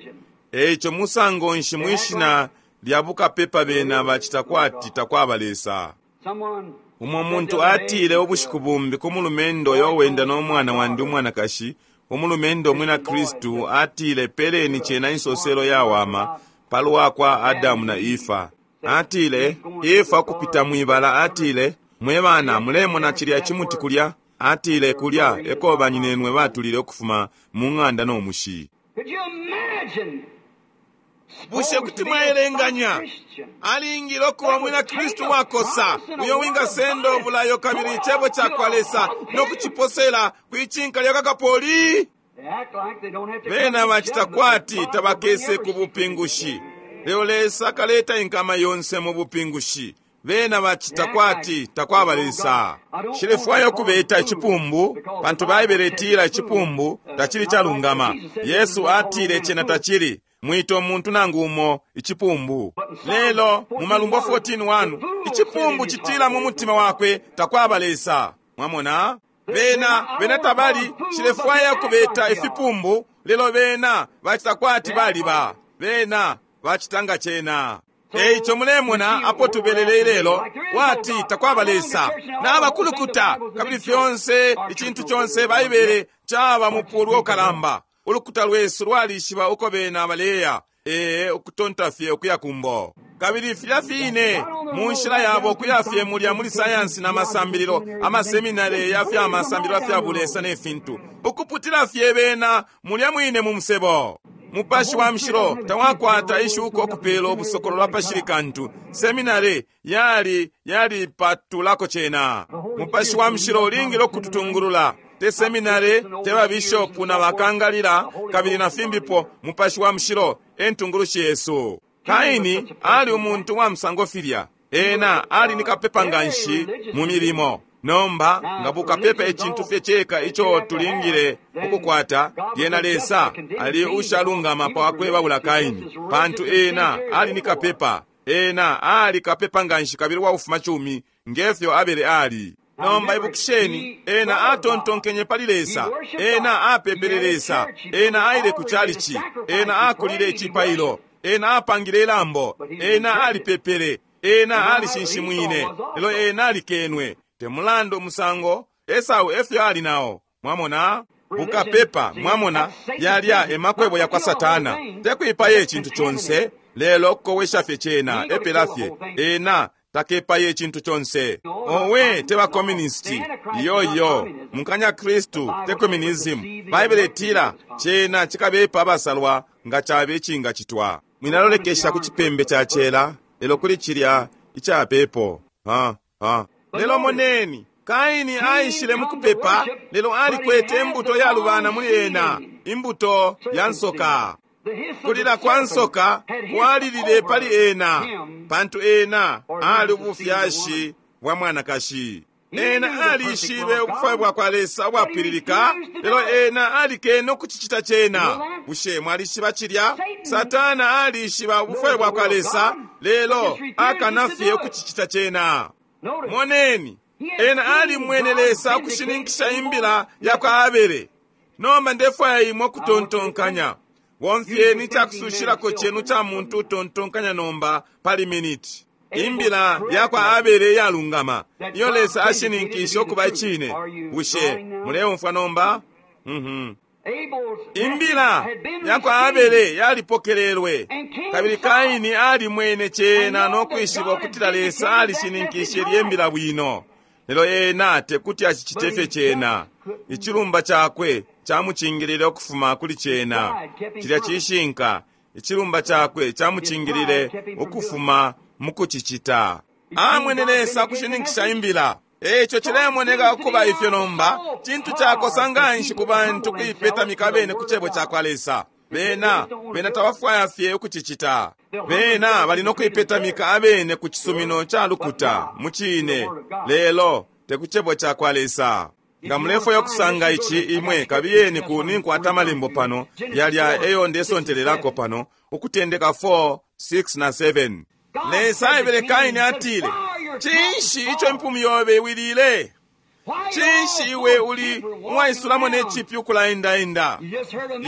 Ekyo musango nshi mwishina lya bukapepa bena bachita kwati takwaba Lesa. Someone Umwe muntu atile obushiku bumbi ku mulumendo oyo wenda n'omwana wandi umwanakashi, umulumendo omwina Kristu atile peleni kyena insoselo yawama palwa kwa Adamu na Ifa. Atile Ifa kupita mwibala atile mwe bana mulemona chilya chimuti kulya atile kulya eko banyinenwe batulile okufuma mu ng'anda n'omushi. Could you imagine? Bushe kuti mwaelenganya alingile okuba mwina Kristu wakosa uyo wingasenda obulayo kabili ichebo kyakwa Lesa n'okuchiposela kwichinka lya kakapoli. They act like they don't have to Bena come to bachita judgment. kwati God will bring tabakese every ku bupingushi. Leo Lesa akaleta inkama yonse mu bupingushi. Bena bachita kwati takwaba Lesa. Shilefwayo okubeta echipumbu pantu Baibele etila echipumbu tachili chalungama. Yesu atile chena tachili mwito muntu nangu umo ichipumbu. Lelo mu Malumbo fourteen one ichipumbu chitila mu mutima wakwe takwaba Lesa. Mwamona? Bena bena tabali shilefwaya kubeta ifipumbu lelo bena bachita kwati baliba. Bena bachitanga chena. Eicho mulemona apo tubelele ilelo kwati takwaba Lesa. N'abakulukuta kabili fyonse ichintu chonse Baibele chaba mupulu okalamba. Ulukuta lwesu lwalishiba uko bena baleya. Ee okutonta fye okuya kumbo. Kabili filya fine mu nshila yabo okuya fye mulya muli sayansi n'amasambililo amaseminari ya fya masambililo fya bulesa n'efintu. Okuputila fye bena mulya mwine mu musebo. Mupashi wa mshilo tawakwata ishuko okupela obusokolo lwa pashili kantu. Seminari yali yali patulako chena. Mupashi wa mshilo ulingile okututungulula. Te seminari te babishopu na bakangalila kabili na fimbipo. Mupashi wa mshilo entungulushi Yesu. Kaini ali umuntu wa msango filya. Ena ali nikapepa nganshi mu milimo. Nomba nga bukapepa echintu fye cheka icho tulingile okukwata lyena Lesa ali ushalungama pawakwebabula Kaini pantu ena ali nikapepa. Ena ali kapepa nganshi kabili waufuma chumi ngefyo abele ali. Nomba ibukisheni ena atontonkenye pali Lesa. Ena apepele Lesa. Ena aile ku chalichi. Ena akulile ichipailo. Ena apangile ilambo. Ena alipepele. Ena alishinshimwine. Lelo ena alikenwe. Temulando musango Esau efyo ali nawo. Mwamona? Bukapepa mwamona yalya emakwebo ya kwa Satana. Tekwipaye echintu chonse lelo okukowesha fye chena epela fye. Ena takepaye echintu chonse. Owe teba communisti. Iyo yo mukanya Kristu te communism. Baibele etila chena chikabepa abasalwa nga chabe echinga chitwa. Mwinalolekesha ku chipembe cha chela lelo kuli chilya ichapepo. Ha ha. Lelo moneni Kaini aishile mukupepa, lelo alikwete imbuto yalubana muli ena, imbuto ya nsoka. Kulila kwa nsoka kwalilile pali ena, pantu ena ali ubufyashi bwa mwanakashi. Ena alishibe ubufwayo bwa kwa Lesa ubwapwililika, lelo ena alikene ukucicita cena. Bushe mwalishiba cilya? Satana alishiba ubufwayo bwa kwa Lesa, lelo akana fye ukucicita cena. Moneni, ena alimwene Lesa ukushininkisha imbila ya kwa Abele. Nomba ndefwaya imwe ukutontonkanya. Bomfyeni icakusushilako cenu ca muntu utontonkanya nomba pali miniti. Imbila ya kwa Abele iyalungama, iyo Lesa ashininkishe ukuba icine. Bushe muleumfwa nomba? Mhm. Imbila ya kwa Abele yalipokelelwe, kabili Kaini alimwene cena no kwishiba ukutila Lesa alishininkishe ilye mbila bwino. Lelo ena tekuti acicite fye cena. Icilumba cakwe camucingilile ukufuma kuli cena. Cilya cishinka. Icilumba cakwe camucingilile ukufuma mukucicita. Amwene Lesa kushininkisha imbila. Eco cilemoneka ukuba ifyo nomba, cintu cakosa nganshi ku bantu kuipetamika bene ku cebo ca kwa Lesa. Bena, bena tabafwaya fye ukucicita. Bena bali no kuipetamika abene ku cisumino ca lukuta, mu cine, lelo te ku cebo ca kwa Lesa. Nga mulefwaya ukusanga ici imwe, kabiyeni ku ninkwata amalembo pano, yalya eyo ndesontelelako pano, Ukutendeka four, six na seven. Lesa aebele Kaini atile, cinshi ico impumi yobe iwilile? Cinshi iwe uli uwaisulamo ne cipyu ukulaendaenda?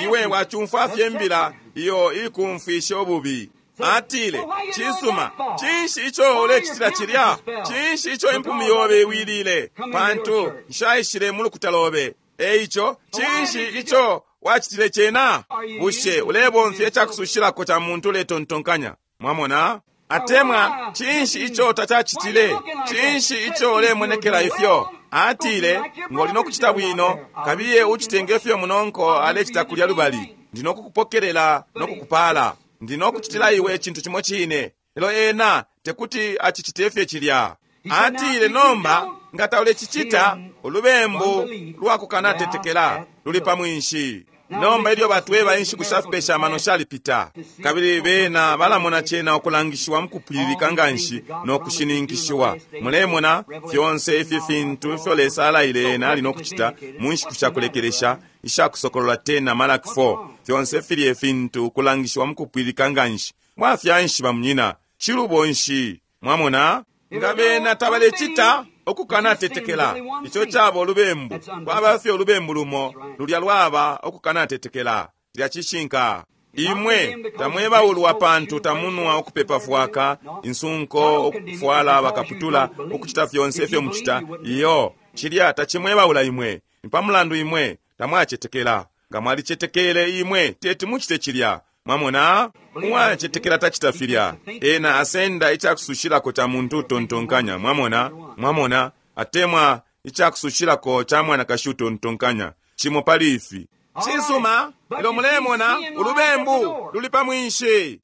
Iwe wacumfwa fye imbila iyo ikumfwisha ububi. Atile, cisuma, cinshi ico ulecitila cilya? Cinshi ico impumi yobe iwilile? Pantu nshaishile mu lukuta lobe. Eico, cinshi ico wacitile cena? Bushe ulebomfya icakusushilako ca muntu uletontonkanya? Mwamona? Atemwa, cinshi ico tacacitile? Cinshi ico ulemonekela ifyo? Atile, ngoli nokucita bwino, kabiye ucite ngefyo munonko alecita kulya lubali. Ndi nokukupokelela nokukupala. Ndi nokucitila iwe icintu cimo cine. Lelo ena tekuti acicite fye cilya. Atile, nomba nga taulecicita, ulubembu lwakukanatetekela luli pa mwinshi. Nomba ilyo batweba inshiku shafipesha amano shalipita, kabili bena balamona cena ukulangishiwa mukupwililika nganshi no kushininkishiwa. Mulemona fyonse ifi fintu ifyo Lesa alaile ena ali nokucita mu nshiku shakulekelesha ishakusokolola ten na Malaki four, fyonse filye fintu kulangishiwa mukupwililika nganshi. Mwafya nshi bamunyina? Cilubo nshi? Mwamona? Nga bena tabalecita ukukanatetekela, ico caba ulubembu. Kwaba fye ulubembu lumo, lulya lwaba ukukanatetekela. Lya cishinka. Imwe tamwebaulwa pantu tamunwa ukupepa fwaka, insunko, ukufwala bakaputula, ukucita fyonse ifyo mucita. Iyo, cilya tacimwebaula imwe. Ni pa mulandu imwe tamwacetekela. Nga mwalicetekele imwe teti mucite cilya. Mwamona? Uwacetekela tacita filya. Ena asenda icakusushilako ca muntu utontonkanya. Mwamona? Mwamona? Atemwa icakusushilako ca mwanakashi utontonkanya. Cimo pali ifi. Cisuma, lelo mulemona ulubembu luli pa mwinshi.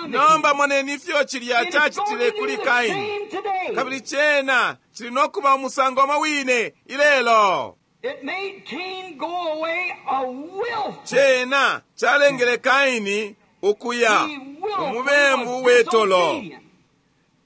Nomba moneni ifyo cilya cacitile kuli Kaini. Kabili cena cili nokuba umusango umo wine ilelo. It made Cain go away a willful. Cena calengele Kaini ukuya umubembu wetolo.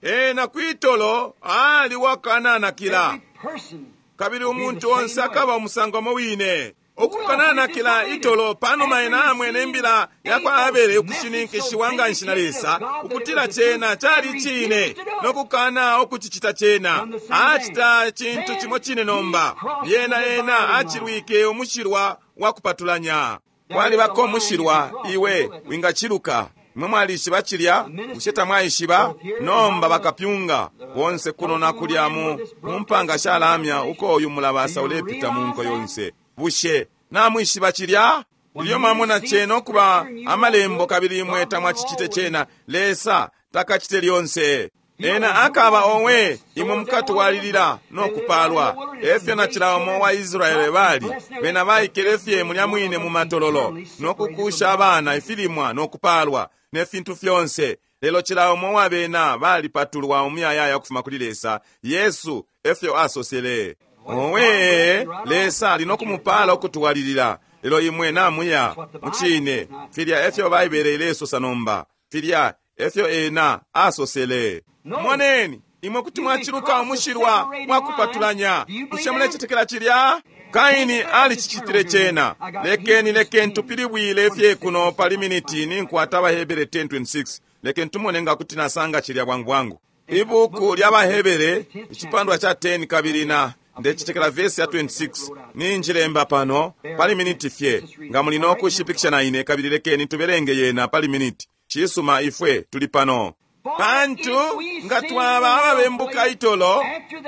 Ena kwitolo ali wakananakila. Every person Kabili umuntu onse akaba umusango umo wine. Ukukananakila itolo panuma ena amwene imbila ya kwa Abele ukushininkishiwa nganshi na Lesa ukutila cena cali cine nokukana ukucicita cena. Acita cintu cimo cine nomba. Lyena ena acilwike umushilwa wa kupatulanya. Kwalibako umushilwa iwe wingaciluka. Imwe mwalishiba cilya? Bushe tamwaishiba? Nomba bakapyunga bonse kuno na kulya mu mu mpanga shalamya uko uyu mulabasa ulepita mu nko yonse. Bushe namwishiba cilya? Ilyo mwamona cena ukuba amalembo kabili imwe tamwacicite cena, Lesa takacite lyonse. Ena akaba owe imwe mukatwalilila no kupalwa. Efyo na cila umo wa Israele bali bena baikele fye mulya mwine mu matololo no kukusha abana ifilimwa no kupalwa ne fintu fyonse. Lelo cila umo wabena balipatulwa umuyayaya ukufuma kuli Lesa. Yesu efyo asosele. Owe, Lesa ali nokumupala ukutwalilila. Lelo imwe namuya mucine. Filya efyo Baibele ilesosa nomba. Filya efyo ena asosele. Moneni, imwe kuti mwaciluka umushilwa mwakupatulanya. Bushe mulecetekela cilya? Kaini alicicitile cena. Lekeni lekeni tupilibwile fye kuno pali miniti ninkwata Abahebere ten twenty-six. Lekeni tumone nga kuti nasanga cilya bwangu bwangu. Ibuku lya Abahebere icipandwa cha ten kabili na ndecitekela verse ya twenty-six. Ninjilemba pano pali miniti fye. Nga muli nokushipikisha na ine kabili lekeni tubelenge yena pali miniti. Cisuma ifwe tuli pano. Pantu nga twaba ababembuka itolo,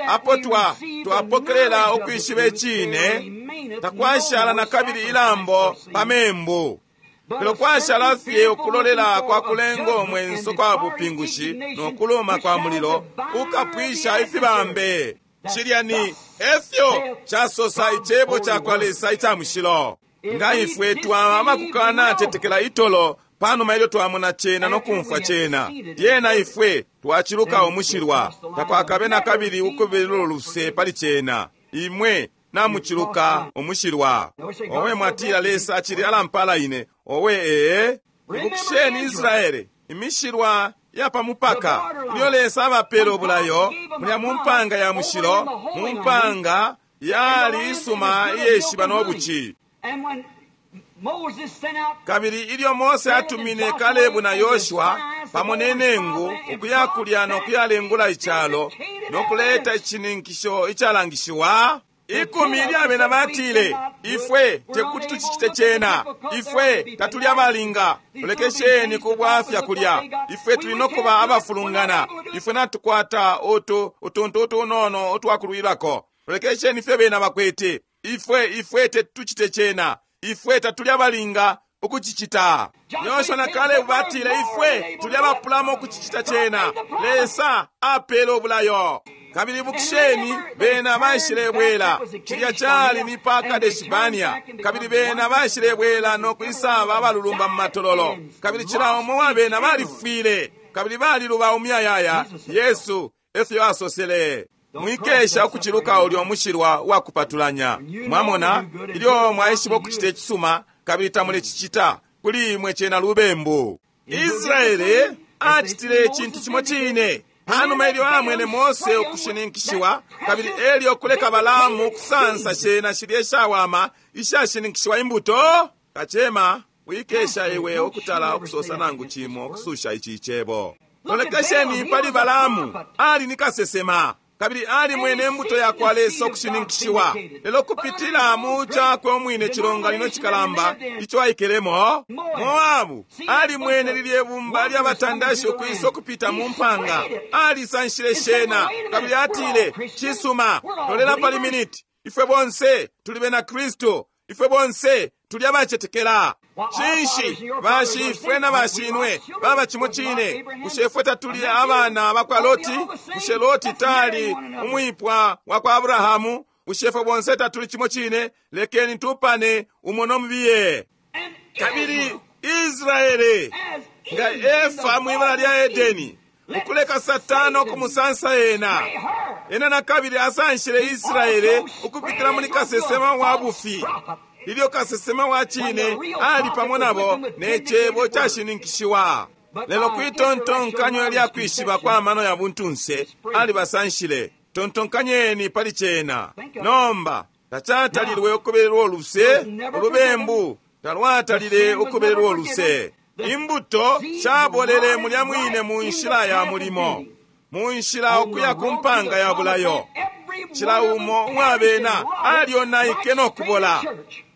apo twa twapokelela ukwishiba icine, takwashala na kabili ilambo pa membu. Lelo kwashala fye ukulolela kwa kulenga umwenso kwa bupingushi nokuluma kwa mulilo ukapwisha ifibambe. Cilya ni efyo casosa icebo ca kwa Lesa ica mushilo. Nga ifwe twaba abakukana cetekela itolo panuma ilyo twamona cena nokumfwa cena, lyena ifwe twaciluka umushilwa, takwakabe na kabili ukubelelo luse pali cena. Imwe namuciluka umushilwa. Owe mwatila Lesa acili alampala ine. Owe ee. Ibukisheni Israele, imishilwa ya pamupaka ilyo Lesa abapele ubulayo mulya mu mpanga ya mushilo, mu mpanga yali isuma iyeshiba nobuci. Kabili ilyo Mose atumine Kalebu na Yoshua pamo ne nengu ukuya kulya nokuyalengula icalo nokuleta icininkisho icalangishiwa, ikumi lyabena batile, ifwe tekuti tucicite cena, ifwe tatuli abalinga, tulekesheni kubwafya kulya, ifwe tuli nokuba abafulungana, ifwe natukwata utu utuntu utunono utwakulwilako, tulekesheni fye bena bakwete, ifwe ifwe tetucite cena, ifwe tatuli abalinga ukucicita. Yoshua na Kalebu batile, ifwe tuli abapulamo ukucicita cena. Lesa apele ubulayo. Kabili ibukisheni bena baishilebwela. Cilya cali ni pa Kadeshibania. Kabili bena baishilebwela nokwisaba abalulumba mu matololo. Kabili cila umo wa bena balifwile. Kabili baliluba umuyayaya. Yesu efyo asosele. Mwikesha ukuciluka ulyo mushilwa wakupatulanya. Mwamona, ilyo mwaishiba ukucita icisuma kabili tamulecicita, kuli imwe cena lubembu. Israele acitile icintu cimo cine. Panuma ilyo amwene Mose ukushininkishiwa, kabili elyo kuleka Balaamu kusansa shena shilye ishawama ishashininkishiwa imbuto, kacema wikesha iwe okutala okusosa nangu cimo okususha ici icebo. Lolekesheni pali Balaamu, ali ni kasesema kabili ali mwene imbuto ya kwa Lesa okushininkishiwa, lelo kupitila mu cakwe omwine cilonganino cikalamba ico aikelemo. Moabu ali mwene lilye bumba lya batandashi ukwisa okupita mu mpanga, alisanshile shena kabili atile, cisuma, lolela pali miniti, ifwe bonse tuli bena Kristu, ifwe bonse tuli abacetekela. Cinshi bashifwe na bashinwe baba cimo cine? Bushe ifwe tatuli abana bakwa Loti? Bushe Loti tali umwipwa wa kwa Abrahamu? Bushe ifwe bonse tatuli cimo cine? Lekeni tupane umo nomubiye. Kabili Israele nga Efa mwibala lya Edeni, ukuleka Satana okumusansa ena, ena na kabili asanshile Israele ukupitila muli kasesema wa bufi. Ilyo kasesema wa cine ali pamo nabo ne cebo cashininkishiwa. Lelo kwitontonkanyo lya kwishiba kwa mano ya buntunse alibasanshile. Tontonkanyeni pali cena. Nomba tacatalilwe ukubelelwa oluse, ulubembu talwatalile ukubelelwa oluse. Imbuto shabolele mulya mwine mu nshila ya mulimo, mu nshila okuya ku mpanga ya bulayo. Cila umo uwabena alyonaike nokubola.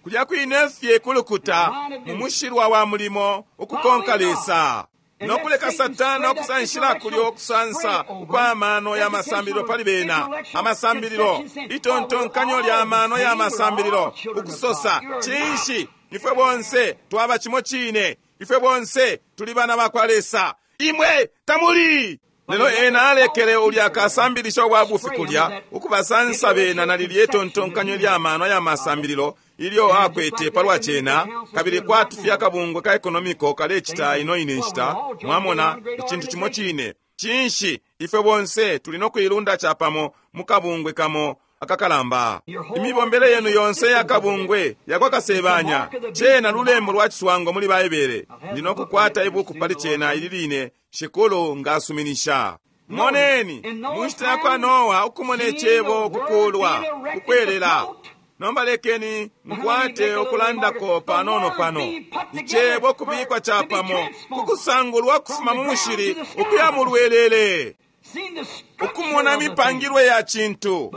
Kulya kwine fye kulukuta mu mushilwa wa mulimo ukukonka Lesa. Nokuleka Satana okusanshila kulyo okusansa ukwa mano ya masambililo pali bena. Amasambililo, itontonkanyo lya mano ya masambililo, ukusosa, cinshi, ifwe bonse twaba cimo cine, ifwe bonse tuli bana bakwa Lesa, imwe tamuli. Lelo ena alekele ulya akasambilisha obwa bufi kulya ukubasansa bena na lilye tontonkanyo lya mano ya masambililo ilyo akwete palwa cena, kabili kwati akabungwe ka ekonomiko kalecita ino ine nshita, mwamona, icintu cimo cine. Cinshi, ifwe bonse tuli no kuilunda chapamo mukabungwe kamo akakalamba. Imibombele yenu yonse yakabungwe yakwakasebanya cena lulembo lwa ciswango muli Baibele. Ndi nokukwata ibuku pali cena ili line, Shikulu ngasuminisha. Moneni, mu nshita ya kwa Noa ukumona icebo ukukulwa, ukwelela. Nomba lekeni nkwate ukulandako panono pano. Icebo kubikwa chapamo kukusangulwa kufuma mu mushili ukuya mu lwelele, ukumona mipangilwe ya cintu.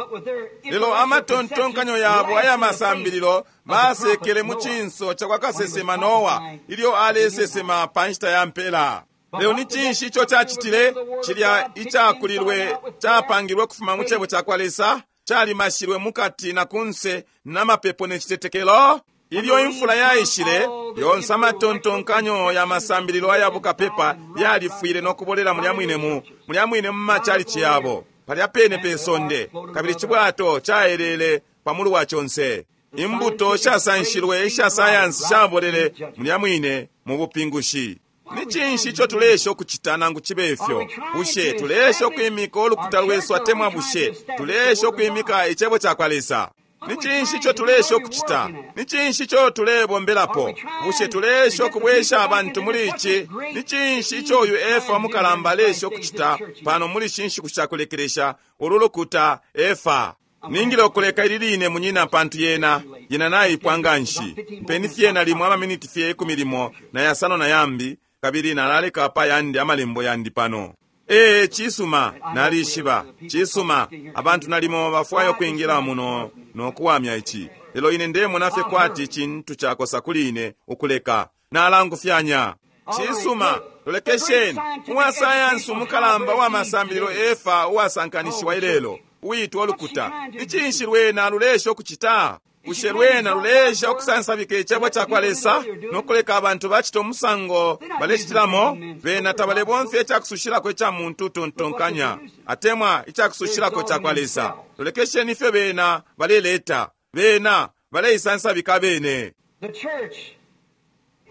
Lelo amatontonkanyo yabo aya masambililo basekele mu cinso ca kwa kasesema Noa ilyo alesesema pa nshita ya mpela. Lelo ni cinshi ico cacitile? Cilya icakulilwe capangilwe kufuma mu cebo ca kwa Lesa, calimashilwe mukati na kunse na mapepo ne citetekelo. Ilyo imfula yaishile, yonse amatontonkanyo ya masambililo aya bukapepa yalifwile no kubolela mulya mwine mu mulya mwine mu machalichi yabo palya pene pe sonde, kabili cibwato caelele pamulu wa conse. Imbuto shasanshilwe isha sayansi shabolele mulya mwine mu bupingushi. Ni cinshi ico tulesha ukucita nangu cibe ifyo? Bushe tulesha ukwimika ulukuta lwesu atemwa bushe tulesha ukwimika icebo ca kwa Lesa? Ni cinshi ico tulesha ukucita? Ni cinshi ico tulebombelapo? Bushe tulesha ukubwesha abantu muli ici? Ni cinshi ico uyu Efa mukalamba alesha ukucita pano muli shi nshiku sha kulekelesha ulu lukuta Efa? Ningile ukuleka ili line munyina, pantu yena yena naipwa nganshi. Mpeni fye nalimo amaminiti fye ikumi limo na yasano na yambi, kabili nalaleka pa yandi amalembo yandi pano. Ee, cisuma, nalishiba, cisuma, abantu nalimo bafwayo kwingila muno nokuwamya ici. Lelo ine ndemona fye kwati cintu cakosa kuli ine ukuleka. Nalangufyanya. Cisuma, lolekesheni, uwa sayansi umukalamba wa masambililo Efa uwasankanishiwa ilelo, uitwa ulukuta. Ni cinshi lwena lulesha ukucita? Bushe lwena lulesha ukusansabika icebo ca kwa Lesa nokuleka abantu bacita umusango balecitilamo? Bena tabalebomfya icakusushilako ica muntu utontonkanya atemwa icakusushilako ca kwa Lesa. Lolekesheni ifyo bena baleleta. Bena baleisansabika bene.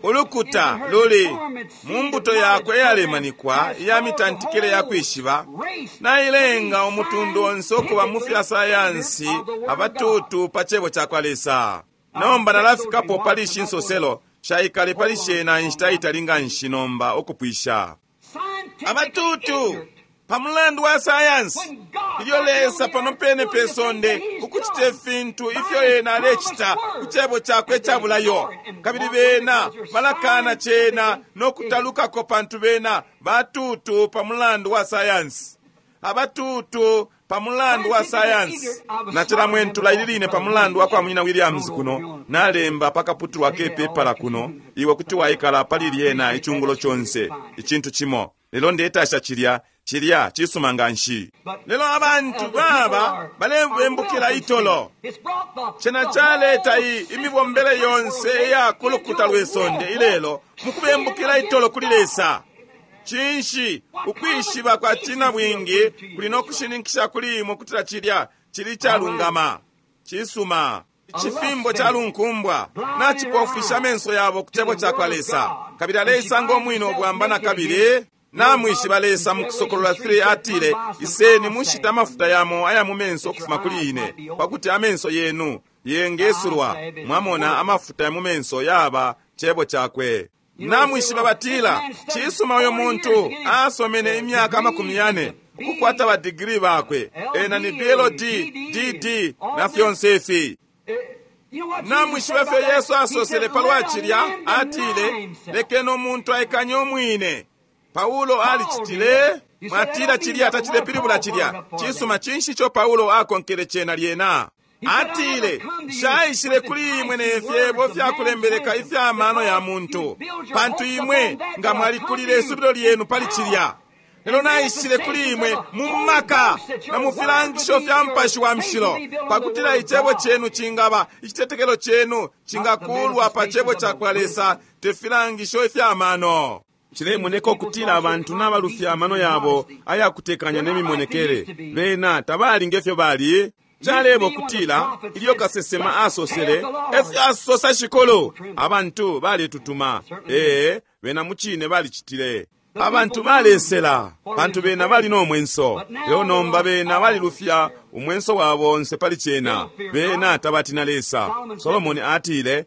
Ulukuta luli mu mbuto yakwe iyalemanikwa iya mitantikile ya kwishiba, nailenga umutundu onse ukuba mu fya sayansi abatutu pa cebo ca kwa Lesa. Nomba nalafikapo pali ishi nsoselo shaikale pali shena inshita itali nganshi nomba ukupwisha. Abatutu pa mulandu wa sayansi, ilyo Lesa pano pene pe sonde ukucita ifintu ifyo ena alecita ku cebo cakwe icabulayo, kabili bena balakana cena no kutalukako pantu bena batutu pa mulandu wa sayansi. Abatutu pa mulandu wa sayansi. Nacilamwentula ili line pa mulandu wa kwa munyina Williams kuno, nalemba pakaputulwa kepepala kuno, iwe kuti waikala pali lyena icungulo conse, icintu cimo. Lelo ndetasha cilya, cilya cisuma nganshi. Lelo abantu baba balebembukila itolo. Cena caleta iyi imibombele yonse iya kulukuta lwe sonde ilelo mukubembukila itolo kuli Lesa. Cinshi ukwishiba kwa cina bwingi kuli no kushininkisha kuli imwe kutila cilya cili calungama. Cisuma. Icifimbo calunkumbwa nacipofwisha amenso yabo ku cebo ca kwa Lesa, kabili aleisanga umwine ubwamba na kabili. Namwishiba Lesa mu Kusokolola three atile, iseni mushita amafuta yamo aya mu menso ukufuma kuli ine, pakuti amenso yenu yengesulwa. Mwamona, amafuta ya mu menso yaba cebo cakwe. Namwishiba batila, cisuma uyo muntu asomene imyaka amakumi yane ukukwata ba digiri bakwe, ena ni B L D, D D na fyonse ifi. Namwishiba fye Yesu asosele palwa cilya, atile, lekeni umuntu aikanye umwine. Paulo alicitile. Mwatila cilya tacilepilibula cilya. Cisuma, cinshi ico Paulo akonkele cena lyena? Atile, nshaishile kuli imwe ne fyebo fyakulembeleka ifya mano ya muntu, pantu imwe nga mwalikulile isubilo lyenu pali cilya. Lelo naishile kuli imwe mu maka na mu filangisho fya Mupashi wa Mushilo, pakutila icebo cenu cingaba, icitetekelo cenu cingakulwa pa cebo ca kwa Lesa, te filangisho ifya mano. Cilemoneka ukutila abantu nabalufya amano yabo ayakutekanya ne mimonekele. Bena tabali ngefyo bali. Calebo kutila ilyo kasesema asosele efyo asosa shikulu, abantu baletutuma. Ee, bena mucine balicitile. Abantu balesela pantu bena bali no mwenso. Lelo nomba bena balilufya umwenso wabo onse pali cena. Bena tabatina Lesa. Solomoni atile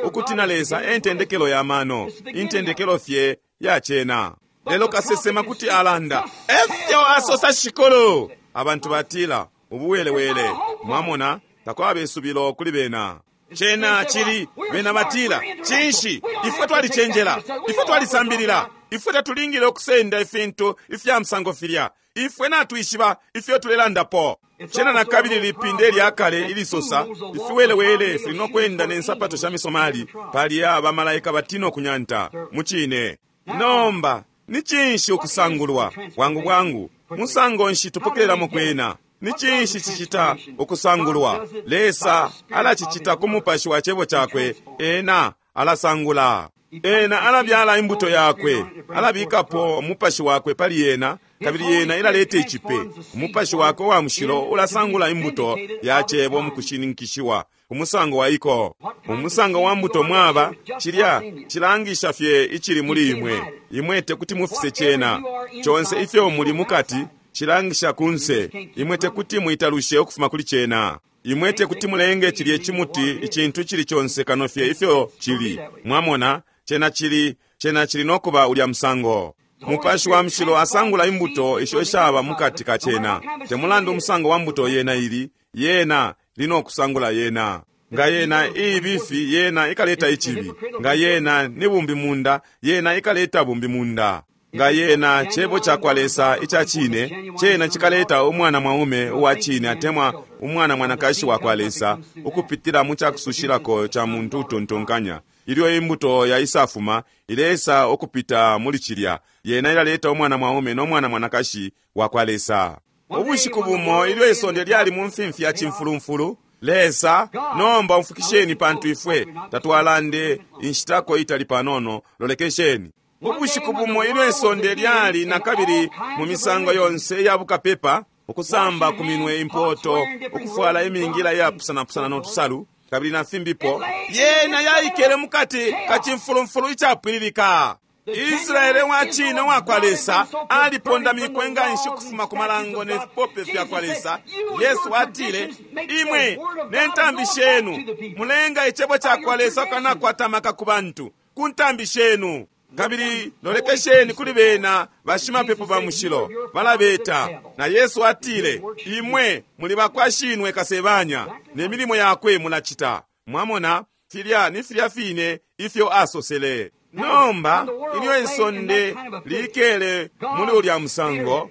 ukutina Lesa e ntendekelo ya mano, intendekelo fye ya cena. Lelo kasesema kuti alanda efyo asosa shikulu, abantu batila ubuwelewele. Mwamona, takwaba isubilo kuli bena. Cena chili bena batila cinshi, ifwe twalicenjela, ifwe twalisambilila, ifwe tatulingile ukusenda ifintu ifya msango filya, ifwe natwishiba ifyo tulelandapo. Cena na kabili lipinde lya kale ilisosa ifiwelewele fili nokwenda ne nsapato sha misomali pali aba malaika batino kunyanta mucine. Nomba ni cinshi ukusangulwa bwangu bwangu? Musango nshi tupokelelamo kwena? Ni cinshi cicita ukusangulwa? Lesa alacicita ku mupashi wa cebo cakwe. Ena alasangula, ena alabyala imbuto yakwe, alabikapo umupashi wakwe pali yena, kabili yena ilaleta icipe. Umupashi wakwe wa mushilo ulasangula imbuto ya cebo mukushininkishiwa umusango wa iko. Umusango wa mbuto mwaba cilya cilangisha fye icili muli imwe. Imwe tekuti mufise cena. Conse ifyo muli mukati cilangisha kunse. Imwe tekuti muitalushe ukufuma kuli cena. Imwe tekuti mulenge cilye cimuti icintu cili conse kano fye ifyo cili. Mwamona, cena cili, cena cili nokuba ulya musango. Mupashi wa mushilo asangula imbuto isho ishaba mukati ka cena. Temulandu umusango wa mbuto yena ili, yena lino kusangula yena. Nga yena iibifi, yena ikaleta icibi. Nga yena ni bumbi munda, yena ikaleta bumbi munda. Nga yena cebo ca kwa Lesa ica cine, cena cikaleta umwana mwaume uwa cine atemwa umwana mwanakashi wa kwa Lesa ukupitila mu cakusushilako ca muntu utontonkanya. Ilyo imbuto ya isafuma ilesa ukupita muli cilya, yena ilaleta umwana mwaume no mwana mwanakashi wa kwa Lesa. Ubushiku bumo ilyo isonde lyali mu mfimfi ya cimfulumfulu, Lesa, nomba umfukisheni pantu ifwe tatwalande inshitako itali panono, lolekesheni. Ubushiku bumo ilyo isonde lyali na kabili mu misango yonse ya bukapepa, ukusamba ku minwe impoto, ukufwala imingila yapusanapusana notusalu, kabili na fimbipo, yena yaikele mukati ka cimfulumfulu icapwililika. Israele wa cine wa kwa Lesa alipondamikwe nga nshi ukufuma ku malango ne fipope fya kwa Lesa. Yesu atile, imwe ne ntambi shenu mulenga icebo ca kwa Lesa ukanakwata amaka ku bantu ku ntambi shenu. Kabili lolekesheni kuli bena bashimapepo ba mushilo balabeta. Na Yesu atile, imwe muli bakwashinwe kasebanya ne milimo yakwe mulacita. Mwamona, filya ni filya fine ifyo asosele. Nomba ilyo isonde likele muli ulya musango,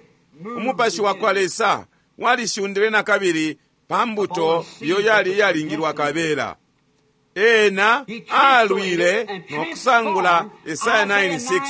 umupashi wa kwa Lesa walishundile na kabili pa mbuto iyo yali iyalingilwa kabela. Ena alwile nokusangula Esaya nine six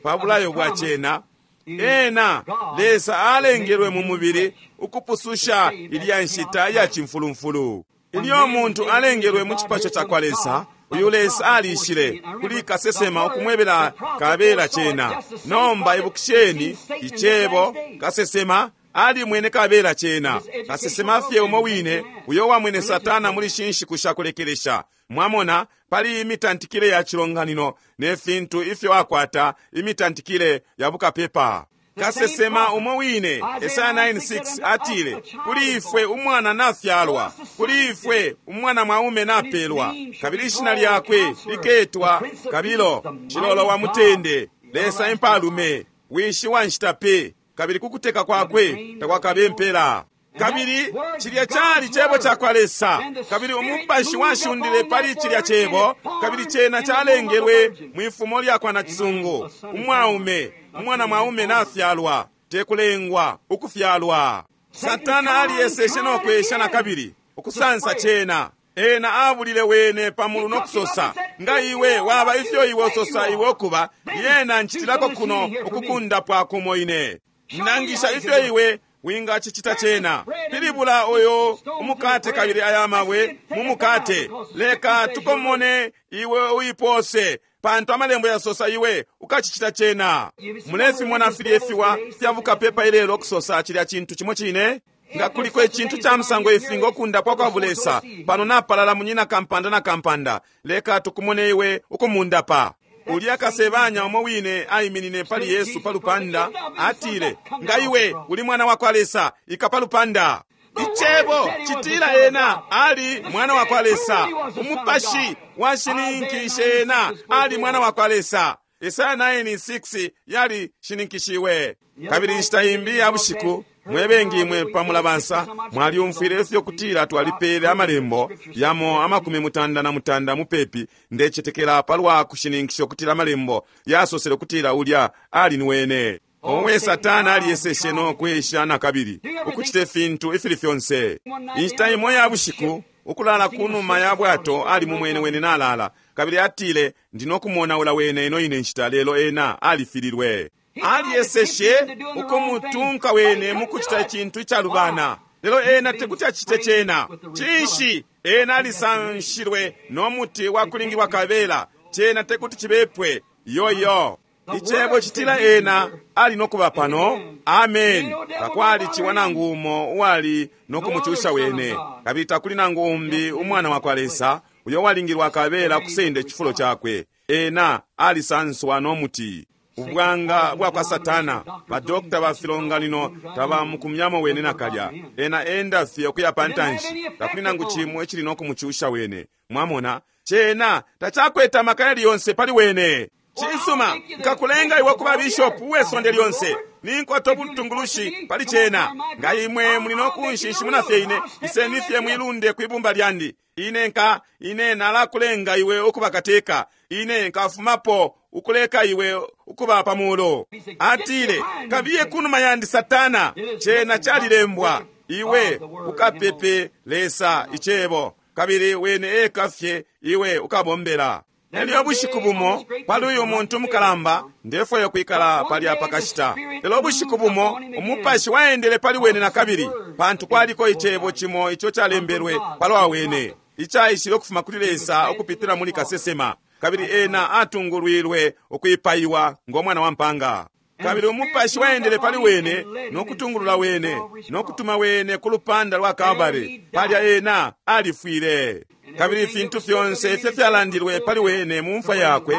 pa bulayo bwa cena. Ena Lesa alengelwe mu mubili ukupususha ilya nshita ya cimfulumfulu. Ilyo muntu alengelwe mu cipasho ca kwa Lesa, uyu Lesa alishile kuli kasesema ukumwebela kabela cena. Nomba ibukisheni icebo kasesema alimwene kabela cena. Kasesema fye umo wine uyo wamwene Satana muli shinshiku sha kulekelesha. Mwamona, pali imitantikile ya cilonganino ne fintu ifyo akwata imitantikile ya bukapepa. Kasesema umo wine Esaya nine six atile, kuli ifwe umwana nafyalwa, kuli ifwe umwana mwaume napelwa, kabili ishina lyakwe liketwa Kabilo, Cilolo wa mutende, Lesa impalume, wishi wa nshita pe, kabili kukuteka kwakwe takwakabe mpela. Kabili cilya cali cebo ca kwa Lesa, kabili umupashi washundile pali cilya cebo, kabili cena calengelwe mwifumo lya kwa nacisungu. Umwaume, umwana mwaume nafyalwa, tekulengwa, ukufyalwa. Satana aliyeseshe no kwesha na kabili ukusansa cena. Ena abulile wene pamulu nokusosa, nga iwe waba ifyo iwe ososa iwe okuba, yena nchitilako kuno ukukundapwa kumo ine. Nangisha ifyo iwe wingacicita cena. Pilibula oyo umukate kabili aya mabwe mu mukate. Leka tukomone iwe uipose, pantu amalembo yasosa iwe ukacicita cena. Mulefimona filye fiwa fya bukapepa ilelo kusosa cilya cintu cimo cine. Nga kuliko icintu ca musango ifi ngokundapwa kwa bulesa pano napalala munyina kampanda na kampanda, leka tukumone iwe ukumundapa. Ulya kasebanya umo wine aiminine pali Yesu pa lupanda, atile, nga iwe uli mwana wa kwa Lesa, ika pa lupanda. Icebo citila ena ali mwana wa kwa Lesa. Umupashi washininkishe ena ali mwana wa kwa Lesa. Isaya nine six yali shininkishiwe. Kabili inshita imbi ya bushiku, mwebengi imwe pamulabansa mwalyumfwile ifyo kutila twalipele amalembo yamo amakumi mutanda na mutanda mupepi, ndecetekela palwa kushininkisha kutila amalembo yasosele kutila ulya ali ni wene. Omwe Satana aliyeseshe no kwesha na kabili ukucite fintu ifili fyonse. Inshita imo ya bushiku, ukulala kunuma ya bwato ali mumwene wene nalala, kabili atile, ndinokumonaula wene ino ine nshita, lelo ena alifililwe. Aliyeseshe ukumutunka wene mukucita icintu icalubana, lelo ena tekuti acite cena. Cinshi? Ena alisanshilwe no muti wa kulingilwa kabela, cena tekuti cibepwe. Yoyo Icebo citila ena ali nokuba pano. Amen. Takwali ciwa nangu umo uwali nokumucusha wene, kabili takuli nangu umbi umwana wa kwa Lesa uyo walingilwa kabela kusenda icifulo cakwe. Ena alisanswa no muti. Ubwanga bwa kwa Satana, badokta ba filonganino tabamukumyamo wene nakalya. Ena enda fye ukuya pantanshi, takuli nangu cimo icili nokumucusha wene. Mwamona, cena tacakwete amaka yali yonse pali wene. Cisuma, nkakulenga iwe kuba bishopu uwesonde lyonse, ninkwata ubutungulushi pali cena. Nga imwe muli nokunshinshimuna fye ine, iseni fye mwilunde kwibumba lyandi. Ine nka ine nalakulenga iwe ukuba kateka, ine nkafumapo ukuleka iwe ukuba pamulo. Atile, kabiye kunuma yandi Satana, cena calilembwa, iwe ukapepe Lesa icebo, kabili wene eka fye iwe ukabombela. Elyo bushiku bumo pali uyu muntu mukalamba, ndefwayo kwikala palya pakashita. Lelo bushiku bumo umupashi waendele pali wene na kabili, pantu kwaliko icebo cimo ico calembelwe palwa wene, icaishile ukufuma kuli Lesa ukupitila muli kasesema, kabili ena atungulwilwe ukwipaiwa ngo mwana wa mpanga. Kabili umupashi waendele pali wene nokutungulula wene nokutuma wene ku lupanda lwa Kalvari, palya ena alifwile. Kabili ifintu fyonse ifyo fyalandilwe pali wene mu mfwa yakwe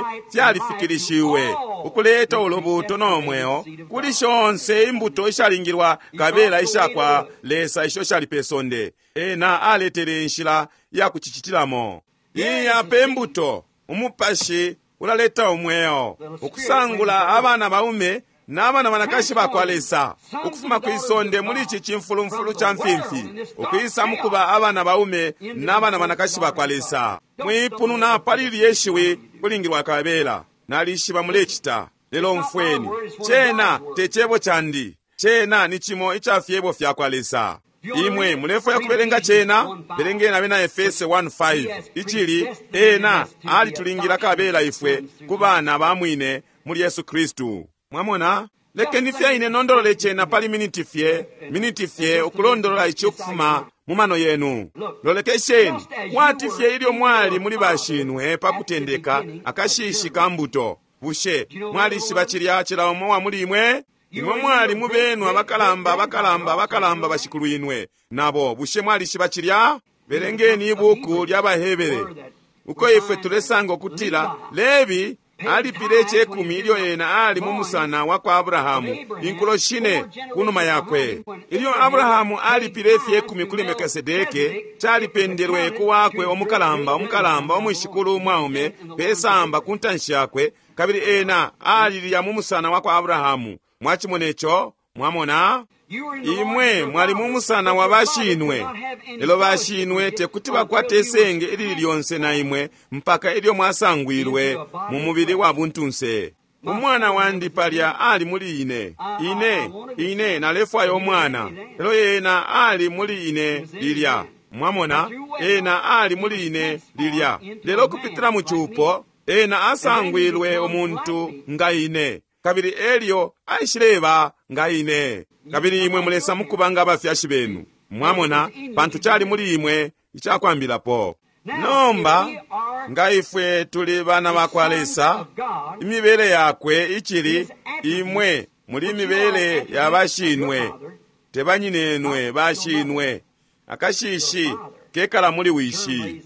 fyalifikilishiwe, ukuleta ulubuto no mweo kuli shonse imbuto ishalingilwa kabela ishakwa Lesa isho shali pe sonde. Ena aletele inshila ya kucicitilamo. Iya pe mbuto, umupashi ulaleta umweo, ukusangula abana baume n'abana banakashi bakwa Lesa ukufuma kwisonde muli ici cimfulumfulu ca mfimfi, ukwisa mukuba abana baume n'abana banakashi bakwa Lesa. Mwipununa pali lye shiwi kulingilwa kabela, nalishiba mulecita, lelo mfweni cena te cebo candi, cena ni cimo ica fyebo fyakwa Lesa. Imwe mulefwaya kubelenga cena? Belengeni abena Efese one five, icili ena alitulingila kabela ifwe ku bana ba mwine muli Yesu Kristu. Mwamona, lekeni fye ine nondolole cena pali miniti fye, miniti fye ukulondolola ici ukufuma mu mano yenu. Lolekesheni kwati fye ilyo mwali muli bashinwe pa kutendeka akashishi ka mbuto. Bushe mwalishiba cilya cila umo wa muli imwe? Imwe mwali mubenu abakalamba abakalamba abakalamba bashikulwinwe nabo. Bushe mwalishiba cilya? Belengeni ibuku lya Bahebere, uko ifwe tulesanga ukutila Lebi alipile icekumi ilyo ena ali mu musana wa kwa Abrahamu inkulo shine kunuma yakwe. Ilyo Abrahamu alipile ifyekumi kuli Melkisedeke, calipendelwe ku wakwe omukalamba omukalamba omwishikulu umwaume pesamba ku ntanshi yakwe, kabili ena alilya mu musana wa kwa Abrahamu. Mwachimona ico? Mwamona? Imwe mwali mu musana wa bashinwe, lelo bashinwe tekuti bakwate isenge ilili lyonse na imwe mpaka ilyo mwasangwilwe mu mubili wa buntunse. Umwana wandi palya ali muli ine, ine ine nalefwaya umwana, lelo ena ali muli ine lilya. Mwamona, ena ali muli ine lilya, lelo kupitila mu cupo ena asangwilwe umuntu nga ine, kabili elyo aishileba nga ine. Kabili imwe mulesa mukuba nga abafyashi benu. Mwamona, pantu cali muli imwe icakwambilapo. Nomba nga ifwe tuli bana bakwa Lesa, imibele yakwe icili imwe muli imibele ya bashinwe, Tebanyinenwe bashinwe. Akashishi kekala muli wishi.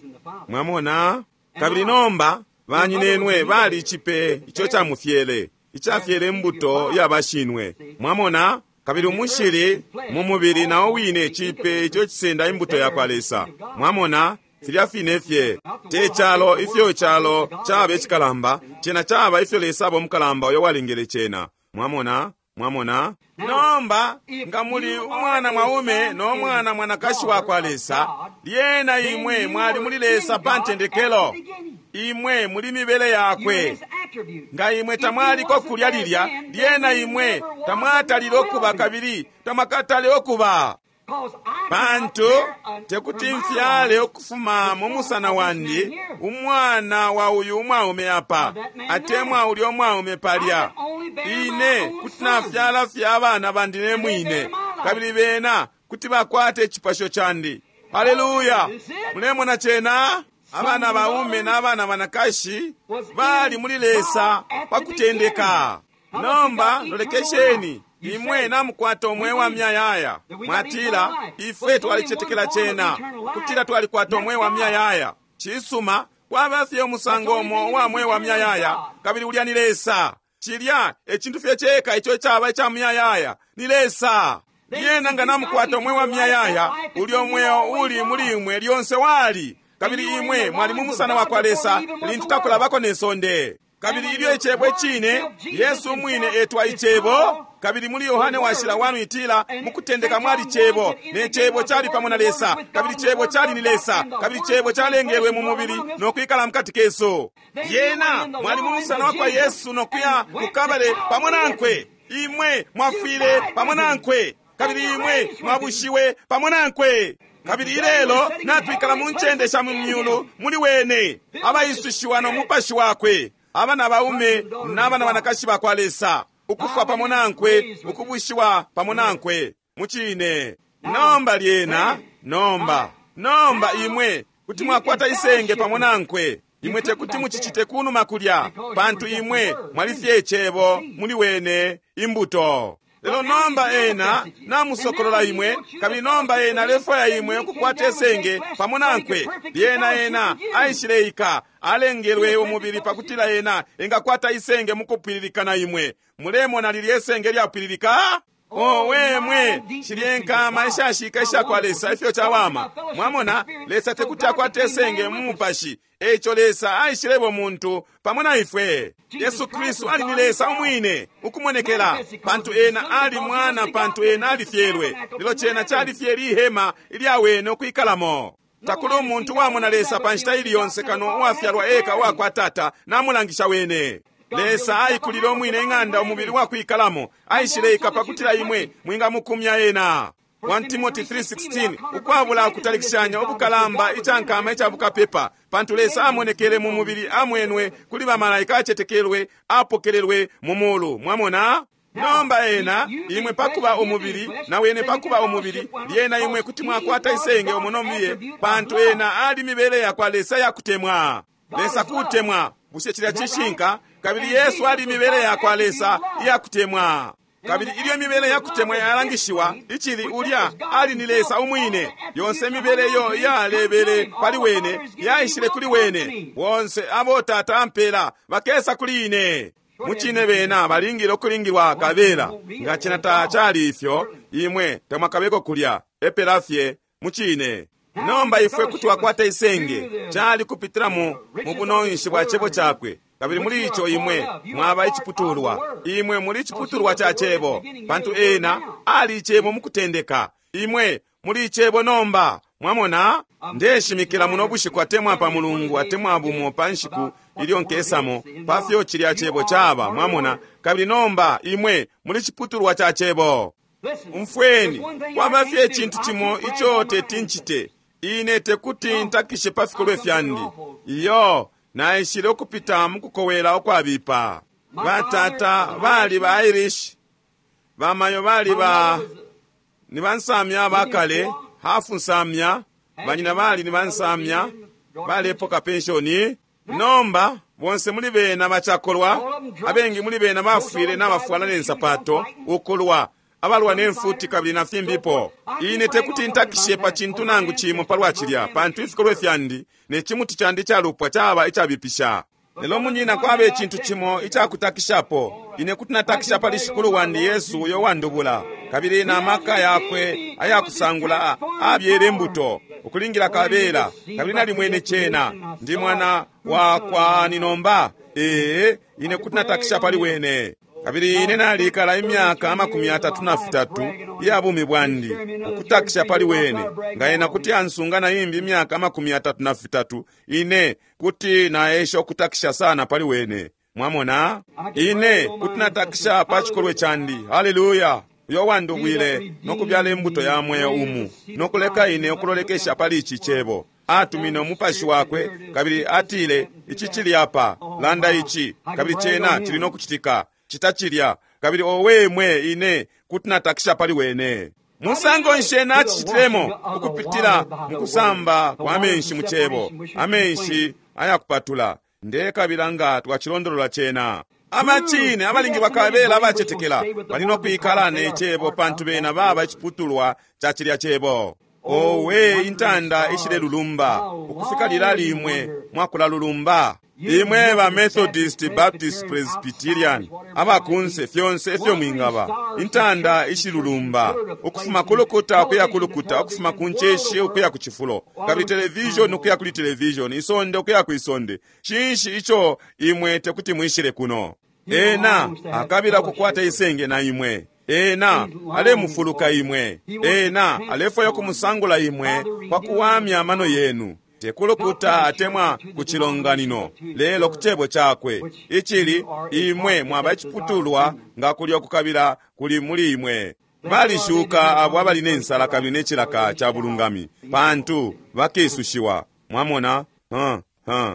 Mwamona? Kabili nomba banyinenwe bali ichipe icho chamufyele, ichafyele imbuto ya bashinwe. Mwamona? Kabili umushili mu mubili nawo wine chipe icho chisenda imbuto ya kwa Lesa. Mwamona? Filya fine fye te chalo ifyo chalo chaba echikalamba, chena chaba ifyo Lesa abo mukalamba uyo walengele chena. Mwamona? Mwamona? Nomba nga muli umwana mwaume no mwana mwanakashi wa kwa Lesa, lyena imwe mwali muli Lesa pa ntendekelo. Imwe muli mibele yakwe. Nga imwe tamwaliko kulya lilya, lyena imwe tamwatalile okuba kabili tamwakatale okuba. Pantu tekuti mfyale ukufuma mu musana wandi umwana wa uyu umwaume apa, atemwa ulya umwaume palya. Ine kuti nafyala fye abana bandi ne mwine, kabili bena kuti bakwata icipasho candi. Haleluya! Mulemona chena? Abana baume n'abana banakashi bali muli Lesa pa kutendeka. Nomba lolekesheni, imwe namukwata omwe wa myayaya. Mwatila ifwe twalichetekela chena kutila twalikwata omwe wa myayaya. Chisuma, kwaba fye umusango umo uwa mwe wa myayaya, kabili ulya ni Lesa. Chilya echintu fye cheka icho chaba icha myayaya ni Lesa. Yena nga namukwata omwe wa myayaya, ulya omweo uli muli imwe lyonse wali, kabili imwe mwali mu musana wa kwa Lesa lintu takulabako ne sonde. Kabili ilyo icebo icine, Yesu mwine etwa icebo. Kabili muli Yohane washila wanu itila mukutendeka mwali cebo, ne cebo chali pamo na Lesa, kabili cebo chali ni Lesa, kabili cebo chalengelwe mu mubili no kwikala mukati kesu. Yena mwali mu musana wa kwa Yesu no kuya kukabale pamo nankwe. Imwe mwafwile pamo nankwe, kabili imwe mwabushiwe pamo nankwe. Kabili ilelo natwikala mu ncende sha mu myulu muli wene, abaisushiwa no mupashi wakwe, abana baume n'abana banakashi ba kwa Lesa, ukufwa pamo nankwe, ukubushiwa pamo nankwe muchine. Nomba lyena, nomba nomba imwe kuti mwakwata isenge pamo nankwe. Imwe tekuti muchichite kunuma kulya, pantu imwe mwalifye icebo muli wene imbuto. Lelo nomba ena namusokolola imwe, kabili nomba ena alefwaya imwe ukukwata esenge pamo nankwe. Lyena ena aishileika, alengelwe umubili pakutila ena engakwata isenge mukupwililika na imwe. Mulemona lilya esenge lyapwililika? Owe mwe, shilye nkama ishashika isha kwa Lesa ifyo chawama. Mwamona, Lesa tekuti akwate esenge mu mupashi. Echo Lesa aishilebo muntu pamo na ifwe. Yesu Kristu ali ni Lesa umwine ukumonekela, pantu ena ali mwana, pantu ena alifyelwe. Lelo chena chalifye lihema ilyawene ukwikalamo. Takuli umuntu wamona Lesa pa nshita ili yonse kano uwafyalwa eka uwakwa Tata namulangisha wene. Lesa aikulile omwine ing'anda umubili wakwikalamo, aishileika pakutila imwe mwingamukumya ena. First Timothy three sixteen, ukwabula kutalikishanya ubukalamba ichankama ichabukapepa, pantu Lesa amonekele mu mubili, amwenwe kuli bamalaika, achetekelwe, apokelelwe mu mulu. Mwamona? Nomba ena imwe pakuba umubili na wene pakuba umubili, lyena imwe kuti mwakwata isenge omunomiye, pantu ena ali mibele ya kwa Lesa yakutemwa. Lesa kutemwa, bushe chilya chishinka? Kabili Yesu ali mibele ya kwa Lesa iyakutemwa. Kabili ilyo mibele yakutemwa yalangishiwa, ichili ulya ali ni Lesa umwine. Yonse mibele yo yalebele pali wene, yaishile kuli wene. Bonse abo Tata ampela bakesa kuli ine. Muchine bena balingile okulingilwa kabela. Nga chena tachali ifyo, imwe tamwakabeko kulya epela fye muchine. Nomba ifwe kuti wakwata isenge chali kupitira mu mubunonshi bwa chebo chakwe. Kabili muli icho imwe mwaba ichiputulwa, imwe muli ichiputulwa cha chebo, pantu ena ali ichebo mukutendeka. Imwe muli ichebo nomba. Mwamona? Ndeshimikila muno bushiku atemwa pa Mulungu atemwa bumo pa nshiku ilyo nkesamo pa fyo chilya chebo chaba. Mwamona? Kabili nomba imwe muli chiputulwa cha chebo. Umfweni, kwaba fye ichintu chimo icho tetinchite. Ine tekuti ntakishe pa fikolwe fyandi. Iyo naishile ukupita mukukowela okwabipa. Batata bali ba Irish, bamayo bali ba ni bansamya bakale, hafu nsamya, banyina bali ni bansamya, balepoka pensioni. Nomba bonse muli bena bachakolwa, abengi muli bena bafwile n'abafwala n'ensapato ukulwa. abalwa ne mfuti kabili na fimbipo. Ine tekuti ntakishe pa cintu nangu cimo palwa cilya, pantu ifikolwe fyandi ne cimuti candi icalupwa caba icabipisha. Lelo munyina, kwaba icintu cimo icakutakishapo. Ine kuti natakisha pali Shikulu wandi Yesu uyo wandubula, kabili na maka yakwe ayakusangula abyele imbuto ukulingila kabela, kabili nalimwene cena. Ndi mwana wa kwani nomba? Ee, ine kuti natakisha pali wene. Kabili ine nalikala imyaka amakumi atatu na fitatu iya bumi bwandi ukutakisha pali wene. Nga ena kuti ansunga na imbi imyaka amakumi atatu na fitatu, ine kuti naesha ukutakisha sana pali wene. Mwamona, ine kuti natakisha pa chikolwe chandi. Haleluya! Uyo wandubwile nokubyala imbuto ya mweo umu nokuleka ine ukulolekesha pali ichi chebo. Atumine umupashi wakwe kabili atile, ichi chili apa, landa ichi, kabili chena chili nokuchitika, chita chilya. Kabili owe mwe, ine kuti natakisha pali wene. Musango nshi ena achichitilemo? Ukupitila mukusamba kwa amenshi mu chebo, amenshi ayakupatula. Ndekabila nga twachilondolola chena. Amachine abalingi bakabela abachetekela bali nokwikala ne chebo, pantu bena baba iciputulwa cha chilya chebo. Owe, intanda ishilelulumba ukufika lila limwe mwakulalulumba. Imwe ba Methodist, Baptist, Presbyterian, abakunse fyonse ifyo mwingaba, intanda ishilulumba ukufuma kulukuta ukuya kulukuta, ukufuma ku nceshi ukuya ku chifulo, kabili television ukuya kuli television, isonde ukuya ku isonde. Cinshi ico imwe tekuti mwishile kuno? Ena akabila kukwata isenge na imwe. Ena alemufuluka imwe. Ena alefwaya kumusangula imwe kwa kuwamya amano yenu, tekulukuta atemwa ku chilonganino, lelo ku chebo chakwe ichili imwe mwaba iciputulwa nga kulya kukabila kuli muli imwe. Balishuka abo abali ne nsala kabili ne chilaka cha bulungami, pantu bakisushiwa. Mwamona? huh, huh.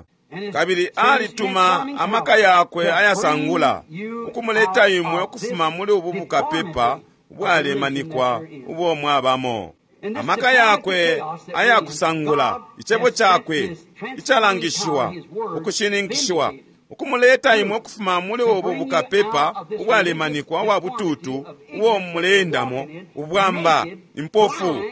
Kabili alituma amaka yakwe ayasangula ukumuleta imwe ukufuma muli ubu bukapepa ubwalemanikwa ubo mwabamo. Amaka yakwe ayakusangula, icebo chakwe icalangishiwa, ukushininkishiwa, ukumuleta imwe ukufuma muli ubu bukapepa ubwalemanikwa ubwa bututu ubo mulendamo, ubwamba, impofu,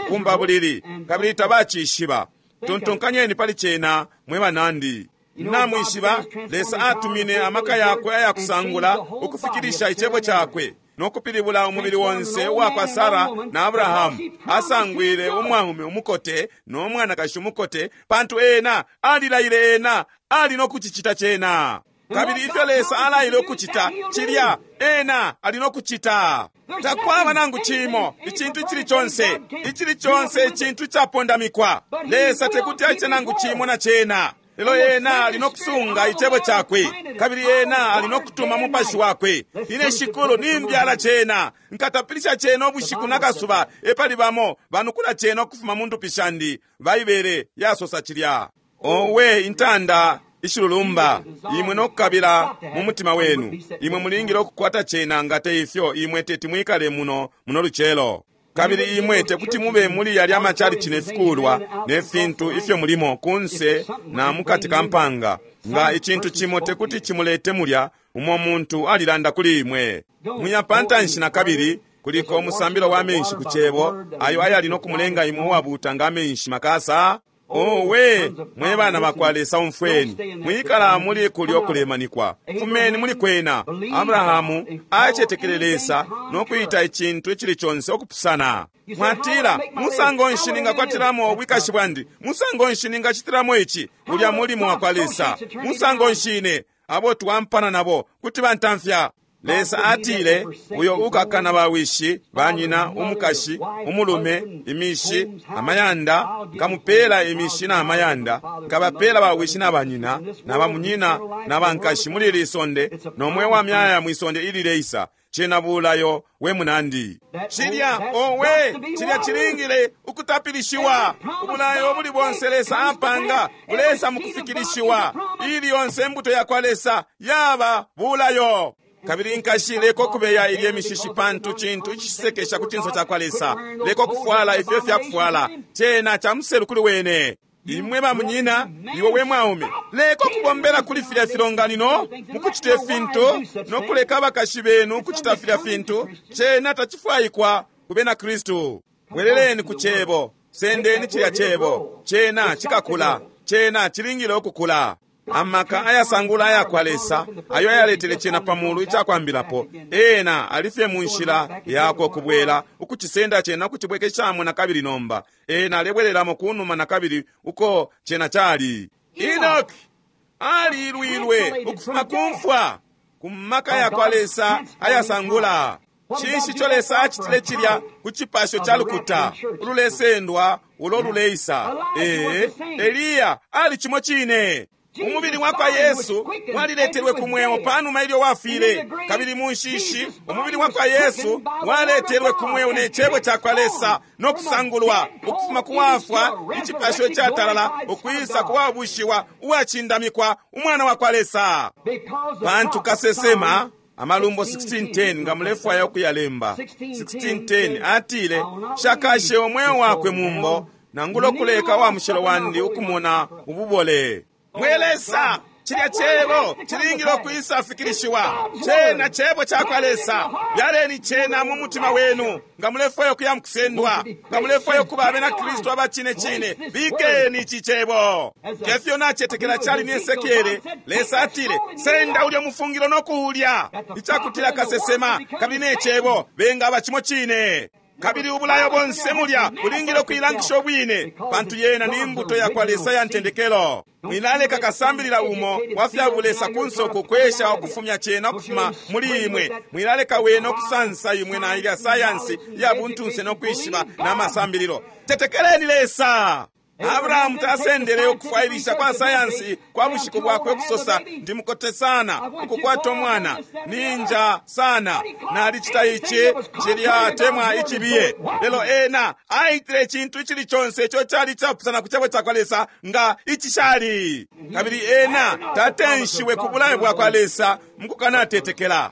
kumbabulili, kabili tabacishiba. Tontonkanyeni pali cena, mwe banandi. Namwishiba, Lesa atumine amaka yakwe ayakusangula ukufikilisha icebo chakwe nokupilibula umubili wonse uwakwa Sara na Abrahamu. Asangwile umwaume umukote no mwanakashi umukote, pantu ena alilaile, ena ali nokuchichita chena. Kabili ifyo Lesa alaile ukuchita chilya, ena ali nokuchita. Takwaba nangu chimo icintu ichili chonse, ichili chonse icintu chapondamikwa. Lesa tekuti aite nangu chimo na chena. Lelo ena ali nokusunga icebo chakwe, kabili ena ali nokutuma mupashi wakwe. Ine shikulu nimbyala chena, nkatapilisha chena ubushiku nakasuba, epali bamo banukula chena ukufuma mu ndupi shandi. Baibele yasosa chilya. Owe, intanda ishilulumba, imwe nokukabila mu mutima wenu. Imwe mulingile ukukwata chena, nga te ifyo imwe teti mwikale muno muno lucelo. Kabili imwe tekuti mube muli yalya amachalichi ne fikulwa ne fintu ifyo mulimo kunse na mukati ka mpanga, nga icintu cimo tekuti chimulete mulya umo muntu alilanda kuli imwe. Muya pantanshi na kabili kuliko umusambilo wa menshi ku chebo, ayo ayali nokumulenga imwe uwabuuta nga amenshi makasa. Owe, mwe bana bakwa Lesa, umfweni. Mwikala muli kulya okulemanikwa, fumeni muli kwena. Abrahamu acetekele Lesa nokuyita icintu icili chonse okupusana. Mwatila, musango nshi ningakwatiramo ubwikashi bwandi? Musango nshi ningachitiramo ichi? Ulya mulimo wakwa Lesa. Musango nshi ine abo twampana nabo kuti bantamfya? Lesa atile, uyo ukakana bawishi, banyina, umukashi, umulume, imishi, amayanda, nkamupela imishi na amayanda, nkabapela bawishi na banyina, na bamunyina, na bankashi muli ili isonde, nomwe wa myaya mwisonde ilileisa. Chena bulayo we munandi. Chilya, owe, chilya chilingile ukutapilishiwa. Ubulayo buli bonse Lesa apanga, bulesa mukufikilishiwa. Ili yonse imbuto yakwa Lesa yaba bulayo. Kabili nkashi leko kubeya ilye mishishi, pantu cintu icisekesha ku cinso cakwa Lesa. Leko kufwala ifyo fyakufwala, cena cha muselu kuli wene. Imwe ba munyina, iwe we mwaume, leka ukubombela kuli filya filonganino mukucita ifintu nokuleka abakashi benu ukucita filya fintu. Cena tacifwaikwa ku bena Kristu. Bweleleni ku Cebo, sendeni cilya Cebo. Cena cikakula, cena cilingile ukukula. Amaka ayasangula ayakwa Lesa ayo ayaletele cena pamulu icakwambilapo, ena alifye mu nshila yakwe ukubwela ukucisenda cena ukucibwekeshamo nakabili. Nomba ena alebwelelamo kunuma nakabili uko cena cali. Enoki alilwilwe ukufuma kumfwa ku maka yakwa Lesa ayasangula. Cinshi ico Lesa acitile cilya ku cipasho ca lukuta ululesendwa ulo luleisa? Ee, Eliya ali cimo cine. Umubili wa kwa Yesu waliletelwe ku mweo panuma ilyo wafile, kabili mu nshishi umubili wa kwa Yesu waletelwe ku mweo ne Cebo ca kwa Lesa no kusangulwa ukufuma ku wafwa icipasho icatalala ukwisa ku wabushiwa uwacindamikwa umwana wa kwa Lesa. Pantu kasesema Amalumbo sixteen ten, nga mulefwaya ukuyalemba, sixteen ten atile, shakashe umweo wakwe mumbo nangula kuleka wa mushilo wandi ukumona ububole. Mwe Lesa, cilya Cebo cilingile ukwisa fikilishiwa. Cena Cebo cakwa Lesa. Byaleni cena mu mutima wenu. Nga mulefwaya ukuya mukusendwa, nga mulefwaya ukuba abena Kristu aba cine cine, bikeni ici Cebo. Ngefyo nacetekela cali ni Esekiele, Lesa atile, senda ulya mufungilo no kuulya, icakutila kasesema kabili ne Cebo bengaba cimo cine. Kabili ubulayo bonse mulya bulingile ukuilangisha ubwine, pantu yena ni mbuto yakwa Lesa ya ntendekelo. Mwilaleka kasambilila umo wa fya bulesa kunso kukwesha ukufumya cena ukufuma muli imwe. Mwilaleka wene ukusansa imwe na ilya sayansi ya buntunse no kwishiba na masambililo. Tetekeleni Lesa. Abrahamu tasendele ukufwailisha kwa sayansi kwa bushiku bwakwe kusosa, ndi mukote sana ukukwata umwana, ninja sana, nalicita ici cilya temwa icibiye. Lelo ena aitile icintu icili conse ico cali icapusana ku Cebo cakwa Lesa nga icishali. Kabili ena tatenshiwe ku bulayo bwakwa Lesa mukukanatetekela,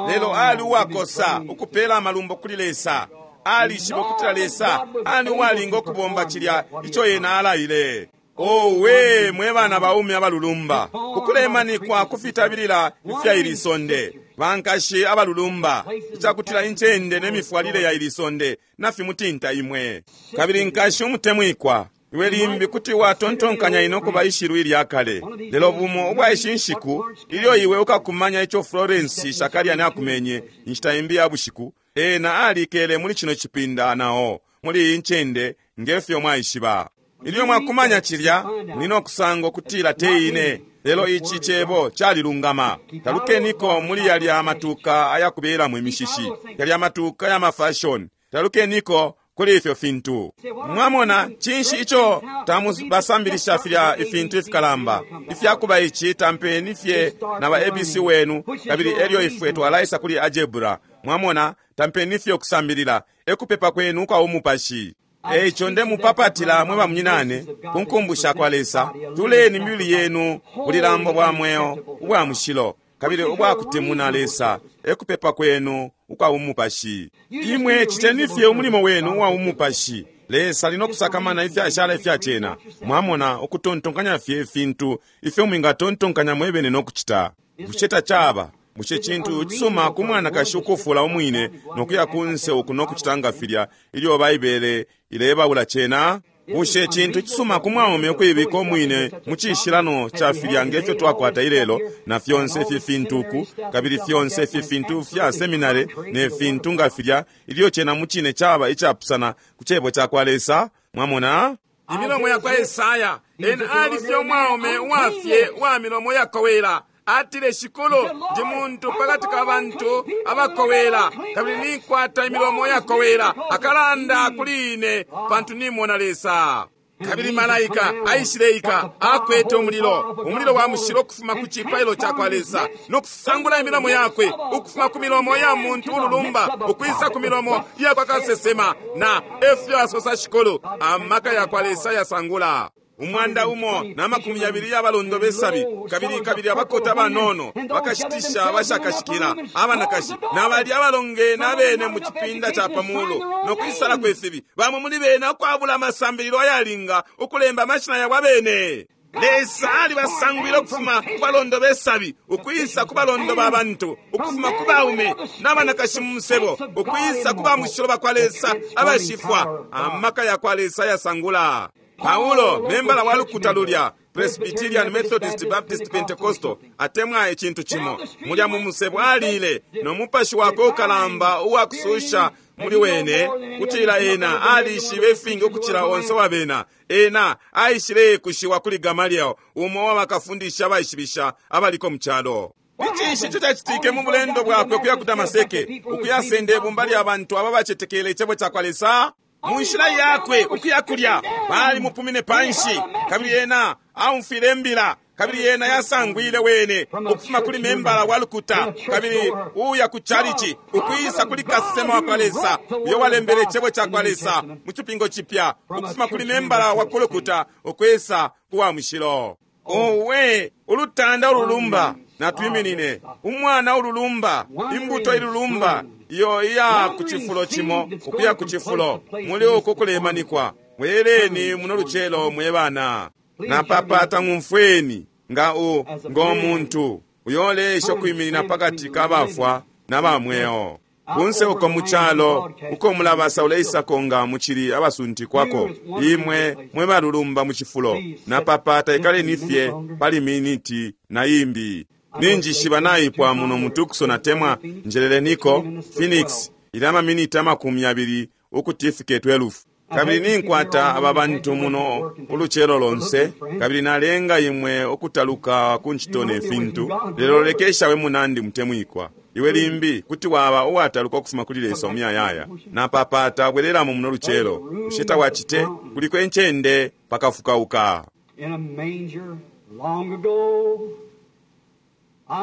lelo ali uwakosa ukupela amalumbo kuli Lesa. Alishiba ukutila Lesa ali uwalinga ukubomba cilya ico ena alaile. Owe mwe bana baume abalulumba, ukulemanikwa kufitabilila ifya ili sonde, bankashi abalulumba, icakutila incende ne mifwalile ya ili sonde nafimutinta imwe. Kabili nkashi umutemwikwa, iwe limbi kuti watontonkanya ino kuba ishilu ilya kale, lelo bumo ubwa ishi nshiku ilyo iwe ukakumanya ico Florence Shakalyani akumenye inshita imbi ya bushiku, ena alikele muli cino cipinda nao muli iyi ncende ngefyo mwaishiba. Ilyo mwakumanya cilya, muli no kusanga ukutila te ine, lelo ici Cebo calilungama. Talukeniko muli yalya matuka ayakubelamo imishishi, yalya matuka ya mafashoni. Talukeniko kuli ifyo fintu. Mwamona, cinshi ico tamubasambilisha filya ifintu ifikalamba ifyakuba ici? Tampeni fye na ba A B C wenu, kabili elyo ifwe twalaisa kuli algebra. Mwamona, tampeni fye ukusambilila, ekupepa kwenu kwa umupashi. Eico ndemupapatila mwe bamunyinane ku nkumbusha kwa Lesa, tuleni mibili yenu bulilambo bwa mweo ubwa mushilo kabili ubwakutemuna Lesa, ekupepa kwenu ukwa umupashi. Imwe citeni fye umulimo wenu uwa umupashi. Lesa ali nokusakamana ifyashala ifya cena. Mwamona, ukutontonkanya fye ifintu ifyo mwingatontonkanya mwebene nokucita. Bushe tacaba bushe cintu cisuma ku mwanakashi ukufula umwine nokuya kunse uku nokucita nga filya ilyo Baibele ilebaula cena? Bushe cintu cisuma ku mwaume ukuibika umwine mu cishilano ca filya ngefyo twakwata ilelo, na fyonse ifi fintu uku, kabili fyonse ifi fintu fya seminare ne fintu nga filya, ilyo cena mu cine caba icapusana ku Cebo cakwa Lesa? Mwamona, imilomo yakwa Esaya, ena ali fye umwaume uwafye uwa milomo yakowela. Atile, Shikulu, ndi muntu pakati ka bantu abakowela, kabili ninkwata imilomo yakowela. Akalanda kuli ine, pantu nimona Lesa. Kabili malaika aishileika akwete umulilo, umulilo wa mushilo ukufuma ku cipailo cakwa Lesa, no kusangula imilomo yakwe ukufuma ku milomo ya muntu ululumba ukwisa ku milomo yakwa kasesema. Na efyo asosa Shikulu, amaka yakwa Lesa yasangula. Umwanda umo na makumi yabili y'abalondo b'esabi, kabili kabili abakota abanono bakashitisha abashakashikila abanakashi na bali abalongene abene mu cipinda ca pamulu no kwisala kwefibi, bamwe muli bena ukwabula amasambililo ayalinga ukulemba amashina yabo abene. Lesa alibasangwile ukufuma ku balondo b'esabi ukwisa ku balondo ba bantu, ukufuma ku baume n'abanakashi mu musebo ukwisa ku bamushilo bakwa Lesa abashifwa. Amaka ya kwa Lesa yasangula. Paulo, membala wa lukuta lulya Presbyterian, Methodist, Baptist, Pentecostal atemwa icintu cimo, mulya mu musebo alile no mupashi wakwe ukalamba uwakususha muli wene kutila ena alishibe ifingi ukucila onse wa bena. Ena aishile kushiwa kuli Gamaliel, umo wa bakafundisha abaishibisha abaliko mu calo. Icinshi ico cacitike mu bulendo bwakwe ukuya ku Damaseke ukuyasenda ibumba lya bantu aba bacetekele icebo ca kwa Lesa? Mu nshila yakwe ukuya kulya balimupumine panshi, kabili ena aumfwile imbila, kabili ena yasangwile wene ukufuma kuli membala wa lukuta kabili uya ku chalichi ukwisa kuli kasesema wa kwa Lesa uyo walembele icebo ca kwa Lesa mu Cipingo Cipya, ukufuma kuli membala wa kulukuta ukwisa kuwa mushilo. Owe, ulutanda ululumba! Natwiminine. Umwana ululumba, imbuto ilulumba iyo iya ku cifulo cimo ukuya ku cifulo muli uku kulemanikwa. Bwereni muno lucelo, mwe bana. Napapata ng'umfweni nga u ng'omuntu uyo olesha ukwiminina pakati ka bafwa na bamweo kunse uko mu calo uko mulabasa uleisako nga mucili abasuntikwako, imwe mwe balulumba mu cifulo, napapata ikaleni fye pali miniti na imbi. Ninjishiba naipwa muno mu Tucson atemwa njeleleniko Phoenix, ili amaminiti amakumi abili ukuti ifike twelve. Kabili ninkwata aba bantu muno ulucelo lonse, kabili nalenga imwe ukutaluka ku ncito ne fintu. Lelo lekesha, we munandi mutemwikwa, iwe limbi kuti waba uwataluka ukufuma kuli Lesa umuyayaya. Napapata bwereramo muno lucelo. Bushe tawacite? Kuliko encende pakafukauka In a manger long ago.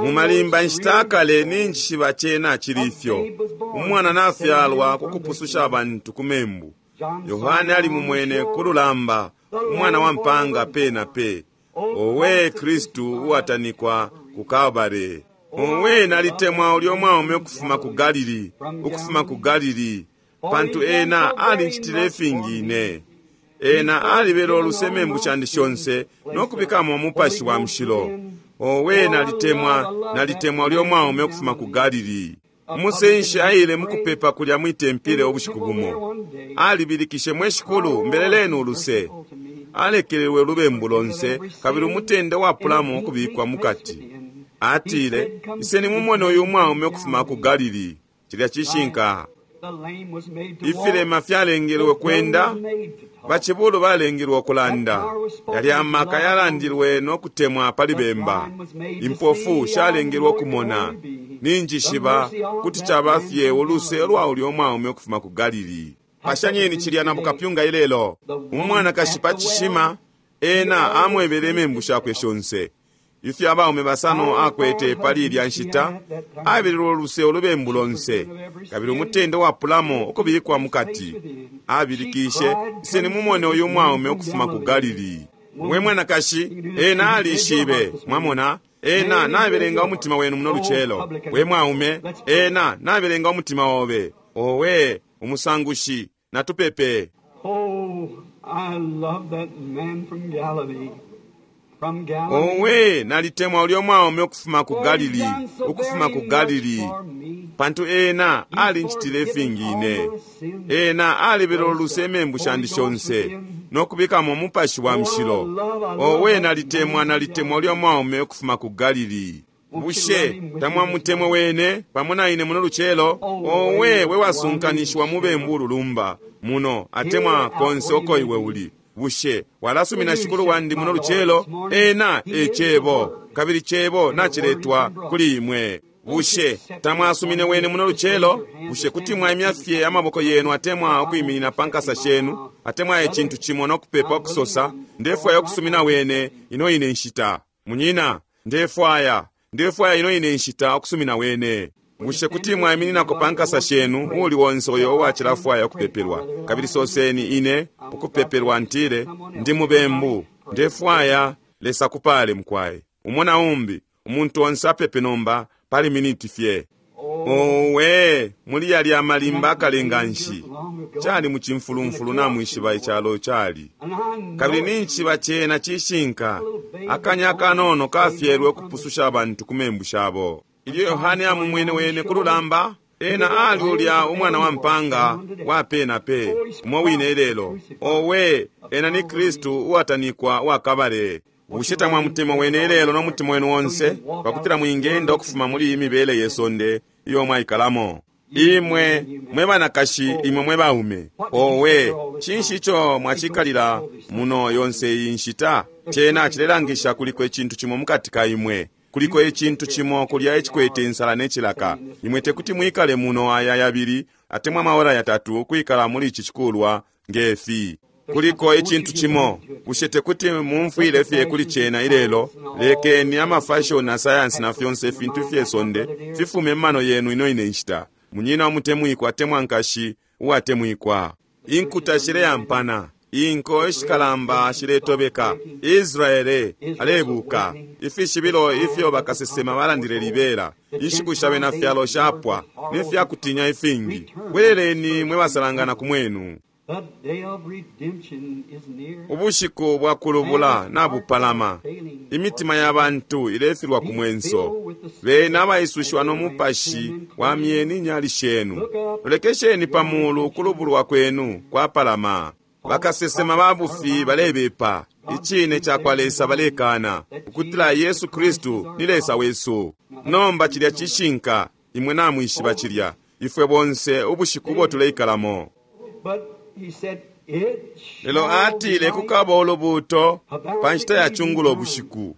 Mu malimba nshita akale, ninjishiba cena cili ifyo, umwana nafyalwa ku kupususha abantu ku membu. Yohane ali mumwene ku lulamba, umwana wa mpanga pe na pe. Owe Kristu uwatanikwa ku Kalvare! Owe, nalitemwa ulyo mwaume ukufuma ku Galili, ukufuma ku Galili, pantu ena alinchitile ifingi ine. Ena alibela oluse membu shandi shonse nokubikamo umupashi wa mushilo. Owe, nalitemwa, nalitemwa ulyo mwaume ukufuma ku Galili. Umusenshi aile mukupepa kulya mwitempile ubushiku bumo, alibilikishe: "Mwe Shikulu, mbeleleni uluse." Alekelelwe ulubembu lonse kabili umutende wapulamo ukubikwa mukati. Atile, "Iseni mumone uyu mwaume ukufuma ku Galili." Cilya cishinka. The lame was made to walk. Ifilema fyalengelwe kwenda, bacibulu balengelwe okulanda. Yalya amaka yalandilwe nokutemwa pali bemba. Impofu shalengelwe okumona. Ninjishiba kuti caba fye uluse lwa ulya umwaume ukufuma ku Galili. Pashanyeni cilya na bukapyunga ilelo. Umwanakashi pa cishima, ena amwebele imembu shakwe shonse ifyo abaume basano akwete pali ilya nshita. Abelelwe uluse ulubembu lonse kabili umutende wapulamo ukubikwa mukati. Abilikishe, "Iseni mumone uyu mwaume ukufuma ku Galili." We mwanakashi, ena alishibe. Mwamona, ena nabelenga umutima wenu muno lucelo. We mwaume, ena nabelenga umutima obe. Owe umusangushi, natupepe. Oh, I love that man from Galilee. From Galilee. Owe, nalitemwa ulyo mwaume ukufuma ku For he's Galili, done so ukufuma ku very Galili, much for me. pantu ena alinchitile ifingi ine. Ena alibela oluse emembu shandi shonse nokubikamo umupashi wa mushilo. Owe, nalitemwa, nalitemwa ulyo mwaume ukufuma ku Galili. Bushe tamwamutemwe wene pamo na ine muno lucelo? Owe, we wasunkanishiwa mubembu ululumba muno atemwa konse uko iwe uli, bushe walasumina Shikulu wandi muno lucelo? Ena e Cebo, kabili Cebo naciletwa kuli imwe. Bushe tamwasumine wene muno lucelo? Bushe kuti mwaimya fye amaboko yenu atemwa ukwiminina pa nkasa shenu atemwa icintu cimo nokupepa ukusosa, "Ndefwaya ukusumina wene ino ine nshita. Munyina, ndefwaya ndefwaya ino ine nshita ukusumina wene"? Bushe kuti mwaimininako pa nkasa shenu, uuli onse uyo uwacilafwaya ukupepelwa, kabili soseni, "Ine ukupepelwa, ntile ndi mubembu. Ndefwaya Lesa kupale mukwai. Umo na umbi, umuntu onse apepe nomba pali miniti fye. Owe, muli yali amalimba akalenga nshi. Cali mu cimfulumfulu namwishiba icalo cali. Kabili ninchiba chena cishinka. Akanya akanono kafyelwe ukupususha abantu ku membu shabo. Ilyo Yohane amumwene wene ku lulamba, ena ali ulya umwana wa mpanga wa pe na pe, umo wine lelo. Owe, ena ni Kristu uwatanikwa uwakabale. Bushe tamwamutemwa wene lelo n'omutima wenu wonse, pakutila mwingenda ukufuma muli iyi mibele yesonde iyo mwaikalamo. Imwe mwe banakashi, imwe mwe baume, owe, cinshi ico mwacikalila muno yonse iyi nshita? Cena cilelangisha kuliko icintu cimo mukati ka imwe, kuliko icintu cimo kulya icikwete insala n'ecilaka. Imwe tekuti mwikale muno aya yabili atemwa amawora yatatu ukwikala muli ici cikulwa ngefi. Kuliko icintu cimo, bushe tekuti mumfwile fye kuli cena ilelo? Lekeni amafashion na sayansi na fyonse ifintu fyesonde fifume mumano yenu ino ine nshita. Munyina umutemwikwa atemwa nkashi uwatemwikwa. Inkuta shileyampana, inko ishikalamba shiletobeka, Israele alebuka. Ifishibilo ifyo bakasesema balandile libela, inshiku sha bena fyalo shapwa, nefyakutinya ifingi. Bweleleni mwe basalangana ku mwenu. The day of redemption is near. Ubushiku bwa kulubula nabupalama. Imitima ya bantu ilefilwa ku mwenso. Bena abaisushiwa n'omupashi wa myeni inyali shenu. Lolekesheni pa mulu ukulubulwa kwenu kwapalama. Bakasesema ba bufi balebepa. Icine ca kwa Lesa balekana ukutila Yesu Kristu ni Lesa wesu. Nomba cilya cishinka, imwe namwishiba cilya. Ifwe bonse ubushiku ubo tuleikalamo. But he said, it Lelo shall atile be light kukaba ulubuuto pa nshita ya cungulo bushiku.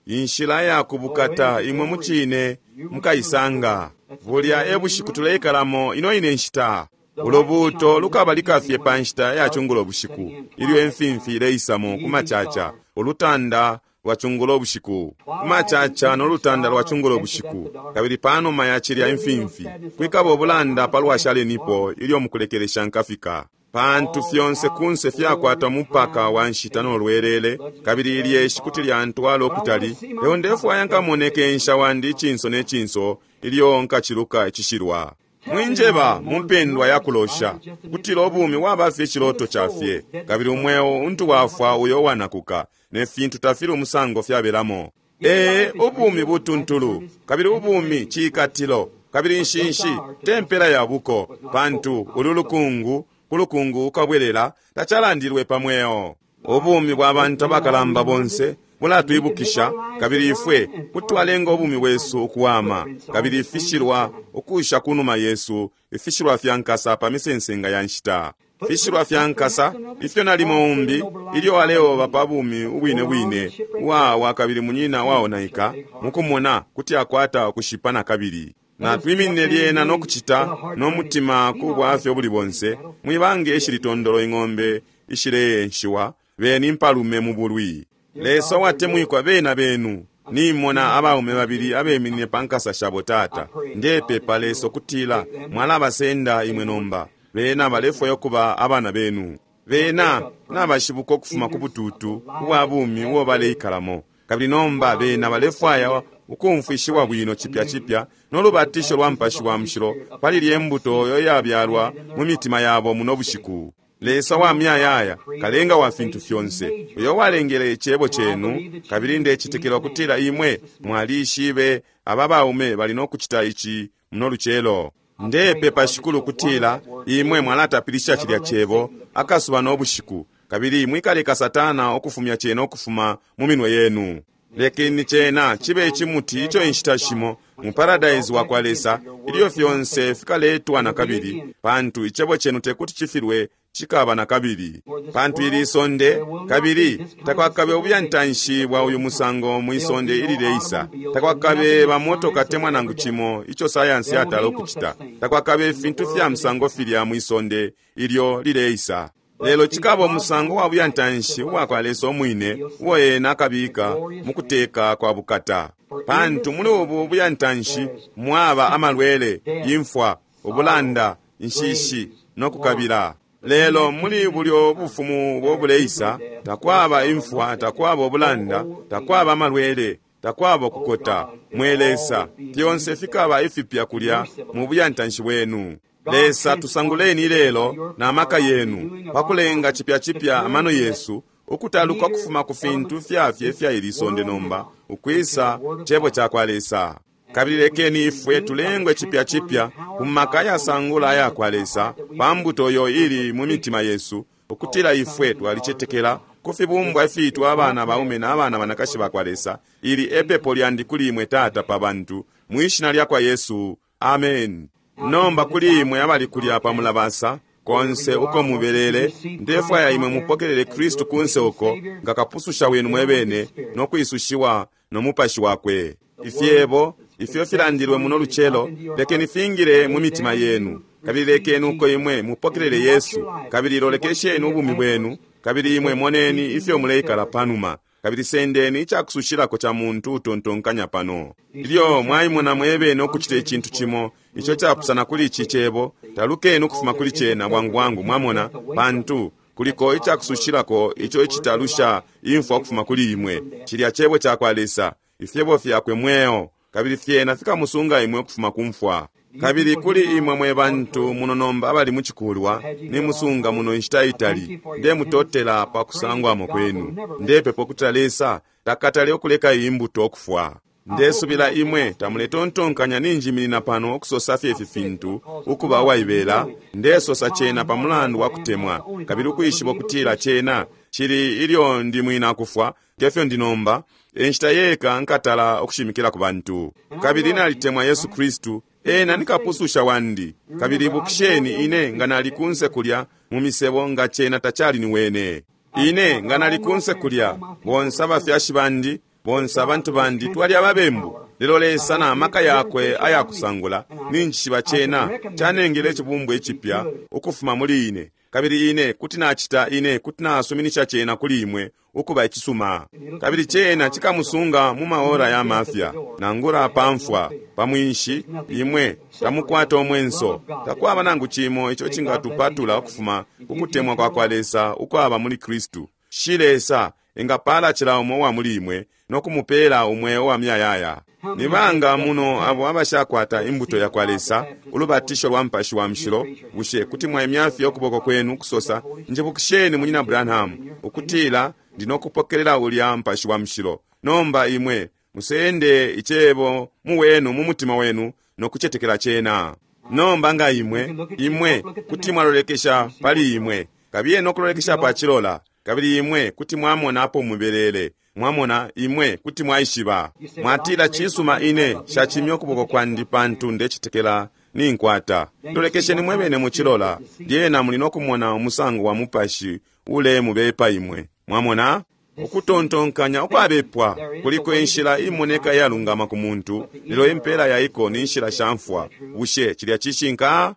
Inshila ya kubukata imwe mucine mukaisanga. Bulya e bushiku tuleikalamo ino ine nshita. Ulubuuto lukabalika fye pa nshita ya cungulo bushiku, ilyo imfimfi ileisamo ku macaca, ulutanda lwa cungulo bushiku. Ku macaca n'olutanda lwa cungulo bushiku, kabili panuma ya cilya imfimfi, kwikaba ubulanda palwa shalenipo ilyo mukulekelesha nkafika. Pantu fyonse kunse fyakwata mupaka wa nshita n'olwelele, kabili ilyeshi kuti lyantwala okutali. Lelo ndefwaya nkamoneke nsha wandi icinso ne cinso ilyo nkaciluka icishilwa. Mwinjeba mu mpendwa ya kulosha kutila ubumi waba fye iciloto ca fye, kabili umweo untu wafwa uyo wanakuka, ne fintu tafili umusango fyabelamo. Ee, ubumi butuntulu, kabili ubumi ciikatilo, kabili nshinshi te mpela ya buko, pantu ulu lukungu ku lukungu ukabwelela tacalandilwe pa mweo. Ubumi bwa bantu abakalamba bonse bulatwibukisha, kabili ifwe kutwalenga ubumi bwesu ukuwama, kabili ifishilwa ukusha ku numa yesu, ifishilwa fya nkasa pa misensenga ya nshita. Fishilwa fya nkasa ifyo nalimo umbi ilyo aleoba pa bumi ubwine bwine uwawa kabili munyina waonaika, mukumona kuti akwata ukushipa na kabili. Natwiminine lyena nokucita n'omutima ku bwafya obuli bonse, mwibange ishilitondolo ing'ombe ishileenshiwa, beni impalume mu bulwi. Lesa uwatemwikwa bena benu, nimona abaume babili abeminine pa nkasa shabo tata. Ndepepa Lesa ukutila mwalabasenda imwe nomba, bena balefwaya ukuba abana benu. Bena nabashibuka ukufuma ku bututu ubwa bumi ubo baleikalamo, kabili nomba bena balefwaya ukumfwishiwa bwino cipya cipya n'olubatisho lwa mpashi wa mushilo pali lye mbuto yo yabyalwa mu mitima yabo muno bushiku. Lesa wa myayaya, kalenga wa fintu fyonse, uyo walengele icebo cenu, kabili ndecitekela ukutila imwe mwalishibe aba baume bali nokucita ici muno lucelo. Ndepepa Shikulu ukutila imwe mwalatapilisha cilya cebo akasuba n'obushiku, kabili mwikaleka Satana ukufumya cena ukufuma mu minwe yenu. Lekeni cena cibe icimuti ico inshita shimo mu paradise wa kwa Lesa, ilyo fyonse fikaletwa na kabili, pantu icebo cenu tekuti cifilwe cikaba na kabili. Pantu ili isonde, kabili takwakabe ubyantanshi bwa uyu musango mu isonde ilileisa. Takwakabe bamotoka temwa nangu cimo ico sayansi yatala ukucita. Takwakabe ifintu fya musango filya mu isonde ilyo lileisa. Lelo cikaba umusango wa buyantanshi ubwa kwa Lesa umwine uo ena akabika mu kuteka kwa bukata. Pantu muli ubu buyantanshi mwaba amalwele, imfwa, ubulanda, inshishi no kukabila. Lelo muli bulyo bufumu bobuleisa takwaba imfwa, takwaba ubulanda, takwaba amalwele, takwaba ukukota. Mwe Lesa, fyonse fikaba ifipya kulya mu buyantanshi bwenu. Lesa, tusanguleni lelo na maka yenu pakulenga chipya chipya amano yesu ukutaluka kufuma ku fintu fyafye ifya ili sonde nomba ukwisa chebo chakwa Lesa. Kabili lekeni ifwe tulengwe chipya chipya ku maka yasangula ayakwa Lesa pa mbuto yo ili mu mitima yesu, ukutila ifwe twalicetekela ku fibumbwa ifiitwa abana baume na abana banakashi bakwa Lesa. Ili epepo lyandi kuli imwe Tata pa bantu, mwishina lyakwa Yesu, amen. Nomba kuli imwe abali kulya pa mulabasa konse uko mubelele, ndefwaya imwe mupokelele Kristu kunse uko nga kapususha wenu mwebene no kwisushiwa no mupashi wakwe. Ifyebo ifyo filandilwe muno lucelo lekeni fingile mu mitima yenu, kabili lekeni uko imwe mupokelele Yesu, kabili lolekesheni ubumi bwenu, kabili imwe moneni ifyo muleikala panuma, kabili sendeni icakusushilako ca muntu utontonkanya pano. Ilyo mwaimona mwebene ukucita icintu cimo ico capusana kuli ici cebo, talukeni ukufuma kuli cena bwangu bwangu, mwamona, pantu kuliko icakusushilako ico icitalusha imfwa ukufuma kuli imwe. Cilya cebo cakwa Lesa, ifyebo fyakwe mweo, kabili fyena fikamusunga imwe ukufuma ku mfwa. Kabili kuli imwe mwe bantu muno nomba abali mucikulwa, nimusunga muno inshita itali, ndemutotela pa kusangwamo kwenu. Ndepepa ukutila Lesa takatale ukuleka iyi mbuto ukufwa. Ndesubila imwe tamuletontonkanya ninjiminina pano okusosa fye ifi fintu ukuba uwaibela. Ndesosa cena pa mulandu wa kutemwa, kabili ukwishiba ukutila cena cili ilyo ndi mwina kufwa ngefyo ndi nomba, enshita yeka nkatala okushimikila ku bantu. Kabili nalitemwa Yesu Kristu, ena ni kapususha wandi. Kabili ibukisheni ine nga nali kunse kulya mu misebo nga cena tacali ni wene. Ine nga nali kunse kulya, bonse abafyashi bandi, bonse abantu bandi twali ababembu. Lelo Lesa na maka yakwe ayakusangula ninjishiba cena canengele icibumbwa icipya ukufuma muli ine. Kabili ine kuti nacita, ine kuti nasuminisha cena kuli imwe ukuba icisuma. Kabili cena cikamusunga mu maora ya mafya, nangula pamfwa pamwinshi, imwe tamukwata omwenso. Takwaba nangu cimo ico cingatupatula ukufuma kukutemwa kwa kwa Lesa ukwaba muli Kristu. Shi Lesa engapala cila umo uwa muli imwe no kumupela umweo wa muyayaya. Ni banga muno abo abashakwata imbuto ya kwa Lesa, ulubatisho lwa Mupashi wa Mushilo, bushe kuti mwaimya fye ukuboko kwenu kusosa, njibukisheni munyina Branham, ukutila ndinokupokelela ulya Mupashi wa Mushilo. Nomba imwe musende icebo mu wenu mu mutima wenu no kucetekela cena. Nomba nga imwe imwe kuti mwalolekesha pali imwe, kabiye no kulolekesha pa chilola, kabili imwe kuti mwamona apo mubelele. Mwamona, imwe kuti mwaishiba. Mwatila, cisuma, ine shachimya ukuboko kwandi pantu ndecitekela ninkwata. Lolekesheni mwebene muchilola, lyena muli nokumona umusango wa mupashi ule mubepa imwe. Mwamona? Ukutontonkanya ukwabepwa kuliko inshila imoneka iyalungama ku muntu, lelo impela yaiko ni nshila sha mfwa. Bushe cilya cishinka?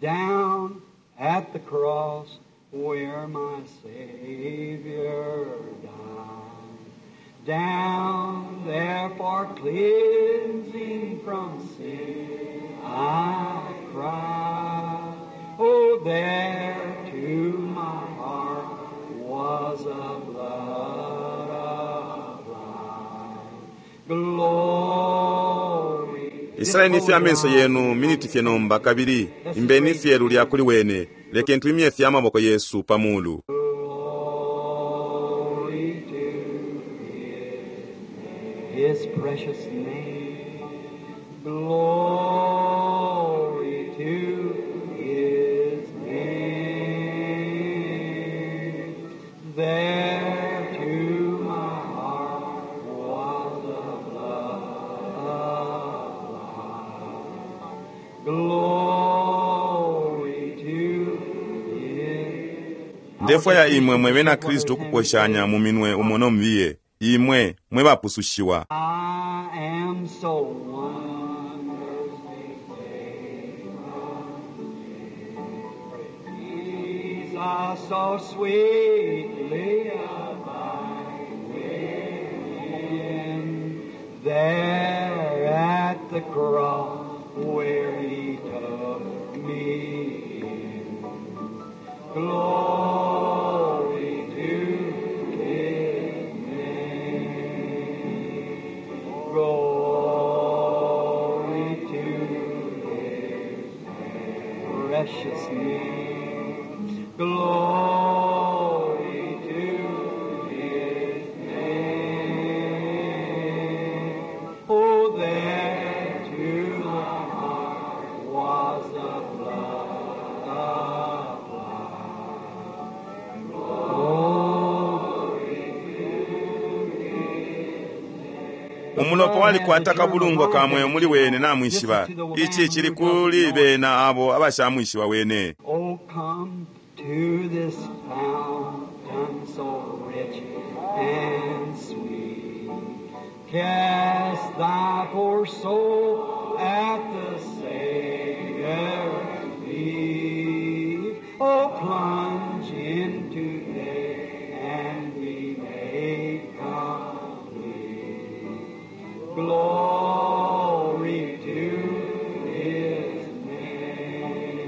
Down at the cross where my Savior died, down there for cleansing from sin I cried. Oh, there to my heart was a blood applied. Glory. Isaleni fye amenso yenu miniti fye nomba, kabili imbeni fye lulya kuli wene. Lekeni twimye fye amaboko yesu pamulu. Glory to his, his precious name. Glory to his name. There to my heart was the blood applied. Glory to his. Ndefwaya imwe mwe bena Kristu ukuposhanya mu minwe umo no mubiye, imwe mwe bapusushiwa. I am so wonderfully saved. Jesus so sweetly abide within. There at the cross where he took Glory to His name. Glory to His precious name. Glory to His name. Oh, there to my heart was the blood applied. Glory. Umulopa walikwata kabulungwa kamwe muli wene namwishiba. Ichi chili kuli bena abo abashamwishiba wene. Oh, come to this fountain so rich and sweet. Cast thy poor soul at the Savior's feet. Oh, plunge in today and be made complete. Glory to His name.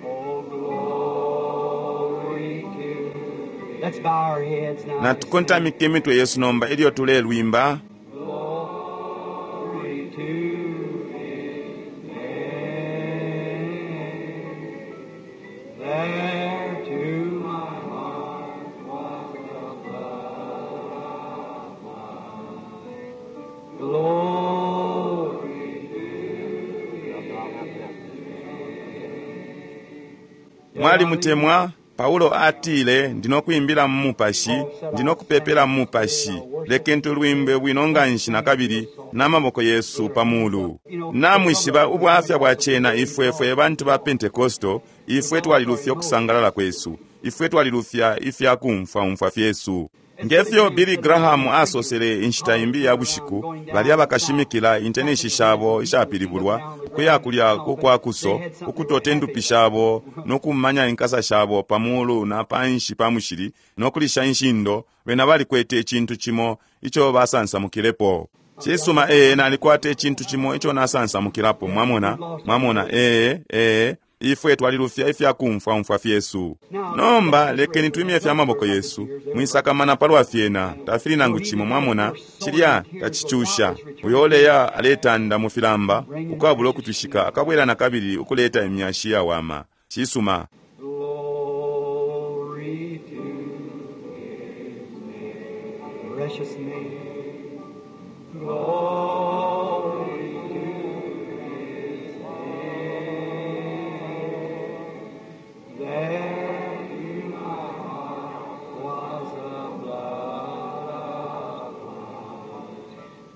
Oh, glory to. Let's bow our heads now. Natukontamike imitwe yesu nomba ilyo tulelwimba. Glory to His name. There to my heart was the blood applied. Glory to Mwalimutemwa. Paulo atile, ndinokuimbila mu mupashi, ndinokupepela mu mupashi. Lekeni tulwimbe bwino nganshi nakabili n'amaboko yesu pa mulu. Namwishiba ubwafya bwa cena ifwe fwe bantu ba Pentekosto, ifwe twalilufya ukusangalala kwesu, ifwe twalilufya ifyakumfwaumfwa fyesu. Ngefyo Billy Graham asosele inshita imbi ya bushiku, balya bakashimikila intenishi shabo ishapilibulwa ukuya kulya kukwakuso, ukutote ndupi shabo nokumanya inkasa shabo pamulu na panshi pa mushili nokulisha inshindo, bena balikwete icintu cimo ico basansamukilepo. Cisuma, ee, nalikwata icintu cimo ico nasansamukilapo, mwamona, mwamona, ee, ee, ifwe twalilufya ifyakumfwaumfwa fyesu. Nomba lekeni twimye fya maboko yesu, mwisakamana palwa fyena, tafili nangu cimo, mwamona, cilya tacicusha. Uyo oleya aletanda mu filamba ukwabula ukutwishika akabwela nakabili ukuleta imyashi yawama. Cisuma. Glory to His name, precious name. Glory to His name. There to my heart was the blood applied.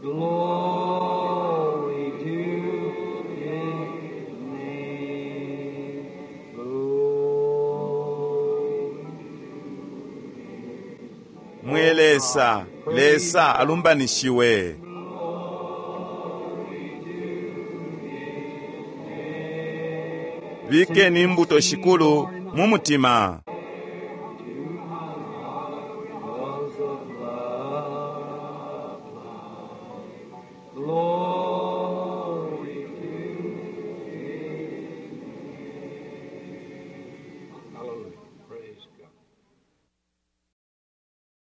Glory to His name. Glory. Mwe Lesa, Lesa alumbanishiwe. Bikeni imbuto shikulu mu mutima.